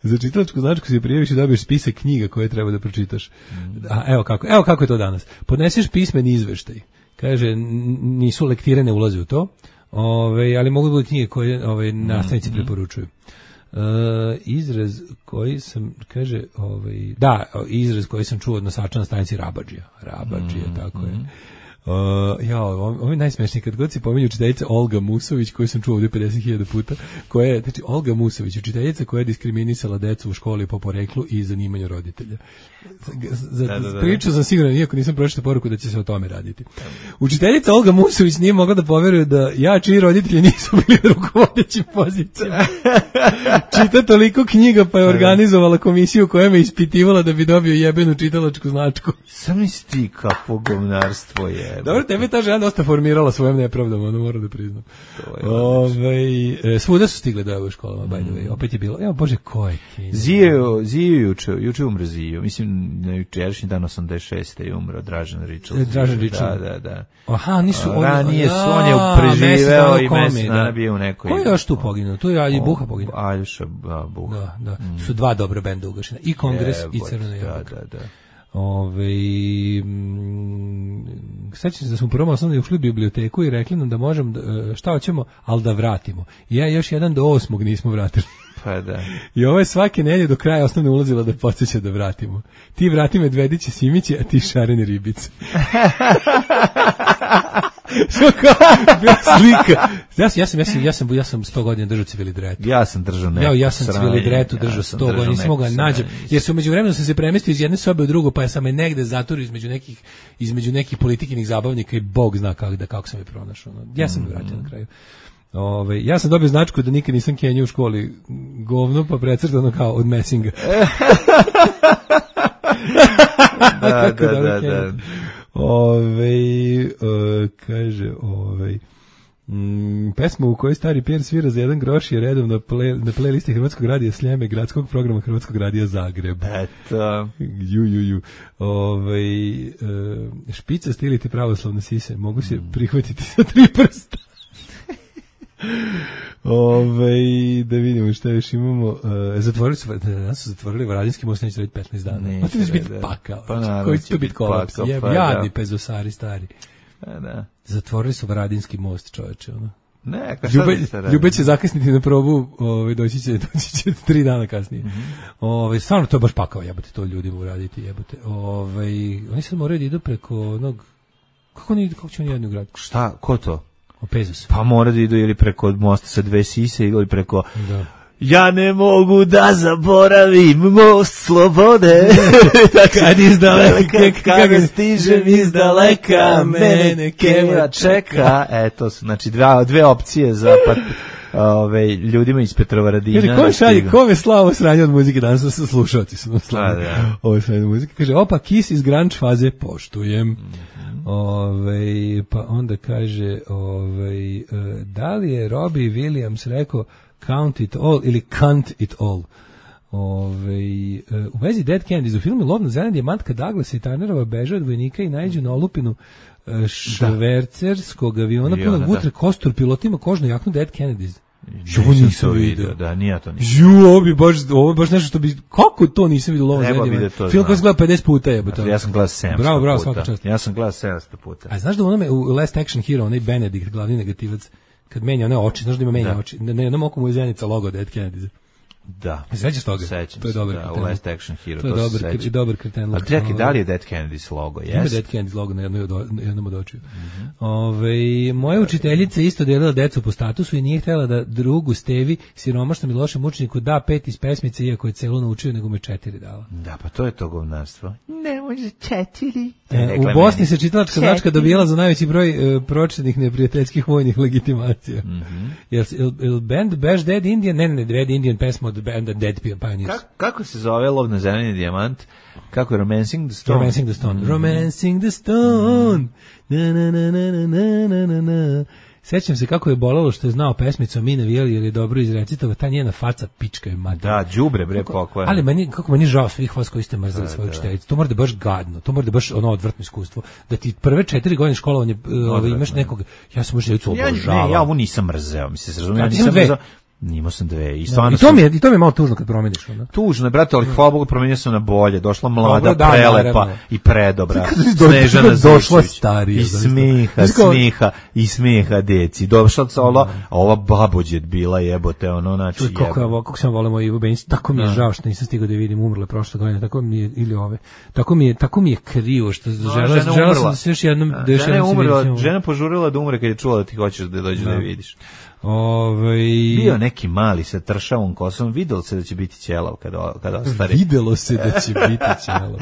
Za čitalačku značku se prijaviš i dobiješ spisak knjiga koje treba da pročitaš. A evo kako, evo kako je to danas. Podneseš pismeni izveštaj. Kaže, nisu lektire, ne ulaze u to, ove, ali mogu biti knjige koje ove, nastavnici preporučuju. Uh, izraz koji sam, kaže, ovaj, da, izraz koji sam čuo od nosača na stanici Rabadžija. Rabadžija, tako je. Uh, ja, ovo je najsmešniji, kad god se pominje učiteljica Olga Musović, koju sam čuo ovdje pedeset hiljada puta, koja je, znači, Olga Musović, učiteljica koja je diskriminisala decu u školi po poreklu i zanimanju roditelja. Za, da, da, da. Pričao sam siguran, iako nisam pročitao poruku da će se o tome raditi. Učiteljica Olga Musović nije mogla da poveruje da ja čiji roditelji nisu bili na rukovodećim pozicijama. Čita toliko knjiga, pa je organizovala komisiju koja me ispitivala da bi dobio jebenu čitalačku značku. Sam isti kakvo govnarstvo je. Dobro, tebe ta žena dosta formirala svojom nepravdom, ono moram da priznam. Ove, e, svuda su stigle do ove školama, by the way. Opet je bilo, evo bože, ko je Kenja? Zio, Zio juče, juče umro Zio. Mislim, na jučerašnji dan osamdeset šeste je umro Dražen Ričel. Dražen Ričel. Da, da, da. Aha, nisu oni. Ranije su, on je preživeo i mesec dana bio u nekoj. Ko je još tu poginuo? Tu je i Buha poginuo. Aljoša Buha. Da, da. Mm. Su dva dobra benda ugašena. I Kongres je, i Crvena jabuka. Da, da, da. Ove, sećam se da smo u prvom osnovnom ušli u biblioteku i rekli nam da možemo, šta hoćemo, ali da vratimo. I ja još jedan do osmog nismo vratili. Pa da. I ovo je svake nedelje do kraja osnovne ulazila da podsjeća da vratimo. Ti vrati medvediće Simiće, a ti šarene ribice. Što kao slika. Ja sam, ja sam, ja sam, ja sam, ja sam sto godina držao civilidretu. Ja sam držao neku. Ja, ja sam civilidretu držao sto godina, nisam mogao nađem. Jer se umeđu vremenu sam se premestio iz jedne sobe u drugu, pa sam me negde zaturio između nekih, između nekih politikinih zabavnika i Bog zna kako, da, kako sam je pronašao. Ja sam me vratio na kraju. Ove, ja sam dobio značku da nikad nisam Kenju u školi govno, pa precrtano kao od Messinga. da, da, da, da. Ove, uh, kaže, ove, mm, pesma u kojoj stari Pierre svira za jedan groš je redom na, play, na playlisti Hrvatskog radija Sljeme, gradskog programa Hrvatskog radija Zagreb. Eto. Ju, ju, ju. Ove, uh, špica stiliti pravoslavne sise, mogu se mm. prihvatiti sa tri prsta. Ove, da vidimo šta još imamo. Uh, zatvorili su, danas su zatvorili Varadinski most, neće reći petnaest dana. Neće, to će biti pakao. Pa naravno, koji će biti kolaps. Jeb, pa, jadni pezosari stari. Pa, da. Zatvorili su Varadinski most, čoveče. Ono. Ne, ka Ljube, Ljube će zakasniti na probu, ove, doći će, doći će tri dana kasnije. Mm-hmm. Ove, stvarno to je baš pakao, jebote, to ljudima uraditi, jebote. Ove, oni sad moraju da idu preko onog, kako, oni, kako će oni jedni u grad? Šta, ko to? Pezus. Pa mora da idu ili preko mosta sa dve sise ili preko da. Ja ne mogu da zaboravim most slobode. Kad iz daleka, kada stižem iz daleka, mene Kenja čeka. Eto su, znači dve, dve opcije za pat, ove, ljudima iz Petrovaradina. Kaže, ko šalje, ko me slavo sranje od muzike, danas su slušalci su slavo ove sranje od muzike. Kaže, opa, Kiss iz grunge faze, poštujem. Ove, pa onda kaže, ove, da li je Robbie Williams rekao count it all ili can't it all? Ove, u vezi Dead Kennedys u filmu Lov na zeleni dijamant kad Douglas i Turnerova beže od vojnika i naiđu na olupinu švercerskog aviona punog vutre, kostur pilotima kožnu jaknu Dead Kennedys. Ovo nisam vidio. Da, nije to nisam. Ju, ovo bi baš, ovo baš nešto što bi, kako to nisam vidio Lov na zeleni dijamant? Film koji sam gledao pedeset puta je. Ja sam gledao sedamsto bravo, bravo, puta. svaka čast. Ja sam gledao sedamsto puta. A znaš da u onome, u Last Action Hero, onaj Benedict, glavni negativac, kad menja one oči, znaš da ima menja da. oči, na jednom oku mu je zenica logo Dead Kennedys. Da. Sećaš toga? Sećam to je dobar se, da, kreten. u Last Action Hero, to je to dobar, se sećam. dobar kreten. A čekaj, da li je Dead Kennedys logo? Yes? Ima Dead Kennedys logo na jednoj od, jednom od očiju. Mm-hmm. Ove, moja učiteljica isto delila decu po statusu i nije htjela da drugu Stevi, siromašnom i lošem učeniku, da pet iz pesmice, iako je celu naučio, nego me četiri dala. Da, pa to je to govnarstvo. Ne može četiri. E, u Bosni se čitalačka značka dobijala za najveći broj uh, pročetnih neprijateljskih vojnih legitimacija. Mm-hmm. Jel, jel, jel band Bash Dead Indian? Ne, ne, ne, Dead Indian pesma od banda Dead Pioneers. Kako, kako se zove Lov na zeleni dijamant? Kako je Romancing the Stone? Romancing the Stone. Mm-hmm. Romancing the Stone. Na, na, na, na, na, na, na, na. Sećam se kako je bolelo što je znao pesmicu Mi navijali jer je dobro izrecitova, ta njena faca pička je mater. Da, đubre bre pokojno. Ali meni, kako meni žao svih vas koji ste mrzeli da, svoju učiteljicu. To mora da baš gadno, to mora da baš ono odvrtno iskustvo. Da ti prve četiri godine školovanja ovaj, imaš nekog, ja sam učiteljicu obožavao. Ja, ne, ja ovo nisam mrzeo, mi se se razumije, ja nisam mrzeo. Nimao sam dve. I, no, i, to mi je, I to mi je malo tužno kad promeniš. Ono. Tužno je, brate, ali hvala Bogu promenio sam na bolje. Došla mlada, Dobro, da, prelepa naravno. I predobra. Snežana došla starija. I smiha, smiha, i smiha deci. Došla ova, a ova babođet bila jebote, ono, znači jebote. Kako, kako sam volio Ivu Benić, tako mi je žao što nisam stigao da vidim, umrle prošle godine, tako mi je, ili ove, tako mi je, tako mi je krivo, što no, žela, žela sam da se još jednom, da još jednom se vidim. Žena požurila da umre kad je čula da ti hoćeš da dođeš da je vidiš. Ove... Bio neki mali sa tršavom kosom, videlo se da će biti ćelav kada, kada ostari. Videlo se da će biti ćelav. uh,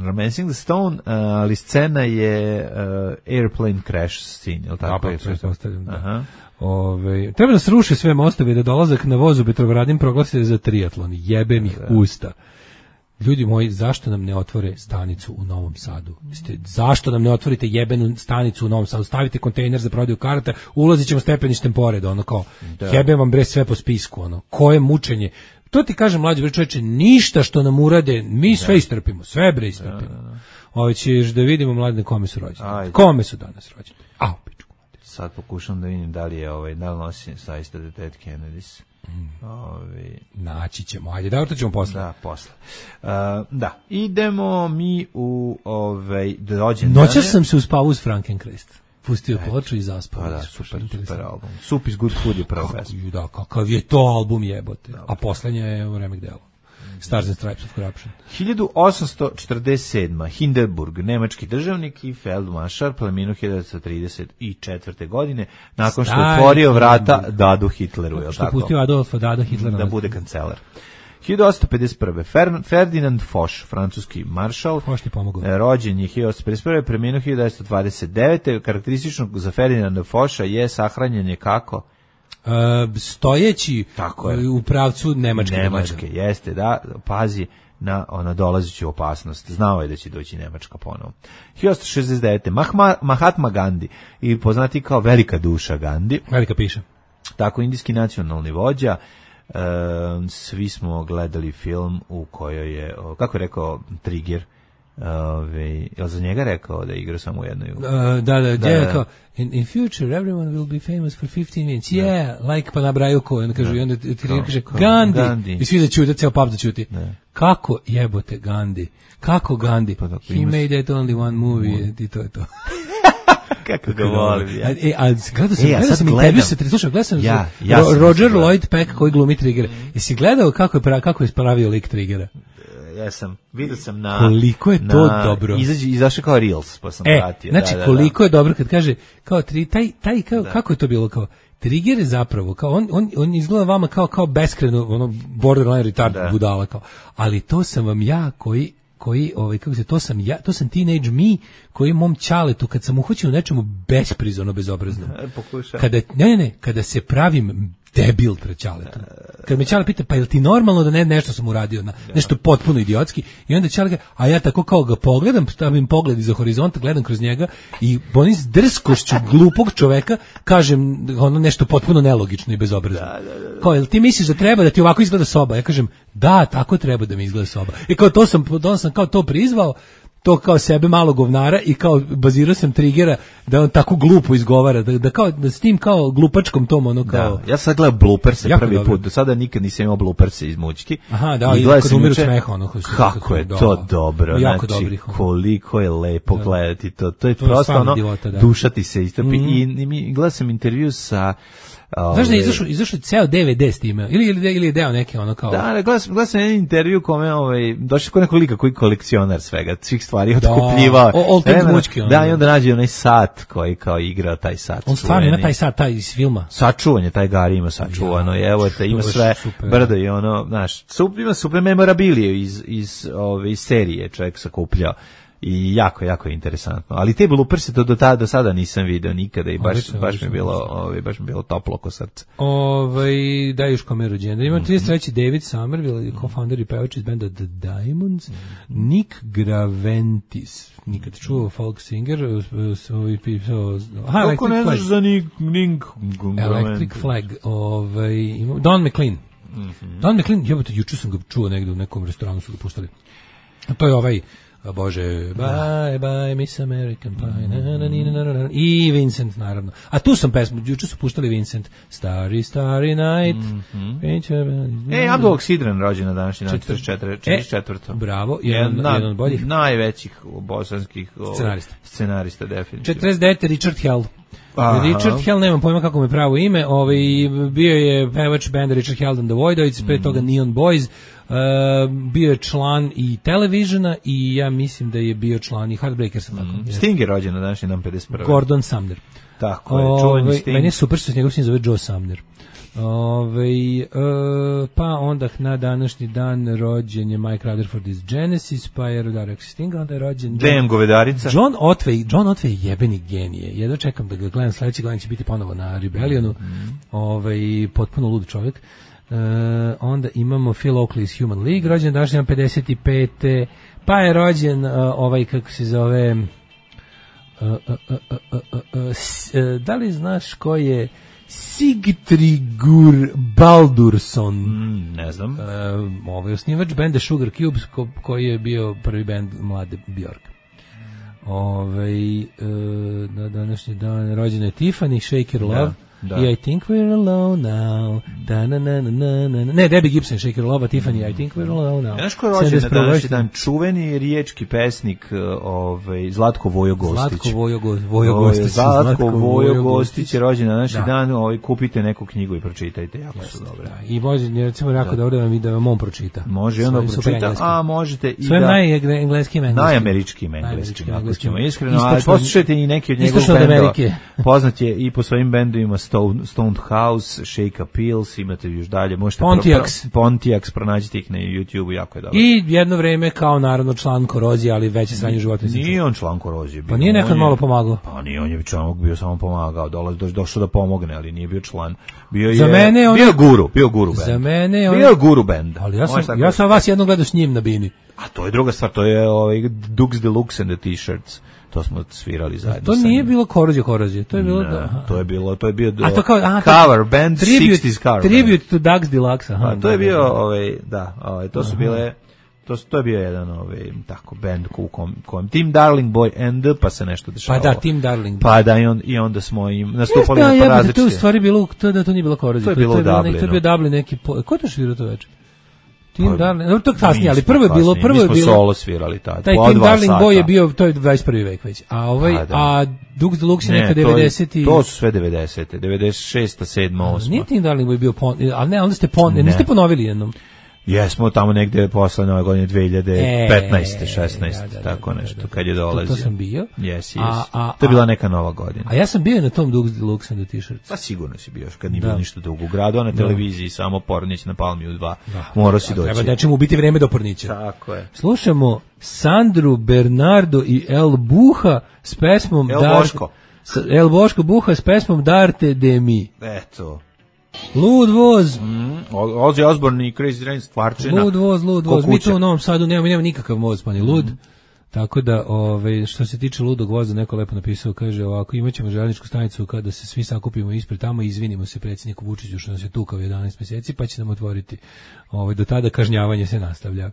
Romancing the Stone, uh, ali scena je uh, airplane crash scene, je li tako? Da, pa pretpostavljam, da. Aha. Ove, treba da sruše sve mostove da dolazak na vozu Petrovaradin proglase za triatlon. Jebem ih usta. Ljudi moji, zašto nam ne otvore stanicu u Novom Sadu? Ste, zašto nam ne otvorite jebenu stanicu u Novom Sadu? Stavite kontejner za prodaju karata, ulazit ćemo stepeništem pored, ono kao, da. Jebem vam bre sve po spisku, ono, koje mučenje. To ti kažem, mlađi bre čoveče, ništa što nam urade, mi sve da. istrpimo, sve bre istrpimo. Da, da, da. Ovo ćeš da vidimo, mladine, kome su rođeni. Kome su danas rođeni? Au, pičku. Sad pokušam da vidim da li je, ovaj, da li nosi saista da Dead Kennedys. Mm. Ovi... Naći ćemo, ajde, da to ćemo posle. Da, posle. Uh, da, idemo mi u ovaj rođendane. Noćas sam se uspavao uz Frankenkrest. Pustio ploču i zaspao. Pa da, super, super album. Sup is Good Food je prva pesma. Da, kakav je to album jebote. Da, a poslednja je remek delo. Stars and Stripes of Corruption. hiljadu osamsto četrdeset sedma. Hindenburg, nemački državnik i feldmaršal, preminuo hiljadu devetsto trideset četvrte. godine, nakon što je otvorio vrata Dadu Hitleru, je li tako? Što pustio Adolfa Dada Hitlera da bude kancelar. hiljadu osamsto pedeset prve. Fer, Ferdinand Foch, francuski maršal, rođen je hiljadu osamsto pedeset prve. preminuo hiljadu devetsto dvadeset devete. Karakteristično za Ferdinanda Focha je sahranjanje kako? Uh, stojeći tako je. U pravcu Nemačke. Nemačke, jeste, da, pazi na ona dolazeću opasnost. Znao je da će doći Nemačka ponovo. hiljadu osamsto šezdeset devete. Mahma, Mahatma Gandhi, i poznati kao velika duša Gandhi. Velika piša. Tako, indijski nacionalni vođa. Uh, svi smo gledali film u kojoj je, kako je rekao Trigger, Ove, je za njega rekao da igra samo u jednoj? Uh, da, da, da, da, kao, in, in future everyone will be famous for fifteen minutes. Yeah, da. Like pa nabraju ko, onda kaže, da. I onda ti kaže, Gandhi. Gandhi. I svi začute, ceo pub začuti. Da. Kako jebote Gandhi? Kako Gandhi? Pa, He imaš... made that only one movie, i to je to. Kako ga volim, ja. E, a gledao sam, e, gledao sam intervju sa, slušaj, gledao sam ja, ja Ro, Roger Lloyd Peck koji glumi Triggera. Jesi gledao kako je, pra, kako je pravio lik Triggera? Ja sam, vidio sam na... Koliko je to na, dobro. Izađe, izašao kao Reels, pa sam e, pratio. Znači, da, da, koliko da. je dobro kad kaže, kao, tri, taj, taj, kao, kako je to bilo, kao, Trigger je zapravo, kao, on, on, on izgleda vama kao, kao beskreno, ono, borderline retard da. budala, kao, ali to sam vam ja koji, koji, ovaj, kako se, to sam ja, to sam teenage me, koji mom ćaletu, kad sam uhoćen u nečemu besprizorno bezobrazno. Pokušaj. Kada, ne, ne, kada se pravim debil pred Ćaletom. Kad me Ćale pita, pa jel ti normalno da ne nešto sam uradio, na, nešto potpuno idiotski, i onda Ćale ga, a ja tako kao ga pogledam, stavim pogled iza horizonta, gledam kroz njega i onim s drskošću glupog čoveka kažem ono nešto potpuno nelogično i bezobrazno. Da, da, da. Kao, jel ti misliš da treba da ti ovako izgleda soba? Ja kažem, da, tako treba da mi izgleda soba. I kao to sam, to sam kao to prizvao, to kao sebe malo govnara i kao bazirao sam trigera da on tako glupo izgovara, da, da kao da s tim kao glupačkom tom ono kao. Da, ja sad gledam blooperse prvi dobro. put, do sada nikad nisam imao blooperse iz mućki. Aha, da, i kad umiru smeha ono. Kako je da, to dobro, jako znači dobrih, koliko je lepo da. gledati to, to je to prosto ono, divota, da. duša ti se istrpi. Mm. I, i, i gledao sam intervju sa Znaš da je izašao, izašao ceo D V D s time, ili, ili, ili je deo neki ono kao... Da, gledao sam, gledao sam jedan intervju kome, ovaj, došli kod nekog lika koji kolekcionar svega, svih stvari otkupljivao. Da, all things mučki. Ono. Da, i onda nađe onaj sat koji kao igra taj sat. On stvarno ima taj sat, taj iz filma. Sačuvanje, taj Gari ima sačuvano, ja, evo te, ima sve super. Brdo i ono, znaš, super, ima super memorabilije iz, iz, ove, iz serije čovjek sakupljao. I jako, jako je interesantno. Ali te blooperse to do tada do sada nisam video nikada i baš obično, baš obično, mi je bilo, ovaj baš mi je bilo toplo oko srca. Ovaj da još kome rođendan. Ima trideset treći David Somerville, co-founder i pevač iz benda The Diamonds, Nick Graventis. Nikad čuo folk singer, svoj pisao. Aha, Electric ne Flag. Za Nick, Nick Electric Flag, ovaj ima Don McLean. Mm-hmm. Don McLean, jebote, juče sam ga čuo negde u nekom restoranu, su ga puštali. A to je ovaj a Bože, bye, bye, Miss American Pie, na, na, na, na, na, i Vincent, naravno. A tu sam pesmu, juče su puštali Vincent, Starry, Starry Night. Mm-hmm. E, Abdul Sidran rođen na današnji dan, četrdeset četvrto. E, bravo, jedan, jedan, jedan od boljih. Najvećih bosanskih scenarista. Scenarista, definitivno. četrdeset devete Richard Hell. Aha. Richard Hell, nemam pojma kako mu je pravo ime, ovaj, bio je pevač benda Richard Hell and the Voidoids, mm. pre toga Neon Boys, uh, bio je član i Televisiona i ja mislim da je bio član i Heartbreakersa. Mm. Tako. Sting je rođen na današnji dan pedeset prve. Gordon Sumner. Tako je, čuveni Sting. Meni je super što se njegov sin zove Joe Sumner. Ove, uh, pa onda na današnji dan rođen je Mike Rutherford iz Genesis, pa je Rodar Sting, onda je rođen John Govedarica. John Otway, John Otway je jebeni genije. Jedno čekam da ga gledam, sledeći gledam će biti ponovo na Rebellionu. Mm. Ovaj potpuno lud čovjek. Uh, onda imamo Phil Oakley iz Human League, rođen današnji dan pedeset pete. Pa je rođen uh, ovaj kako se zove uh, uh, uh, uh, uh, uh, uh, da li znaš ko je Sigtryggur Baldursson? Mm, ne znam. Uh, ovaj osnivač benda Sugar Cubes ko, koji je bio prvi bend mlade Bjork. Ovaj uh, na današnji dan rođena je Tiffany, Shake Your Love. Da. I I think we're alone now. Da, na, na, na, na, na. Ne, Debbie Gibson, Shake Your Love, Tiffany, I think we're alone now. Znaš ko je rođen na današnji dan? Čuveni riječki pesnik ovaj, Zlatko Vojo Gostić. Zlatko Vojo, Vojo Gostić. Zlatko, Zlatko Vojo Gostić je rođen na današnji da. dan. Ovaj, kupite neku knjigu i pročitajte, jako yes, su dobre. Da. I može, recimo, jako da. dobro da vam, da vam on pročita. Može i onda pročita, a možete i sve da... Sve najengleskim engleskim. Najameričkim engleskim, ako ćemo iskreno. Ali poslušajte i neki od njegovih bendova. Poznat je i po svojim bendovima Stone, Stoned House, Shake a Pills, imate još dalje, možete Pontiacs, pro, Pontiacs pronađite ih na YouTubeu, jako je dobro. I jedno vreme kao naravno član Korozije, ali veće sranje života. Nije on član Korozije. Pa nije nekad malo pomagao. Pa nije, on je član, bio samo pomagao, dolaz do, došao da pomogne, ali nije bio član. Bio je za mene on bio guru, bio guru bend. Za mene on bio guru bend. Ali ja sam ja sam vas jednom gledao s njim na bini. A to je druga stvar, to je ovaj Dukes Deluxe and the T-shirts. To smo svirali zajedno. To nije bilo Korozije, Korozije. To je bilo ne, da. To je bilo, to je bio a to kao, aha, cover band tribute, šezdesetih cover. Tribute to Dukes Deluxe. Aha, a to je bio ovaj da, ovaj to su aha. bile to to je bio jedan ovaj tako band u kom, kom Team Darling Boy and pa se nešto dešavalo. Pa da, Team Darling Boy. Pa da i on i onda smo im nastupali na različite. različite. To je u stvari bilo to da to nije bilo Korozije. To je bilo to je bilo, Dublin. To je bio Dublin neki. Ko to svirao to večer? Team Darling, no, to kasnije, ali prvo je bilo, prvo je bilo. Mi smo solo svirali tad. Taj Team Darling Boy je bio, to je dvadeset prvi vek već. A ovaj, a, a Dukes Deluxe je neka devedeseti. To su sve devedesete, devedeset šesta, sedma, osma. Nije Team Darling Boy bio, pon, ali ne, onda ste, pon, ne. niste ponovili jednom. Jesmo tamo negde posle nove godine dve hiljade petnaeste, šesnaeste, da, da, tako da, nešto, da, da, kad je dolazio. To, to sam bio. Yes, yes. A, a, to je bila neka nova godina. A ja sam bio na tom Dukes Deluxe and the T-shirts. Pa sigurno si bio, kad nije da. bilo ništa drugo u gradu, a na televiziji samo Pornić na Palmiju dva. Da, morao si doći. Treba da će mu biti vreme do Pornića. Tako je. Slušamo Sandru, Bernardo i El Buha s pesmom El Boško. El Boško Buha s pesmom Darte de mi. Eto. Lud voz. Mm, Ozzy Osbourne i Crazy Train stvarčina. Lud voz, lud voz. Mi tu u Novom Sadu nemamo, nemamo nikakav voz, pa ni lud. Mm. Tako da, ovaj, što se tiče ludog voza, neko lepo napisao, kaže ovako, imaćemo željezničku stanicu kada se svi sakupimo ispred tamo i izvinimo se predsjedniku Vučiću što nas je tukao jedanaest mjeseci, pa će nam otvoriti. Ovaj, do tada kažnjavanje se nastavlja.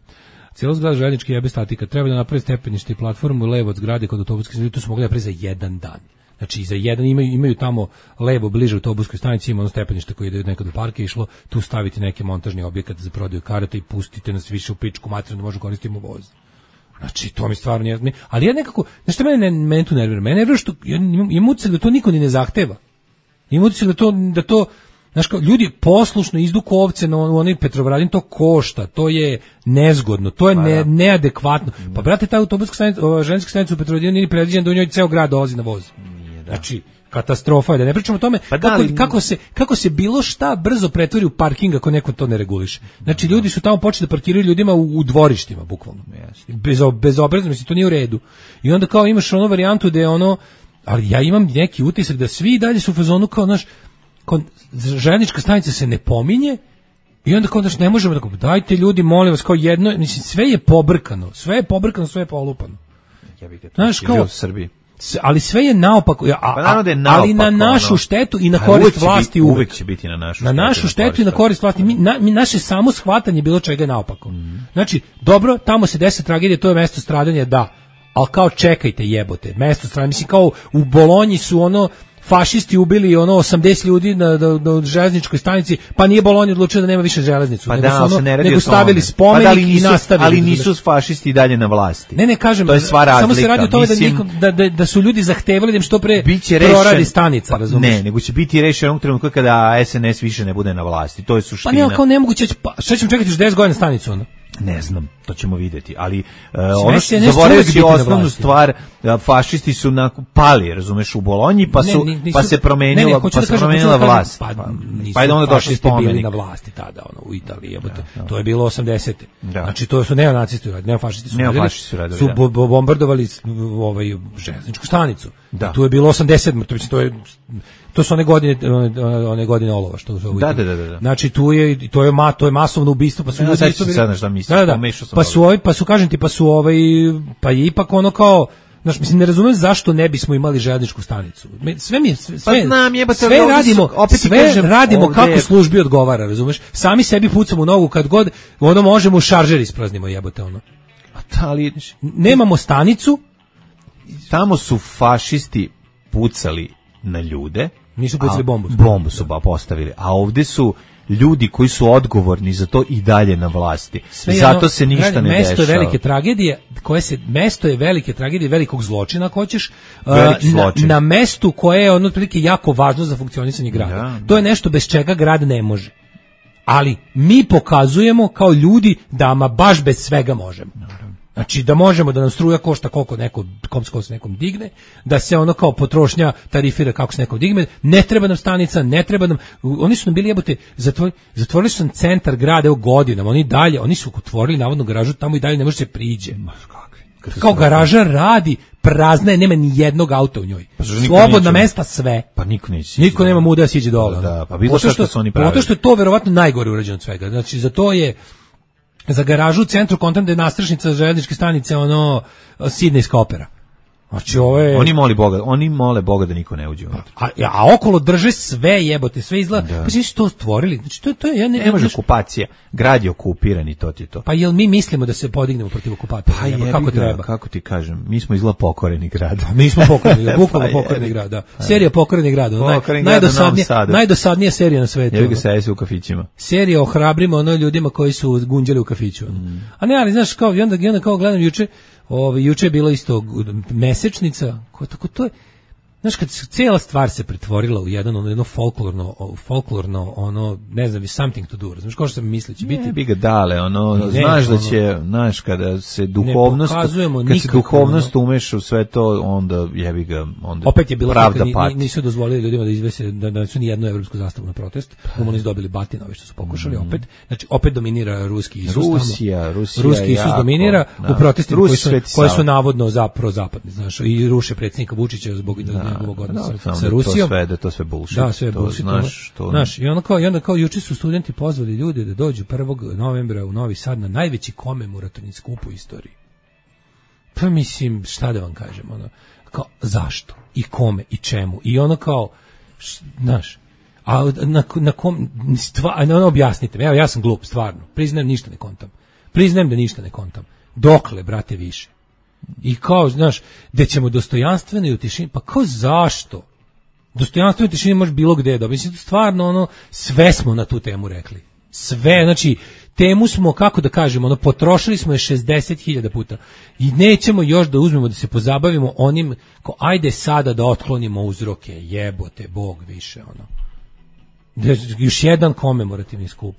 Cijelo zgrada željeznički jebe statika, treba da napravi stepenište i platformu levo od zgrade kod autobuske stanice, to su mogli napraviti za jedan dan. Znači za jedan imaju imaju tamo levo bliže autobuskoj stanici ima ono stepenište koje ide nekad do parka išlo, tu staviti neki montažni objekat za prodaju karata i pustite nas više u pičku materinu da možemo koristiti voz. Znači, to mi stvarno nije... Ali ja nekako... Znaš što mene, mene tu nervira? Mene nervira što... Ja imam utisak da to niko ni ne zahteva. Imam utisak da to... Da to znaš kao, ljudi poslušno izduku ovce na onaj Petrovaradin, to košta, to je nezgodno, to je ne, neadekvatno. Pa, brate, ta autobuska stanica, željeznička stanica u Petrovaradinu nije predviđena da u njoj ceo grad dolazi na voz. Znači, katastrofa je, da ne pričamo o tome pa da, kako, ali... kako, se, kako se bilo šta brzo pretvori u parking ako neko to ne reguliše. Znači, ljudi su tamo počeli da parkiraju ljudima u, u dvorištima, bukvalno. Bez, bezobrazno, mislim, to nije u redu. I onda kao imaš ono varijantu da je ono, ali ja imam neki utisak da svi dalje su u fazonu kao, znaš, željeznička stanica se ne pominje i onda kao, znaš, ne možemo da, dajte ljudi, molim vas, kao jedno, mislim, sve je pobrkano, sve je pobrkano, sve je polupano. Ja bih znaš, kao, u Srbiji. Ali sve je naopako, a, pa naravno da je naopako, ali na našu štetu i na korist vlasti uvek. Uvek će biti na našu na našu štetu i na korist vlasti. Mi, na, mi naše samo shvatanje bilo čega je naopako. Mm. Znači, dobro, tamo se desi tragedije, to je mesto stradanja, da. Ali kao čekajte, jebote, mesto stradanja. Mislim, kao u Bolonji su ono fašisti ubili ono osamdeset ljudi na, na, na železničkoj stanici, pa nije Bolonja odlučio da nema više železnicu, pa nego da, su ono, se ne nego stavili spomenik pa da, nisu, i nastavili. Ali nisu fašisti dalje na vlasti. Ne, ne, kažem, to je sva razlika. Samo se radi o tome da, nikom, da, da, da su ljudi zahtevali da im što pre proradi stanica, pa, razumiješ? Ne, nego će biti rešeno onog trenutka kada S N S više ne bude na vlasti, to je suština. Pa ne, kao nemoguće, pa šta ćemo čekati još deset godina stanicu, ono? Ne znam, to ćemo vidjeti, ali uh, ono što zaboravljajući osnovnu stvar, fašisti su na, pali, razumeš, u Bolonji, pa su ne, nisu, pa se promenila, ne, ne, pa da se promenila vlast. Pa, pa, pa je onda došli spomenik. Bili na vlasti tada, ono, u Italiji, jebote. Da, da. To je bilo osamdesete. Da. Znači to su neonacisti uradili, neofašisti su uradili. Su, radili, su bo, bo, bombardovali ovaj železničku stanicu. Da. Tu je bilo osamdeset, to, to je to su one godine one, one godine olova što su da, da, da, da. Znači tu je to je ma to je masovno ubistvo, pa su ljudi isto sad šta mislim, da, da. Pa su ovaj pa su kažem ti pa su ovaj pa je ipak ono kao znaš, mislim, ne razumem zašto ne bismo imali željezničku stanicu. Sve mi sve, pa znam, jebate, sve radimo, opet sve kažem, radimo ovdje kako službi odgovara, razumeš? Sami sebi pucamo u nogu kad god ono možemo šaržer ispraznimo, jebote ono. Ali nemamo stanicu. Tamo su fašisti pucali na ljude. Nisu pucali bombu. Bombu su ba postavili. A ovdje su ljudi koji su odgovorni za to i dalje na vlasti. Sve zato ono, se ništa ne dešava. Mesto je velike tragedije, koje se mesto je velike tragedije, velikog zločina, ako hoćeš, na, na mestu koje je ono otprilike jako važno za funkcionisanje grada. Ja, to je nešto bez čega grad ne može. Ali mi pokazujemo kao ljudi da ama baš bez svega možemo. Znači da možemo da nam struja košta koliko neko komsko se nekom digne, da se ono kao potrošnja tarifira kako se nekom digne, ne treba nam stanica, ne treba nam, oni su nam bili jebote, zatvor, zatvorili su nam centar grada evo godinama, oni dalje, oni su otvorili navodno garažu, tamo i dalje ne može se priđe. Kao garaža radi, prazna je, nema ni jednog auta u njoj. Pa slobodna mesta sve. Pa niko neće. Niko nema muda da siđe dole. Da, pa bilo što su oni pravili. Zato što je to verovatno najgore urađeno od svega. Znači za to je za garažu u centru kontam da je nastrešnica željezničke stanice ono sidnejska opera. Znači ove oni moli Boga, oni mole Boga da niko ne uđe unutra. A, a okolo drže sve jebote, sve izgleda. Pa svi su to stvorili. Znači to to je ja ne, ne može okupacija. Grad je okupiran i to ti to. Pa jel mi mislimo da se podignemo protiv okupatora? Pa jeba, kako treba? Kako ti kažem? Mi smo izgleda pokoreni grad. Mi smo pokoreni, bukvalno pa pokoreni grad, da. Serija Pokoreni grad, naj, najdosadnija, najdosadnija serija na svetu. Jebi ga se u kafićima. Serija ohrabrimo ono ljudima koji su gunđali u kafiću. Mm. A ne, ali znaš kao i onda, i onda kao gledam juče Ovo, juče je bilo isto mesečnica, ko tako to je, znaš kad cijela stvar se pretvorila u jedan ono jedno folklorno, folklorno ono, ne znam, something to do, znaš kao što se misli će biti. Ne bi ga dale, ono, ne, znaš da će, ono, znaš kada se duhovnost, kad se duhovnost ono, umeša u sve to, onda jebi ga, onda opet je bilo pravda ni, ni, nisu dozvolili ljudima da izvese, da, da su ni jednu evropsku zastavu na protest, komunisti dobili batina, ove što su pokušali mm. opet, znači opet dominira ruski Isus. Rusija, Rusija ruski Isus jako, dominira da. u protestima koji su, koji su navodno za prozapadni, znaš, i ruše predsjednika Vučića zbog da njegovog odnosa da, sa Rusijom. To sve, da to sve bullshit. Da, sve je bullshit. Znaš, to... znaš, i onda kao, i onda kao juče su studenti pozvali ljude da dođu prvog novembra u Novi Sad na najveći komemorativni skup u istoriji. Pa mislim, šta da vam kažem, ono, kao, zašto? I kome? I čemu? I ono kao, š, znaš, a na, na kom, stva, ono, objasnite me, evo, ja sam glup, stvarno, priznajem, ništa ne kontam. Priznajem da ništa ne kontam. Dokle, brate, više? I kao, znaš, gde ćemo dostojanstveno i u tišini, pa kao zašto? Dostojanstveno i u tišini može bilo gde da, mislim, stvarno, ono, sve smo na tu temu rekli. Sve, znači, temu smo, kako da kažemo, ono, potrošili smo je šezdeset hiljada puta i nećemo još da uzmemo da se pozabavimo onim, kao, ajde sada da otklonimo uzroke, jebote, Bog više, ono. Još jedan komemorativni skup.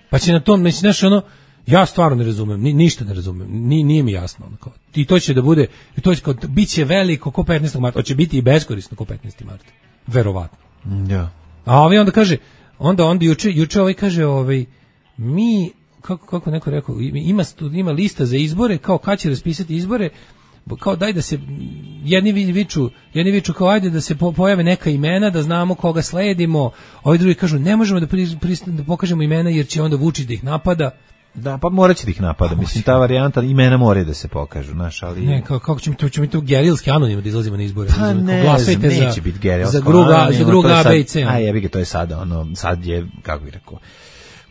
Pa će na tom, mislim, znaš, ono, ja stvarno ne razumem, ni, ništa ne razumem, ni, nije mi jasno. Ono, kao, i to će da bude, i to će, kao, bit će veliko ko petnaestog marta, hoće biti i beskorisno ko petnaestog marta, verovatno. Ja. A ovaj onda kaže, onda, onda juče, juče ovaj kaže, ovaj, mi, kako, kako neko rekao, ima, ima lista za izbore, kao kad će raspisati izbore, kao daj da se, jedni viču, jedni viču kao ajde da se po, pojave neka imena, da znamo koga sledimo, ovi drugi kažu ne možemo da, pri, pri, da pokažemo imena jer će onda Vučić da ih napada. Da, pa morat će da ih napada, mislim, ta varijanta, imena moraju da se pokažu, znaš, ali... Ne, kako, kako ćemo to, ćemo mi to gerilski anonimno da izlazimo na izbore? Pa ne, glasajte neće za, biti gerilsko za druga, za druga A, B i C. A jebi ga, to je sada, ono, sad je, kako bih rekao,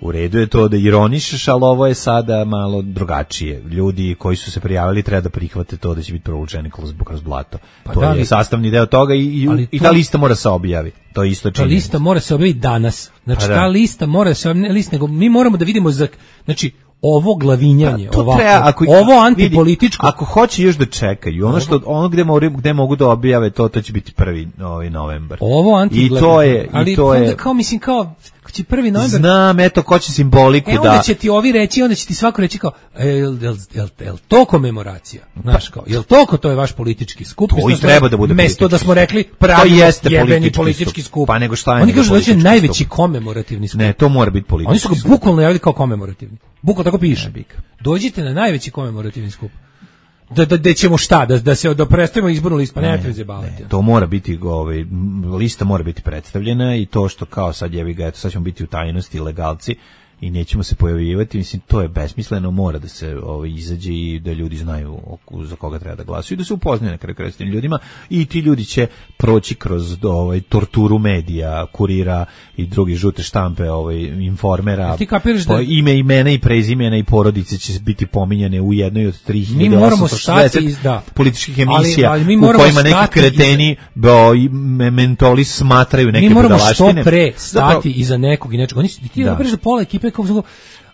u redu je to da ironišeš, ali ovo je sada malo drugačije. Ljudi koji su se prijavili treba da prihvate to da će biti provučeni kroz, kroz blato. Pa to da li, je sastavni deo toga i, i, i ta lista mora se objavi. To je isto činjenica. Ta lista mora se objaviti danas. Znači, pa da. Ta lista mora se objaviti, ne list, nego mi moramo da vidimo, za, znači, ovo glavinjanje, pa, ovako, treba, ako, ovo antipolitičko. Vidi, ako hoće još da čekaju, ono što ono gde mogu, gde mogu da objave to, to će biti prvi ovaj novembar. Ovo antiglavinanje. I to je, ali i to je. Kao mislim kao će prvi novembar. Znam, eto ko će simboliku e, da. Onda će ti ovi reći, onda će ti svako reći kao, jel, jel, jel, jel to komemoracija? Znaš kao, jel to to je vaš politički skup? To i treba da bude mesto da smo rekli pravi jebeni politički skup. Pa nego šta je? Oni kažu da će najveći komemorativni skup. Ne, to mora biti politički. Oni su ga bukvalno javili kao komemorativni. Bukvalno tako piše. Dođite na najveći komemorativni skup. Da da da ćemo šta da da se da predstavimo izbornu listu, pa ne treba zebavati. To mora biti, ovaj lista mora biti predstavljena i to što kao sad jevi ga, eto sad ćemo biti u tajnosti legalci i nećemo se pojavljivati, mislim to je besmisleno, mora da se ovaj izađe i da ljudi znaju za koga treba da glasaju i da se upoznaju na kraju krajeva s tim ljudima i ti ljudi će proći kroz ovaj torturu medija, Kurira i drugi žute štampe, ovaj Informera. Ti kapiraš da ime, imena i prezimena i porodice će biti pominjane u jednoj od tri hiljade osamsto šezdeset da. političkih emisija ali, ali u kojima neki kreteni do mentoli smatraju neke budalaštine. Mi moramo što pre stati Zapravo, iza nekog i nečega. Oni su ti da da pola ekipe kako,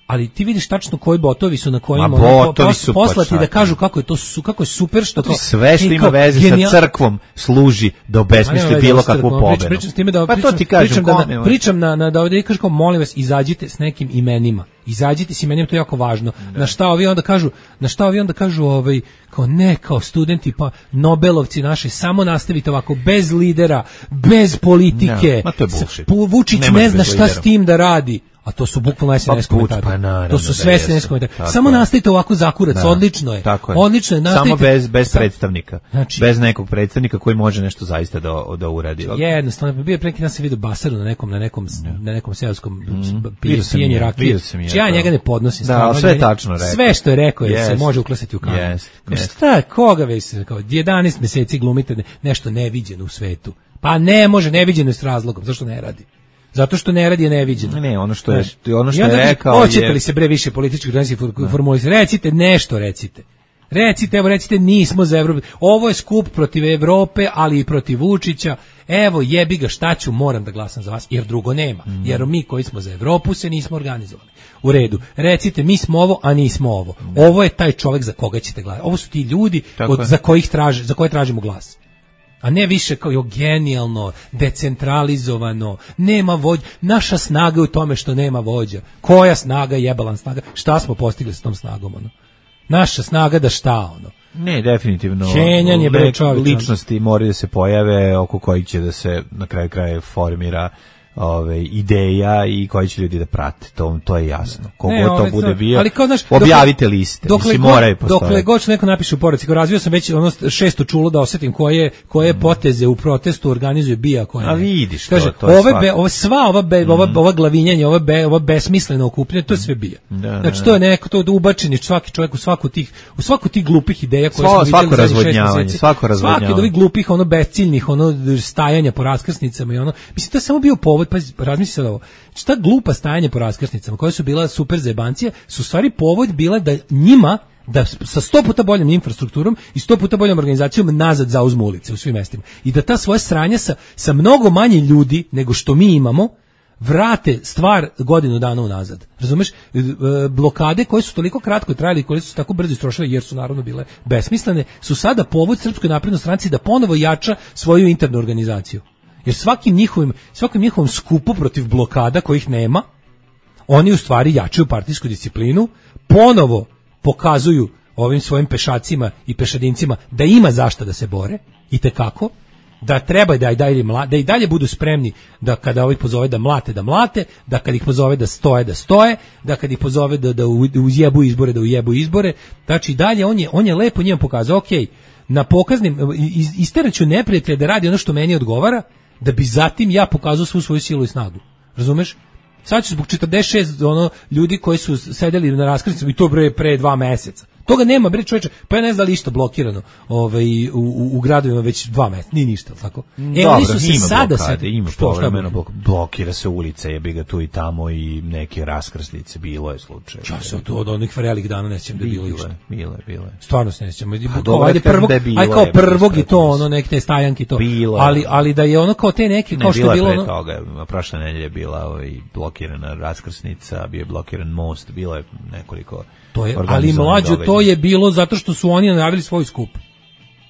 ali ti vidiš tačno koji botovi su na kojima botovi su poslati da kažu kako je to su kako je super što to sve što ima veze genijal... sa crkvom služi da obesmisli bilo kakvu pobedu. Pričam s time da pa pričam, to ti kažem, pričam, da, na, pričam na na da ovdje kažem kao molim vas izađite s nekim imenima. Izađite s imenima, to je jako važno. Da. Na šta ovi onda kažu, na šta ovi onda kažu ovaj kao ne kao studenti pa Nobelovci naši samo nastavite ovako bez lidera, bez politike. Ma to je bullshit. Vučić ne, ne zna šta s tim da radi. A to su bukvalno S N S komentari. Pa to su sve S N S komentari. Samo nastavite ovako zakurac, da, odlično je. Tako je. Odlično je, nastavite. Samo bez bez predstavnika. Znači, bez nekog predstavnika koji može nešto zaista da da uradi. Jednostavno bio pre neki dan se video Basaru na nekom na nekom ja. na nekom seoskom mm, pijenju rakije. Ja njega ne podnosim stvarno. Da, sve je tačno rekao. Sve što je rekao je yes. se može uklesati u kamen. Yes. Yes. Šta, koga već kao jedanaest meseci glumite nešto neviđeno u svetu. Pa ne može neviđeno s razlogom, zašto ne radi? Zato što ne radi je neviđeno. Ne, ono što je, ono što je rekao je... Hoćete li se bre više političkih organizacija formulisati? Recite nešto, recite. Recite, evo recite, nismo za Evropu. Ovo je skup protiv Evrope, ali i protiv Vučića. Evo, jebi ga, šta ću, moram da glasam za vas, jer drugo nema. Mm. Jer mi koji smo za Evropu se nismo organizovali. U redu. Recite, mi smo ovo, a nismo ovo. Mm. Ovo je taj čovjek za koga ćete glasati. Ovo su ti ljudi od, za, kojih traže, za koje tražimo glas. A ne više kao jo genijalno, decentralizovano, nema vođa. Naša snaga je u tome što nema vođa. Koja snaga, jebalan snaga? Šta smo postigli s tom snagom, ono? Naša snaga da šta, ono? Ne, definitivno. Kenjanje, bre, čovječ. Ličnosti moraju da se pojave oko kojih će da se na kraju kraja formira ove ideja i koji će ljudi da prate. To to je jasno. Kogo ne, to bude bio. Ali kao, znaš, objavite liste. Dokle mislim, god, moraju postojati. dokle god što neko napiše u poruci, kao razvio sam već ono šesto čulo da osetim koje koje mm. poteze u protestu organizuje bija koja. A vidiš kaže, to, to je ove be, ove sva ova be, mm. ova ova glavinjanje, ova be, ova besmisleno okupljanje, to je sve bija. Da, znači da, to je neko to ubačeni svaki čovjek u svaku tih u svaku tih glupih ideja koje Svo, smo videli svako razvodnjavanje, svako razvodnjavanje. Svaki od ovih glupih ono besciljnih ono stajanja po raskrsnicama i ono. Mislim to je samo bio povod, pa razmisli sad ovo. Šta glupa stajanje po raskrsnicama koje su bila super zebancije su stvari povod bila da njima da sa sto puta boljom infrastrukturom i sto puta boljom organizacijom nazad zauzmu ulice u svim mestima i da ta svoja sranja sa, sa mnogo manje ljudi nego što mi imamo vrate stvar godinu dana unazad. Razumeš? Blokade koje su toliko kratko trajale i koje su tako brzo istrošile jer su naravno bile besmislene su sada povod Srpskoj naprednoj stranci da ponovo jača svoju internu organizaciju. Jer svakim njihovim, svakim njihovom skupu protiv blokada kojih nema, oni u stvari jačaju partijsku disciplinu, ponovo pokazuju ovim svojim pešacima i pešadincima da ima zašta da se bore, i tekako, da treba da i dalje, da i dalje budu spremni da kada ovih pozove da mlate, da mlate, da kad ih pozove da stoje, da stoje, da kad ih pozove da, da uzjebu izbore, da ujebu izbore. Znači i dalje on je, on je lepo njima pokazao, ok, na pokaznim, isteraću neprijatelja da radi ono što meni odgovara, da bi zatim ja pokazao svu svoju silu i snagu. Razumeš? Sad ću zbog četrdeset šest ono, ljudi koji su sedeli na raskrsnicama i to bre pre dva meseca. Toga nema, bre čoveče, pa ja ne znam da li išta blokirano ovaj, u, u, u gradovima već dva meseca, ni ništa, tako? E, dobro, oni su se ima sada blokade, se, ima što, povremeno blok, blokira se ulica, jebi ga tu i tamo i neke raskrsnice, bilo je slučaj. Čas se od, od onih varelih dana ne sjećam da je bilo išta. Bilo je, bilo je. Stvarno se ne sjećam. Pa dobro, ajde prvog, da aj kao prvog i to, ono, neke te stajanke to. Bilo, ali, ali da je ono kao te neke, kao ne, što je bilo pre ono... toga, prošle nedelje je bila ovaj, blokirana raskrsnica, bio je blokiran most, bilo je nekoliko... To je, ali mlađo, to je bilo zato što su oni najavili svoj skup.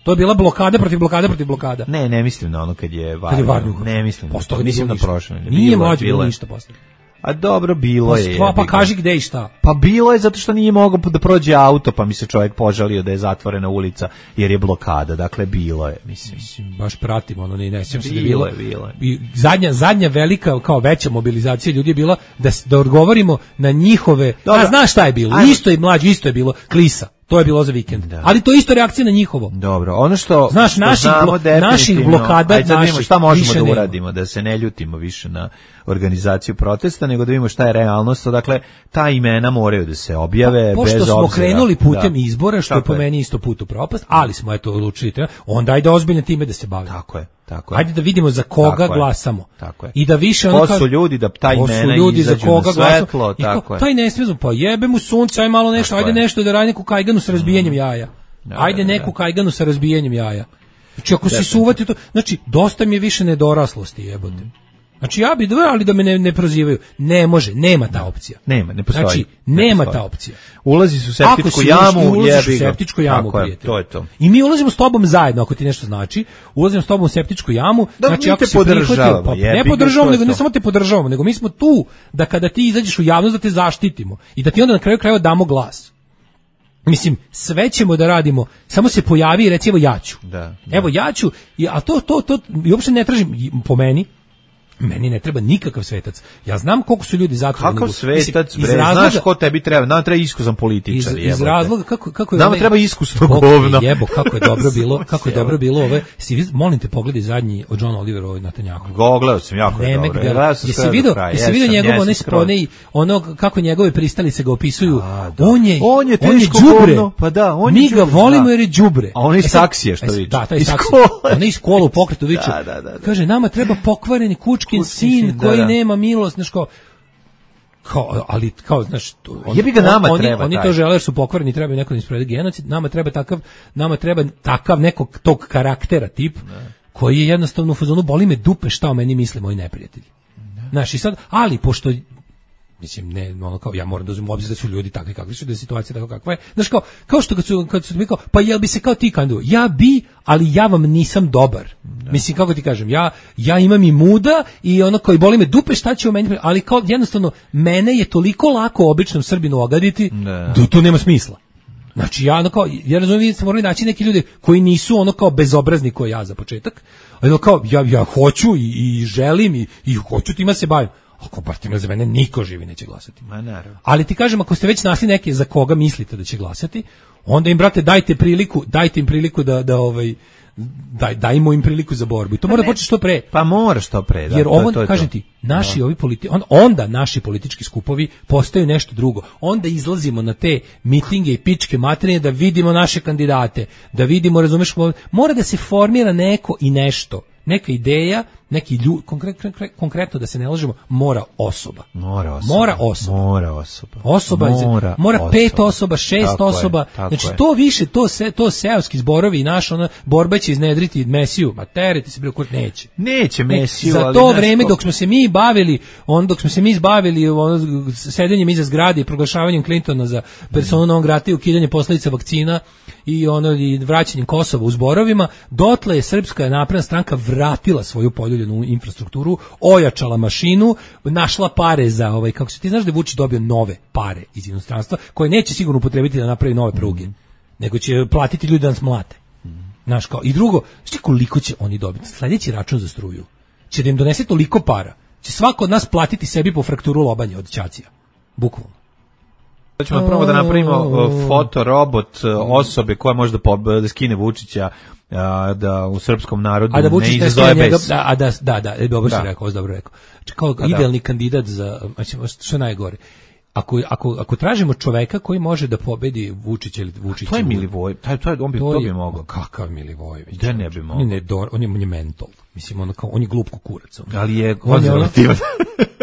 To je bila blokada protiv blokada protiv blokada. Ne, ne mislim na ono kad je Varnju. Kad je Varnju. Ne mislim. Posto mislim na prošle. Nije mlađo bilo ništa posle. A dobro, bilo pa, je. Pa, pa kaži gde i šta. Pa bilo je zato što nije mogao da prođe auto, pa mi se čovjek požalio da je zatvorena ulica jer je blokada. Dakle, bilo je, mislim. Mislim baš pratimo, ono ne, ne sjećam se da je bilo. bilo. Je, bilo je. I zadnja, zadnja velika, kao veća mobilizacija ljudi je bila da, da odgovorimo na njihove... Dobro. A znaš šta je bilo? Ajmo. Isto je mlađo, isto je bilo klisa. To je bilo za vikend. Da. Ali to je isto reakcija na njihovo. Dobro, ono što znaš, što naših, znamo blo, naših blokada, ajde, naših, šta možemo da nema. uradimo, da se ne ljutimo više na organizaciju protesta, nego da vidimo šta je realnost. Dakle, ta imena moraju da se objave pa, bez obzira. Pošto smo krenuli putem da. izbora, što Tako je po meni isto put u propast, ali smo eto odlučili, onda ajde ozbiljno time da se bavimo. Tako je. Tako je. Ajde da vidimo za koga tako glasamo. Je, tako je. I da više ko ono su ljudi da taj imena ljudi izađu za koga na svetlo, glasamo. tako je. Taj ne smije, pa jebe mu sunce, aj malo nešto, tako ajde je. nešto da radi neku kajganu sa razbijanjem jaja. Da, ajde da, da, neku kajganu sa razbijanjem jaja. Znači ako se suvati to, znači dosta mi je više nedoraslosti, jebote. Znači ja bi dva, ali da me ne, ne prozivaju. Ne može, nema ta opcija. Nema, ne postoji. Znači, ne nema postoji. ta opcija. Ulazi su u septičku si jamu, ulaziš jebi u ga. septičku jamu, Tako je, prijatelj. to je to. I mi ulazimo s tobom zajedno, ako ti nešto znači. Ulazimo s tobom u septičku jamu. Da, znači, mi ako te si podržavamo, pa, jebi ne ga, podržavamo, to je nego ne to. samo te podržavamo, nego mi smo tu da kada ti izađeš u javnost da te zaštitimo i da ti onda na kraju krajeva damo glas. Mislim, sve ćemo da radimo, samo se pojavi i reci, evo ja ću. Da, da. Evo ja ću, a to, to, to, i uopšte ne tražim, po meni, meni ne treba nikakav svetac. Ja znam koliko su ljudi zatvoreni. Kakav svetac, bre, razloga, znaš ko tebi treba? Nama treba iskusan političar. Iz, iz razloga, kako, kako je... Nama ovaj, treba iskusno Bog, govno. Jebo, kako je dobro bilo, kako je dobro bilo ove... Si, molim te, pogledaj zadnji od Johna Olivera ovaj na Tanjaku. Gogledao sam, jako je dobro. Jesi vidio, jesi vidio njegov onaj spone, ono kako njegove pristalice ga opisuju. A, on je, on je teško đubre. Pa da, on je mi ga volimo jer je đubre. A on je saksije što viče. Da, taj iz saksije. škole. On je iz škole u pokretu viče. Da, da, da. Kaže, nama treba pokvareni kučkin sin koji da. nema milost, znaš kao, kao, ali kao, znaš, on, jebi ga nama on, treba. Oni, oni to žele jer su pokvareni, treba neko da im sprovede genocid, nama treba takav, nama treba takav nekog tog karaktera tip, ne. koji je jednostavno u fazonu, boli me dupe šta o meni misle moji neprijatelji. Znaš, i sad, ali pošto mislim, ne, ono kao, ja moram da uzmem u obzir da su ljudi takvi kakvi su, da je situacija tako kakva je. Znaš, kao, kao što kad su, kad su mi kao, pa jel bi se kao ti kandidu? Ja bi, ali ja vam nisam dobar. Da. Mislim, kako ti kažem, ja, ja imam i muda i ono koji boli me dupe, šta će u meni, ali kao jednostavno, mene je toliko lako običnom Srbinu ogaditi, da, da to nema smisla. Znači ja ono kao, ja razumijem, vi ste morali naći neki ljudi koji nisu ono kao bezobrazni kao ja za početak, ali kao ja, ja hoću i, i želim i, i hoću tima se bavim. Ako bar time za mene niko živi neće glasati. Ma naravno. Ali ti kažem, ako ste već našli neke za koga mislite da će glasati, onda im, brate, dajte priliku, dajte im priliku da, da ovaj, daj, dajmo im priliku za borbu. I to mora da počne što pre. Pa mora što pre. Da, jer ovo, to, to kažem to. ti, naši ovi politi, on, onda naši politički skupovi postaju nešto drugo. Onda izlazimo na te mitinge i pičke materije da vidimo naše kandidate, da vidimo, razumeš, mora da se formira neko i nešto. Neka ideja, neki ljud, konkretno, konkretno da se ne lažemo, mora osoba. Mora osoba. Mora osoba. Mora osoba. Osoba, mora, mora osoba. pet osoba, šest tako osoba. Je, znači je. to više, to se, to seoski zborovi i naša ona borba će iznedriti Mesiju. Ma tereti se bilo kurt neće. Neće Mesiju, za ali to nešto... vreme dok smo se mi bavili, on dok smo se mi izbavili ono sedenjem iza zgrade i proglašavanjem Clintona za personu non grata i ukidanje posledica vakcina i ono i vraćanjem Kosova u zborovima, dotle je Srpska napredna stranka vratila svoju poljuljenu infrastrukturu, ojačala mašinu, našla pare za ovaj, kako se ti znaš da je Vučić dobio nove pare iz inostranstva, koje neće sigurno upotrebiti da napravi nove pruge, mm. nego će platiti ljudi da nas mlate. Mm. Znaš kao, i drugo, šti koliko će oni dobiti? Sljedeći račun za struju će da im donese toliko para, će svako od nas platiti sebi po frakturu lobanje od ćacija. Bukvalno. Da ćemo prvo da napravimo fotorobot osobe koja može da, da skine Vučića a, da u srpskom narodu a da Vučić ne izazove njega, bes. Da, a da, da, da, dobro da. si rekao, dobro rekao. Znači, kao a idealni da. kandidat za, što je najgore. Ako, ako, ako tražimo čoveka koji može da pobedi Vučića ili Vučića... To je Milivojević, taj, to je, on bi, to, to bi mogao. Kakav Milivojević? Da ne bi mogao. On je, nedor, on je, on je mentol. Mislim, on, kao, on je glup kukurac. On. Ali je konzervativan.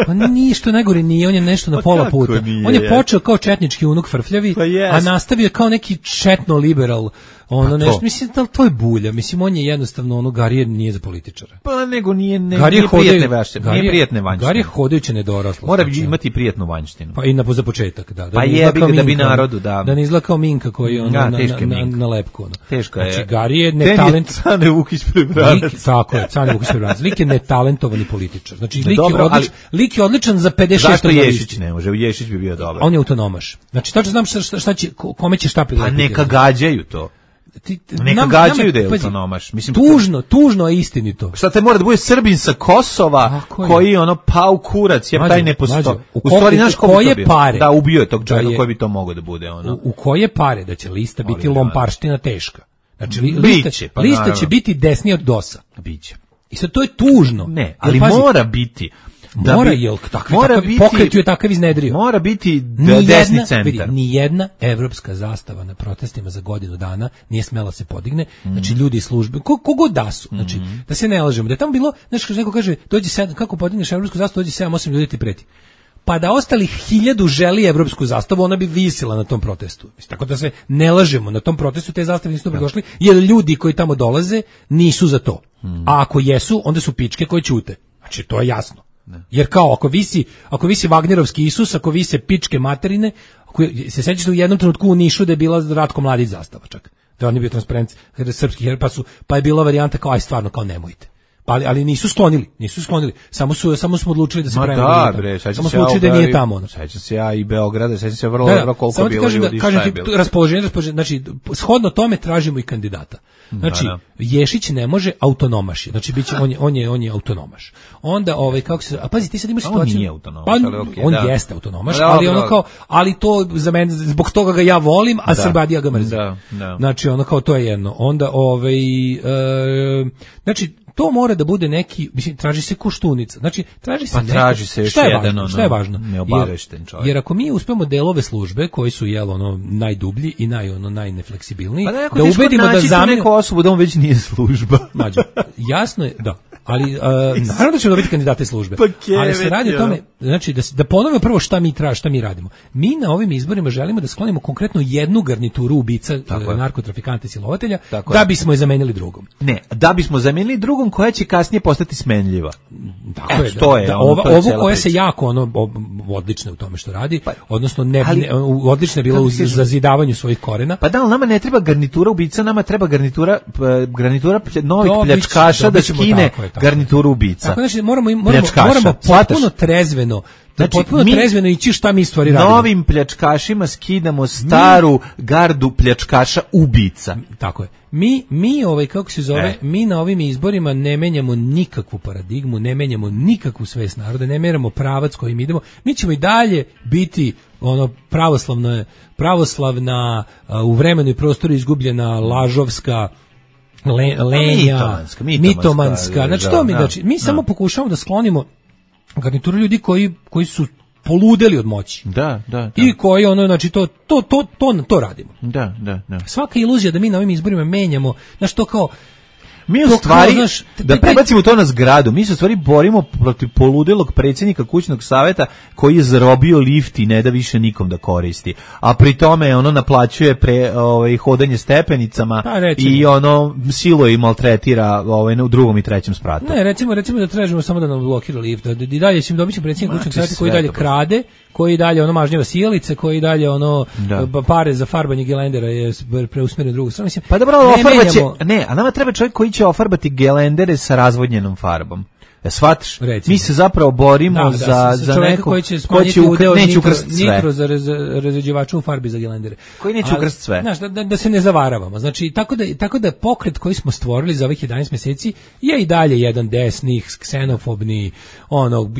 Pa nije što najgore, nije, on je nešto na pa pola puta. Nije, on je počeo kao četnički unuk frfljavi, pa yes. a nastavio kao neki četno liberal, ono pa nešto, mislim, da to je bulja, mislim, on je jednostavno, ono, Garijer nije za političara. Pa nego nije, ne, nije prijatne vanjštine, nije prijatne vanjštine. Garijer hodajuće nedoraslo. Mora bi imati prijatnu vanjštinu. Pa i na, za početak, da. da pa jebi ga da bi narodu, da. Da ne izgleda kao Minka koji je ono, ja, na, na, na, na lepku. Ono. Teško je. Znači, Garijer ne talent... Cane Vukić Prebranac. Tako je, Cane Vukić Prebranac. Lik je netalentovani političar. Znači, lik, dobro, je, odlič, ali, lik je odličan za pedeset šest. Zašto Ješić ne može? Ješić bi bio dobar. On je autonomaš. Znači, tačno znam šta, šta će, kome će šta prilepiti. Pa neka gađaju to. Ti, neka nam, gađaju nam, da je autonomaš. Mislim, tužno, tužno, a istinito. Šta te mora da bude Srbin sa Kosova koji ono pao kurac, jer taj ne postoji. U stvari, znaš ko bi to bio? Pare, da, ubio je tog čovjeka koji bi to mogao da bude. Ono. U, u koje pare da će lista biti lomparština teška? Znači, li, lista, Biće, pa lista će biti desnija od dosa. Biće. I sad to je tužno. Ne, ali pazi, mora biti. Da mora, bi, jel, takvi, mora takav, biti, pokret ju je takav iznedrio. Mora biti da desni centar. Vidi, ni jedna evropska zastava na protestima za godinu dana nije smela se podigne. Mm. Znači, ljudi iz službe, kogod da su, znači, mm. da se ne lažemo. Da je tamo bilo, znači, neko kaže, dođe sedam, kako podigneš evropsku zastavu, dođe sedam osam ljudi ti preti. Pa da ostalih hiljadu želi evropsku zastavu, ona bi visila na tom protestu. Mislim, tako da se ne lažemo, na tom protestu te zastave nisu dobro došli, jer ljudi koji tamo dolaze nisu za to. Mm. A ako jesu, onda su pičke koje ćute. Znači, to je jasno. Ne. Jer kao, ako visi, ako visi Vagnerovski Isus, ako vise pičke materine, ako se sećaš da u jednom trenutku u Nišu da je bila Ratko Mladić zastava čak. Da on je bio transparent srpski her, pa, su, pa je bila varijanta kao, aj stvarno, kao nemojte. Ali, ali nisu sklonili, nisu sklonili. Samo su samo smo odlučili da se prema. Da, bre, samo smo odlučili da nije tamo. Sećam se ja i Beograda, sećam se vrlo dobro koliko bilo ljudi. Da, kažem ti, raspoloženje, raspoloženje, znači shodno tome tražimo i kandidata. Znači, da, da. Ješić ne može, autonomaš je. Znači biće on je on je on je autonomaš. Onda ovaj kako se, a pazi ti sad imaš situaciju. On nije autonomaš, pa, ali okay, on da. jeste autonomaš, da, ali ono kao, ali to za mene zbog toga ga ja volim, a da. Srbadija ga mrzim. Da, da. Znači ono kao to je jedno. Onda ovaj e, znači to mora da bude neki, mislim, traži se Koštunica. Znači, traži se pa neko, traži se još šta je jedan, važno, šta je važno? Neobavešten čovjek. Jer, jer ako mi uspemo delove službe koji su jel ono najdublji i naj ono najnefleksibilniji, pa da ubedimo da zamenu neku osobu da on već nije služba. Mađo, jasno je, da. Ali uh, naravno da ćemo dobiti kandidate službe. Pa ali se radi o tome, znači da da ponovimo prvo šta mi tražimo, šta mi radimo. Mi na ovim izborima želimo da sklonimo konkretno jednu garnituru ubica, narkotrafikanta i silovatelja, tako da je. Bismo je zamenili drugom. Ne, da bismo zamenili drugom koja će kasnije postati smenljiva. Tako je, to je, da, ova, ovu koja se jako ono odlična u tome što radi, pa, odnosno ne, ali, ne odlična je bila u zazidavanju svojih korena. Pa da, ali nama ne treba garnitura ubica, nama treba garnitura garnitura novih pljačkaša da skine garnituru ubica. Tako znači moramo moramo moramo potpuno trezveno trezveno, Znači, potpuno mi trezveno ići šta mi stvari radimo. Novim pljačkašima skidamo staru mi, gardu pljačkaša ubica. Tako je. Mi, mi ovaj, kako se zove, e. mi na ovim izborima ne menjamo nikakvu paradigmu, ne menjamo nikakvu svest naroda, ne menjamo pravac kojim idemo. Mi ćemo i dalje biti ono pravoslavna, pravoslavna uh, u vremenu i prostoru izgubljena lažovska le, lenja, mitomanska, mitomanska, mitomanska. Znači, to mi, znači, mi samo pokušavamo da sklonimo garnituru ljudi koji, koji su poludeli od moći. Da, da, da. I koji ono, znači, to, to, to, to, to radimo. Da, da, da. Svaka iluzija da mi na ovim izborima menjamo, znači to kao, mi u stvari, kao, znaš, da prebacimo to na zgradu, mi se u stvari borimo protiv poludelog predsjednika kućnog saveta koji je zarobio lift i ne da više nikom da koristi. A pri tome ono naplaćuje pre, ovaj, hodanje stepenicama pa, i ono siluje i maltretira ovaj, u drugom i trećem spratu. Ne, recimo, recimo da tražimo samo da nam blokira lift, da i dalje ćemo dobiti predsjednik kućnog saveta koji dalje krade, koji dalje ono mažnjava sjelice, koji dalje ono da. pare za farbanje gelendera je preusmjeren u drugu stranu. Mislim, pa dobro, ofarbaće, ne, a nama treba čovjek koji će ofarbati gelendere sa razvodnjenom farbom. Ja shvatiš? Recimo. Mi se zapravo borimo da, za, da, za neko koji će smanjiti ko udeo neće nitro, ukrstiti sve. Nitro za razređivača u farbi za gelendere. Koji neće ukrstiti sve. Znaš, da, da, da se ne zavaravamo. Znači, tako da, tako da pokret koji smo stvorili za ovih jedanaest mjeseci je i dalje jedan desnih, ksenofobni, ono,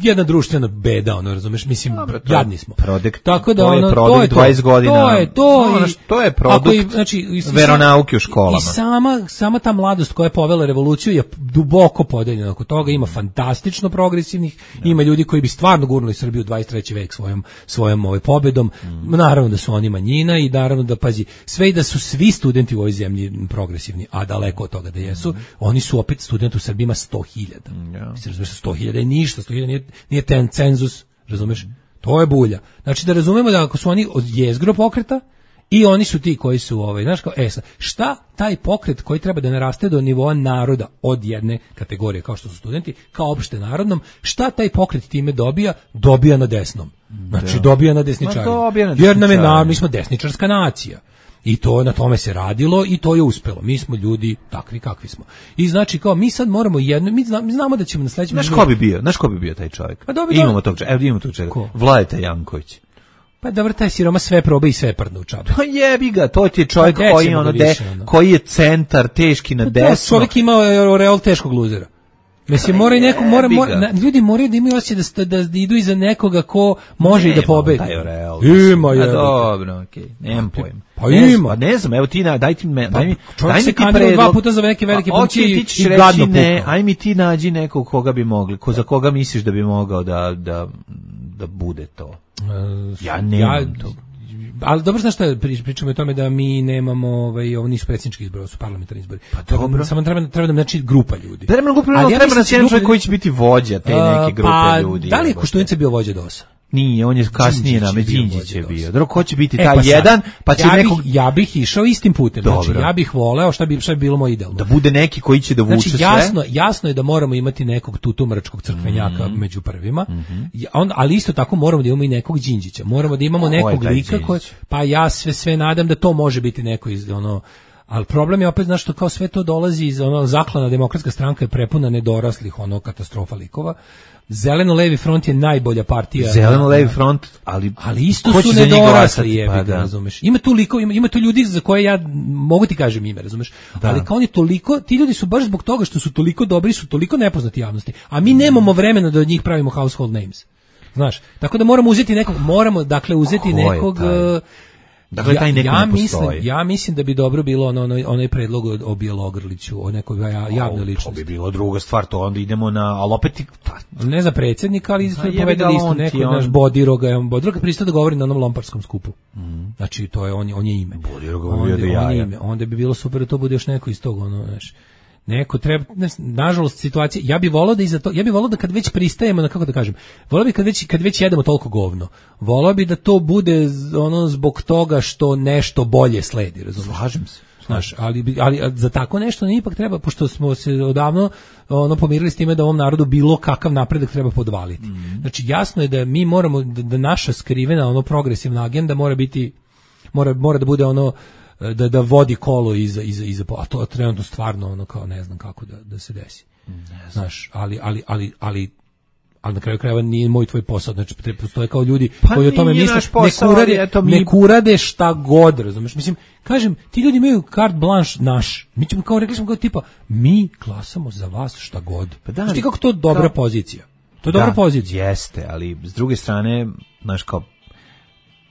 jedna društvena beda, ono, razumeš, mislim, dobro, to, jadni smo. Produkt, tako da, to ono, je produkt dvadeset godina. To je to. No, i, to je produkt i, znači, i, veronauke u školama. I sama, sama ta mladost koja je povela revoluciju je duboko podeljena oko toga, ima fantastično progresivnih, da. Ima ljudi koji bi stvarno gurnuli Srbiju u dvadeset treći vek svojom svojom ovaj pobedom. Mm. Naravno da su oni manjina i naravno da pazi, sve i da su svi studenti u ovoj zemlji progresivni, a daleko od toga da jesu, mm. oni su opet studenti u Srbiji ima sto hiljada. Ja. Mislim, razumeš, sto hiljada je ništa, sto hiljada nije, nije ten cenzus, razumeš? Mm. To je bulja. Znači da razumemo da ako su oni od jezgro pokreta i oni su ti koji su, ovaj, znaš kao, e, šta taj pokret koji treba da naraste do nivoa naroda od jedne kategorije, kao što su studenti, kao opšte narodnom, šta taj pokret time dobija? Dobija na desnom. Znači, da. dobija na desničarima. Jer nam je, na, mi smo desničarska nacija. I to na tome se radilo i to je uspelo. Mi smo ljudi takvi kakvi smo. I znači kao mi sad moramo jedno, mi znamo, mi znamo da ćemo na sledećem. Znaš ko bi bio? Znaš ko bi bio taj čovjek? Pa dobi, imamo tog, evo imamo tog čovjeka. Vladeta Janković. Pa dobro, taj siroma sve proba i sve prdne u čabu. Pa jebi ga, to ti je čovjek pa koji, ono de, više, ono. koji je centar, teški na pa desno. Čovjek ima real teškog luzera. Mislim, mora i neko, mora, mora, na, ljudi moraju da imaju osjećaj da, da idu iza nekoga ko može nema i da pobedi. Ima, je. Dobro, okej, okay. nemam pojma. Pa ima. Pa ne znam, evo ti, na, daj ti, me, pa, daj mi, čovjek daj mi se ti predlog. dva puta za neke velike funkcije i, i gadno ne, aj mi ti nađi nekog koga bi mogli, ko, za koga misliš da bi mogao da, da, da bude to. Uh, ja nemam ja, to. Ali dobro, znaš šta, pričamo o tome da mi nemamo, ovaj, ovo nisu predsjednički izbori, ovo su parlamentarni izbori. Pa dobro. Samo treba, treba nam znači grupa ljudi. Treba nam grupa ljudi, treba nam jedan čovjek koji će biti vođa te neke grupe pa, ljudi. Da li je Koštunica bio vođa DOS-a? Nije, on je kasnije na Đinđić je bio. Drugo, ko će biti taj e, pa jedan, pa će ja nekog... Bih, ja bih išao istim putem. Dobro. Znači, ja bih voleo, šta bi, šta bi bilo moj idealno. Da bude neki koji će da vuče znači, sve. Jasno, jasno je da moramo imati nekog tutumračkog crkvenjaka mm-hmm. među prvima, mm-hmm. on, ali isto tako moramo da imamo i nekog Đinđića. Moramo da imamo ko nekog lika koji... Pa ja sve, sve nadam da to može biti neko iz ono... Ali problem je opet, znaš, što kao sve to dolazi iz ono, zaklana demokratska stranka je prepuna nedoraslih, ono, katastrofa likova. Zeleno-levi front je najbolja partija. Zeleno-levi front, ali, ali isto su nedorasli, jebi ga, pa, razumeš. Ima tu liko, ima, ima tu ljudi za koje ja mogu ti kažem ime, razumeš. Da. Ali kao oni toliko, ti ljudi su baš zbog toga što su toliko dobri, su toliko nepoznati javnosti. A mi nemamo vremena da od njih pravimo household names. Znaš, tako da moramo uzeti nekog, moramo, dakle, uzeti nekog... Dakle, taj neko ja, ja ne mislim, ja mislim da bi dobro bilo ono, ono, onaj predlog o, o Bjelogrliću, o nekoj javnoj ličnosti. To bi bilo druga stvar, to onda idemo na, ali opet... Pa, ne za predsjednika, ali smo povedali isto neko, on... naš Bodiroga, Bodiroga pristao da govori na onom lomparskom skupu. Mm. Znači, to je, on, on je ime. Bodiroga on, bio da jaja. Ime. Onda bi bilo super da to bude još neko iz tog, ono, znaš. Neko treba, ne, nažalost situacija, ja bih volao da iza to, ja bih volao da kad već pristajemo na, kako da kažem, volao bih kad već kad već jedemo toliko govno, volao bih da to bude ono zbog toga što nešto bolje sledi, razumiješ? Slažem se. Znaš, ali, ali za tako nešto ne ipak treba, pošto smo se odavno ono pomirili s time da ovom narodu bilo kakav napredak treba podvaliti. Mm. Znači jasno je da mi moramo da, da naša skrivena ono progresivna agenda mora biti mora mora da bude ono da da vodi kolo iza iza iza, a to trenutno stvarno ono kao ne znam kako da da se desi. Znaš, ali ali ali ali ali na kraju krajeva nije moj tvoj posao, znači postoje kao ljudi pa koji o tome misle, ne kurade, mi... ne kurade šta god, razumeš, mislim, kažem, ti ljudi imaju carte blanche naš, mi ćemo kao, rekli smo kao tipa, mi glasamo za vas šta god, pa da, znači kako to dobra kao... pozicija, to je da, dobra pozicija. Jeste, ali s druge strane, znaš kao,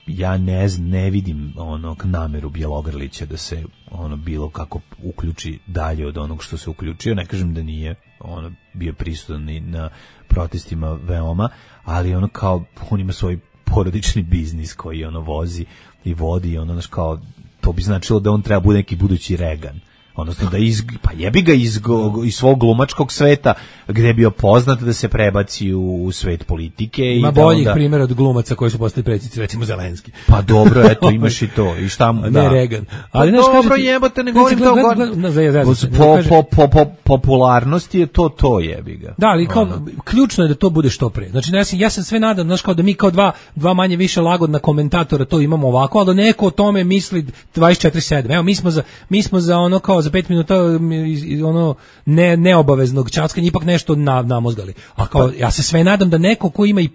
ja ne, ne vidim onog nameru Bjelogrlića da se ono bilo kako uključi dalje od onog što se uključio, ne kažem da nije ono bio prisutan i na protestima veoma, ali ono kao on ima svoj porodični biznis koji ono vozi i vodi, ono znaš kao to bi značilo da on treba bude neki budući Reagan. Odnosno da iz, pa jebi ga iz, iz svog glumačkog sveta gde je bio poznat da se prebaci u, u svet politike. Ima i boljih onda... primjera od glumaca koji su postali predsjednici, recimo Zelenski. Pa dobro, eto, imaš i to. I šta mu, da. Ne Reagan. Ali pa dobro, jebote, ne govorim to. Po, po, po, po popularnosti je to to, jebi ga. Da, ali kao, ono. Ključno je da to bude što pre. Znači, ja sam, ja sam sve nadam, znaš, kao da mi kao dva, dva manje više lagodna komentatora to imamo ovako, ali da neko o tome misli dvadeset četiri sedam. Evo, mi smo za, mi smo za ono kao za pet minuta ono ne neobaveznog ćaskanja ipak nešto na, namozgali. A kao ja se sve nadam da neko ko ima i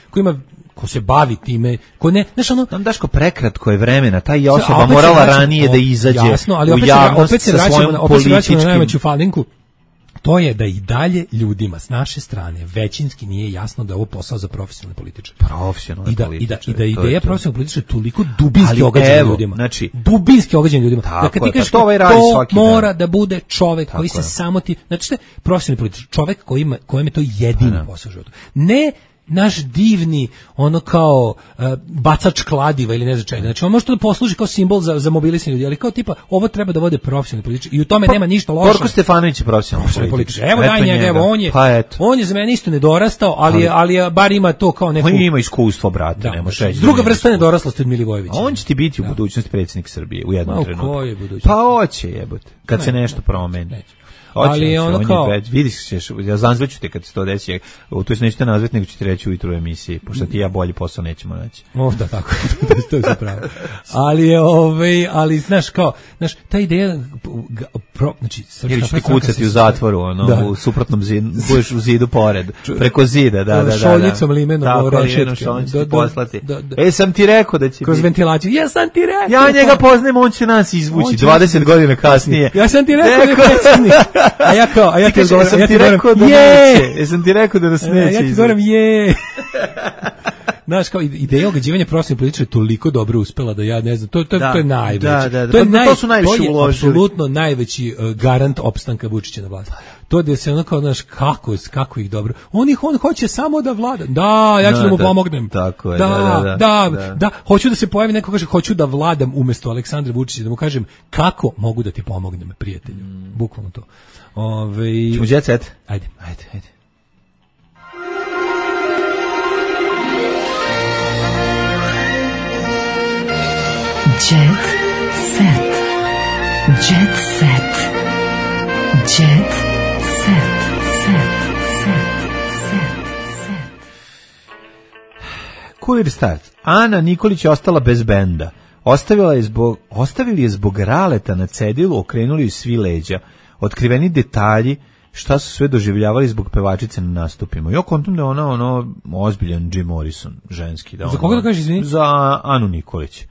ko ima ko se bavi time, ko ne, znaš ono, tam Daško prekratko je vremena, taj je osoba morala vraćam, ranije o, da izađe. Jasno, ali opet, u javnost opet se vraćamo, opet se vraćamo na najveću falinku. To je da i dalje ljudima s naše strane većinski nije jasno da je ovo posao za profesionalne političare. Profesionalne I da, političare. I da, i da ideja profesionalne političare toliko dubinski ogađena ljudima. Znači, dubinski ogađena ljudima. Da kad ti kažeš to, ovaj to mora dan. Da bude čovek tako koji se je. Samo ti, znači što je profesionalni političar, čovek koji ima, kojem je to jedini posao u životu. Ne naš divni, ono kao uh, bacač kladiva ili ne znam čega. Znači on može to da posluži kao simbol za, za mobilisanje ljudi, ali kao tipa, ovo treba da vode profesionalni političari i u tome pa, nema ništa loše. Borko Stefanović je profesionalni političar. Evo daj njega, evo, on je, pa on je za mene isto nedorastao, ali, ali, ali bar ima to kao neku... On ima iskustvo, brate, da, ne može reći. Druga vrsta nedoraslosti od Milivojevića. On će ti biti u da. Budućnosti predsjednik Srbije u jednom Ma, trenutku. Ko je budućnost? Pa hoće jebote, kad ne, se nešto promeni. Neće. Oće, ali je ono on kao... Je, vidiš, ćeš, ja zanzveću te kad se to desi, to je nećete nazvati, nego ću ti reći ujutru u emisiji, pošto ti ja bolji posao nećemo naći. O, da, tako, to je zapravo. Ali je, ovaj, ali, znaš, kao, znaš, ta ideja, pro, znači, jer ću ti kucati u zatvoru, ono, da. U suprotnom zidu, budeš u zidu pored, preko zida, da, da, da. Šoljicom limenom, rešetke. On će ti poslati. E, sam ti rekao da će... Kroz biti... ventilaciju, ja sam ti rekao. Ja njega poznajem, on će nas izvući dvadeset godina kasnije. Ja sam ti rekao da je predsjednik. A ja kao, a ja ti govorim, ja ti rekao da neće. Jesam ti rekao da nas neće. Ja ti govorim, je. Znaš, kao ideja ogađivanja profesionalnih političara je toliko dobro uspela da ja ne znam, to, to, da, to je najveći. Da, da, da. To, je pa, naj, to su najviše to je uložili. Apsolutno najveći uh, garant opstanka Vučića na vlasti. To da se ono kao, znaš, kako, kako ih dobro. On ih, on hoće samo da vlada. Da, ja ću da, da mu da, pomognem. Tako je, da, da, da, da, da, da. Da, hoću da se pojavi neko kaže, hoću da vladam umjesto Aleksandra Vučića, da mu kažem, kako mogu da ti pomognem, prijatelju. Mm. Bukvalno to. Ove... Čemo jet set? Ajde. Ajde, ajde. Jet set. Jet set. Jet set. Set. Set. Set. Set. Kulir start. Ana Nikolić je ostala bez benda. Ostavila je zbog, ostavili je zbog raleta na cedilu, okrenuli ju svi leđa. Otkriveni detalji šta su sve doživljavali zbog pevačice na nastupima. Ja kontam da ona ono ozbiljan Jim Morrison, ženski. Da za koga da kažeš, izvini? Za Anu Nikolić.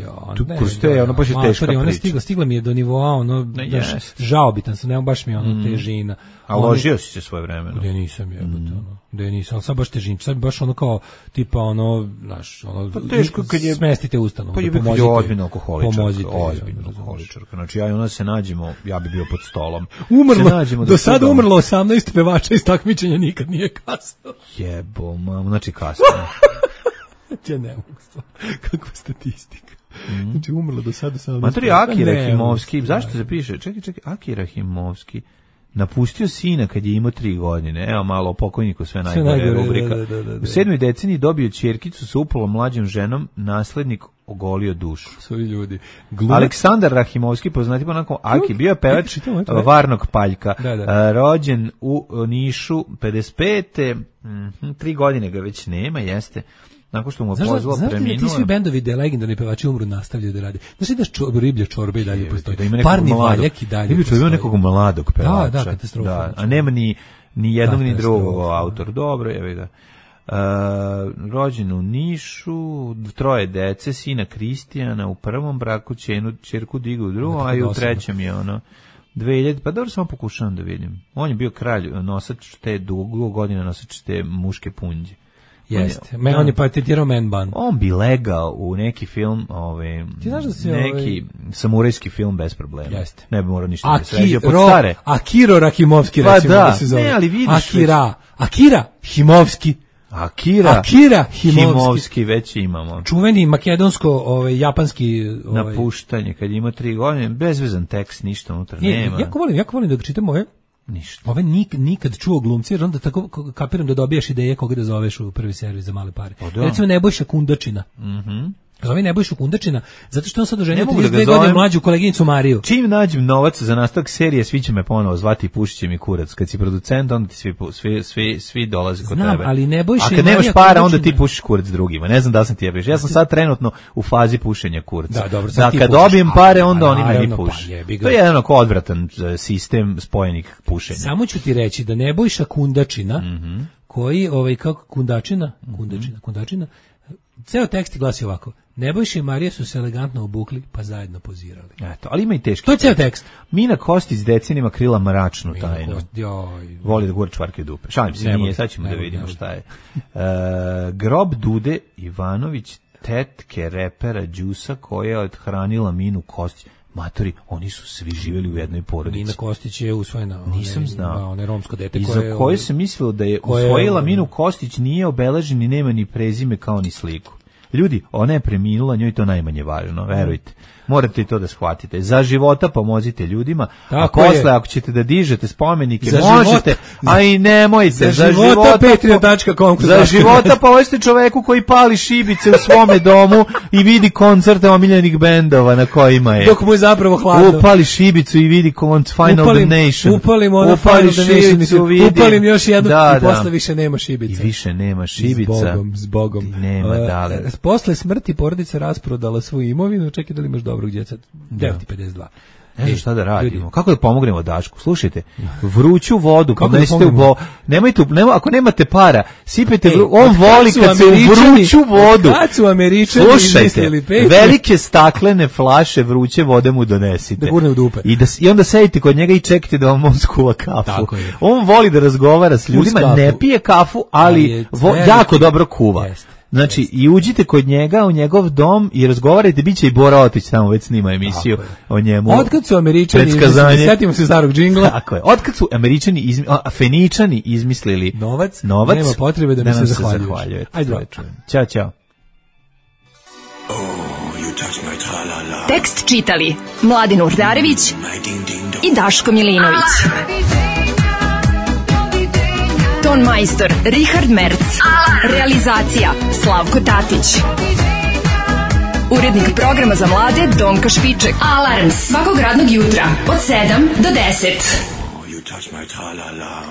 Ja, tu proste, ono baš je teška priča. Ona stigla, stigla mi je do nivoa, ono, daš, žaobitan sam, nema baš mi ono mm. težina. A ložio si se svoje vremeno. Da nisam jebote, mm. ono, da nisam, ali sad baš težin, sad baš ono kao, tipa ono, znaš, ono, pa teško kad je, smestite ustanovu, pa je da pomozite. Pa je ozbiljna alkoholičarka, pomozite, ozbiljna alkoholičarka, znači ja i ona se nađemo, ja bi bio pod stolom. Umrlo, do, do sada umrlo osamnaest pevača iz takmičenja, nikad nije kasno. Jebo, mam, znači kasno. Ja ne mogu stvar, kakva statistika. Mm. Znači umrlo do sada samo... Matori Aki Rahimovski, zašto se piše? Čekaj, čekaj, Aki Rahimovski napustio sina kad je imao tri godine. Evo malo o pokojniku, sve najgore rubrika. Da, da, da, da. U sedmoj deceniji dobio ćerkicu sa upolo mlađom ženom, naslednik ogolio dušu. Svoji ljudi. Gluma... Aleksandar Rahimovski, poznati ponako Aki, bio je pevač Varnog Paljka, da, da. Rođen u Nišu pedeset pete. Mm, tri godine ga već nema, jeste. Nakon što mu pozvao preminuo. Znaš ti svi bendovi da legendarni pevači umru nastavljaju da rade. Znaš ti da čor, riblje čorbe i dalje postoji. Da Parni valjak i dalje riblje čorbe ima nekog mladog pevača. Da, da, katastrofa. Da, a nema ni Ni jednog ni Katastrofa. drugog autor. Dobro, evo ga. Uh, rođen u Nišu, troje dece, sina Kristijana u prvom braku, ćenu, ćerku Digu u drugom, a i u trećem je ono dve hiljade, pa dobro, samo pokušavam da vidim. On je bio kralj, nosač te dugo godina, nosač te muške punđe. Jeste. On, on je patentirao man bun. On bi legao u neki film, ovaj, Ti znaš da si neki ovaj... samurajski film bez problema. Jeste. Ne bi morao ništa da se Akiro, ređe pod stare. Akiro Rakimovski, Pa recimo, da. da se zove. Ne, ali vidiš Akira, već... Akira Himovski. Akira, Akira Himovski. Himovski već imamo. Čuveni makedonsko, ovaj, japanski... Ovaj... Napuštanje, kad ima tri godine, bezvezan tekst, ništa unutra Nije, nema. jako volim, jako volim da čitam ove... Ništa. Ove nik, nikad čuo glumci, jer onda tako kapiram da dobijaš ideje koga da zoveš u prvi servis za male pare. O, da. Recimo Nebojša Kundačina. Mhm. Mm Zove Nebojšu Kundačina, zato što on sad oženio Ne mogu da trideset dve ga godine zovem. mlađu koleginicu Mariju. Čim nađem novac za nastavak serije, svi će me ponovo zvati i pušit će mi kurac. Kad si producent, onda ti svi, pu- svi, svi, svi dolaze kod Znam, tebe. ali Nebojša A i kad nemaš Marija para, onda Kundačina- ti pušiš kurac drugima. Ne znam da li sam ti jebiš. Ja sam sad trenutno u fazi pušenja kurca. Da, dobro, sad da ti kad pušiš. dobijem pare, A, onda a, oni meni naravno, pa puše. jebi ga. To je jedan onako odvratan e, sistem spojenih pušenja. Samo ću ti reći da Nebojša Kundačina, Mhm. koji, ovaj, kako Kundačina, Kundačina, Kundačina, ceo tekst glasi ovako: Nebojša i Marija su se elegantno obukli, pa zajedno pozirali. Eto, ali ima i teški. To je ceo tekst. Mina Kostić s decenima krila mračnu Mina tajnu. Kostić, joj. Voli da gura čvarke u dupe. Šalim se, Ne nije, voli, sad ćemo ne da voli, vidimo ne voli. šta je. E, grob Dude Ivanović, tetke repera Đusa koja je odhranila Minu Kostić. Matori, oni su svi živjeli u jednoj porodici. Nina Kostić je usvojena. Nisam one, znao. One romsko dete I koje... za koje se mislilo da je koje- usvojila Minu Kostić, nije obeležen i nema ni prezime kao ni sliku. Ljudi, ona je preminula, njoj je to najmanje važno, verujte. Morate i to da shvatite. Za života pomozite ljudima, Tako a je. posle ako ćete da dižete spomenike, Za možete, života- a i nemojte. Za Za, života života, patreon tačka com kroz za Daško i života Mlađa. povesti čoveku koji pali šibice u svome domu i vidi koncerte omiljenih bendova na kojima je. Dok mu je zapravo hladno. Upali šibicu i vidi konc Final upalim, Damnation. upalim ono Upali Final Damnation, šibicu, vidi. upalim još jednu Da, i da. posle više nema šibica. I više nema šibica. S Bogom, s Bogom. I nema, E, dale. e, Posle smrti porodica rasprodala svoju imovinu, čekaj da li imaš dobrog djeca. devet i pedeset dva. Ne znam E, šta da radimo. ljudi, Kako da pomognemo Dašku? Slušajte, vruću vodu Kako da podnesite u pomognemo? bo... Nemojte, u- nema, ako nemate para, sipajte, Ej, vru... on od kad voli su kad se u Američani- vruću vodu. od kad su Američani Slušajte, izmislili Patreon? velike staklene flaše vruće vode mu donesite. Da gurne u dupe. I, da, s- I onda sedite kod njega i čekajte da vam on skuva kafu. Tako je. On voli da razgovara s ljudima, kafu. ne pije kafu, Ali ali je vo, veliki- jako dobro kuva. Jeste. Znači, i uđite kod njega u njegov dom i razgovarajte, bit će i Bora Otić tamo već snima emisiju Tako je. o njemu. Otkad su Američani Predskazanje. izmislili, setimo se starog džingla, Tako je. Otkad su Američani, izmi, a, Feničani izmislili novac, novac, nema potrebe da mi se nam zahvaljuješ. zahvaljujete. Ajde, To je dobro. čujem. Ćao, ćao. Tekst čitali Mladin Urdarević i Daško Milinović. Ton majstor Richard Merc. Realizacija Slavko Tatić. Urednik programa za mlade Donka Špiček. Alarms svakog radnog jutra od sedam do deset. You touch my tra-la-la.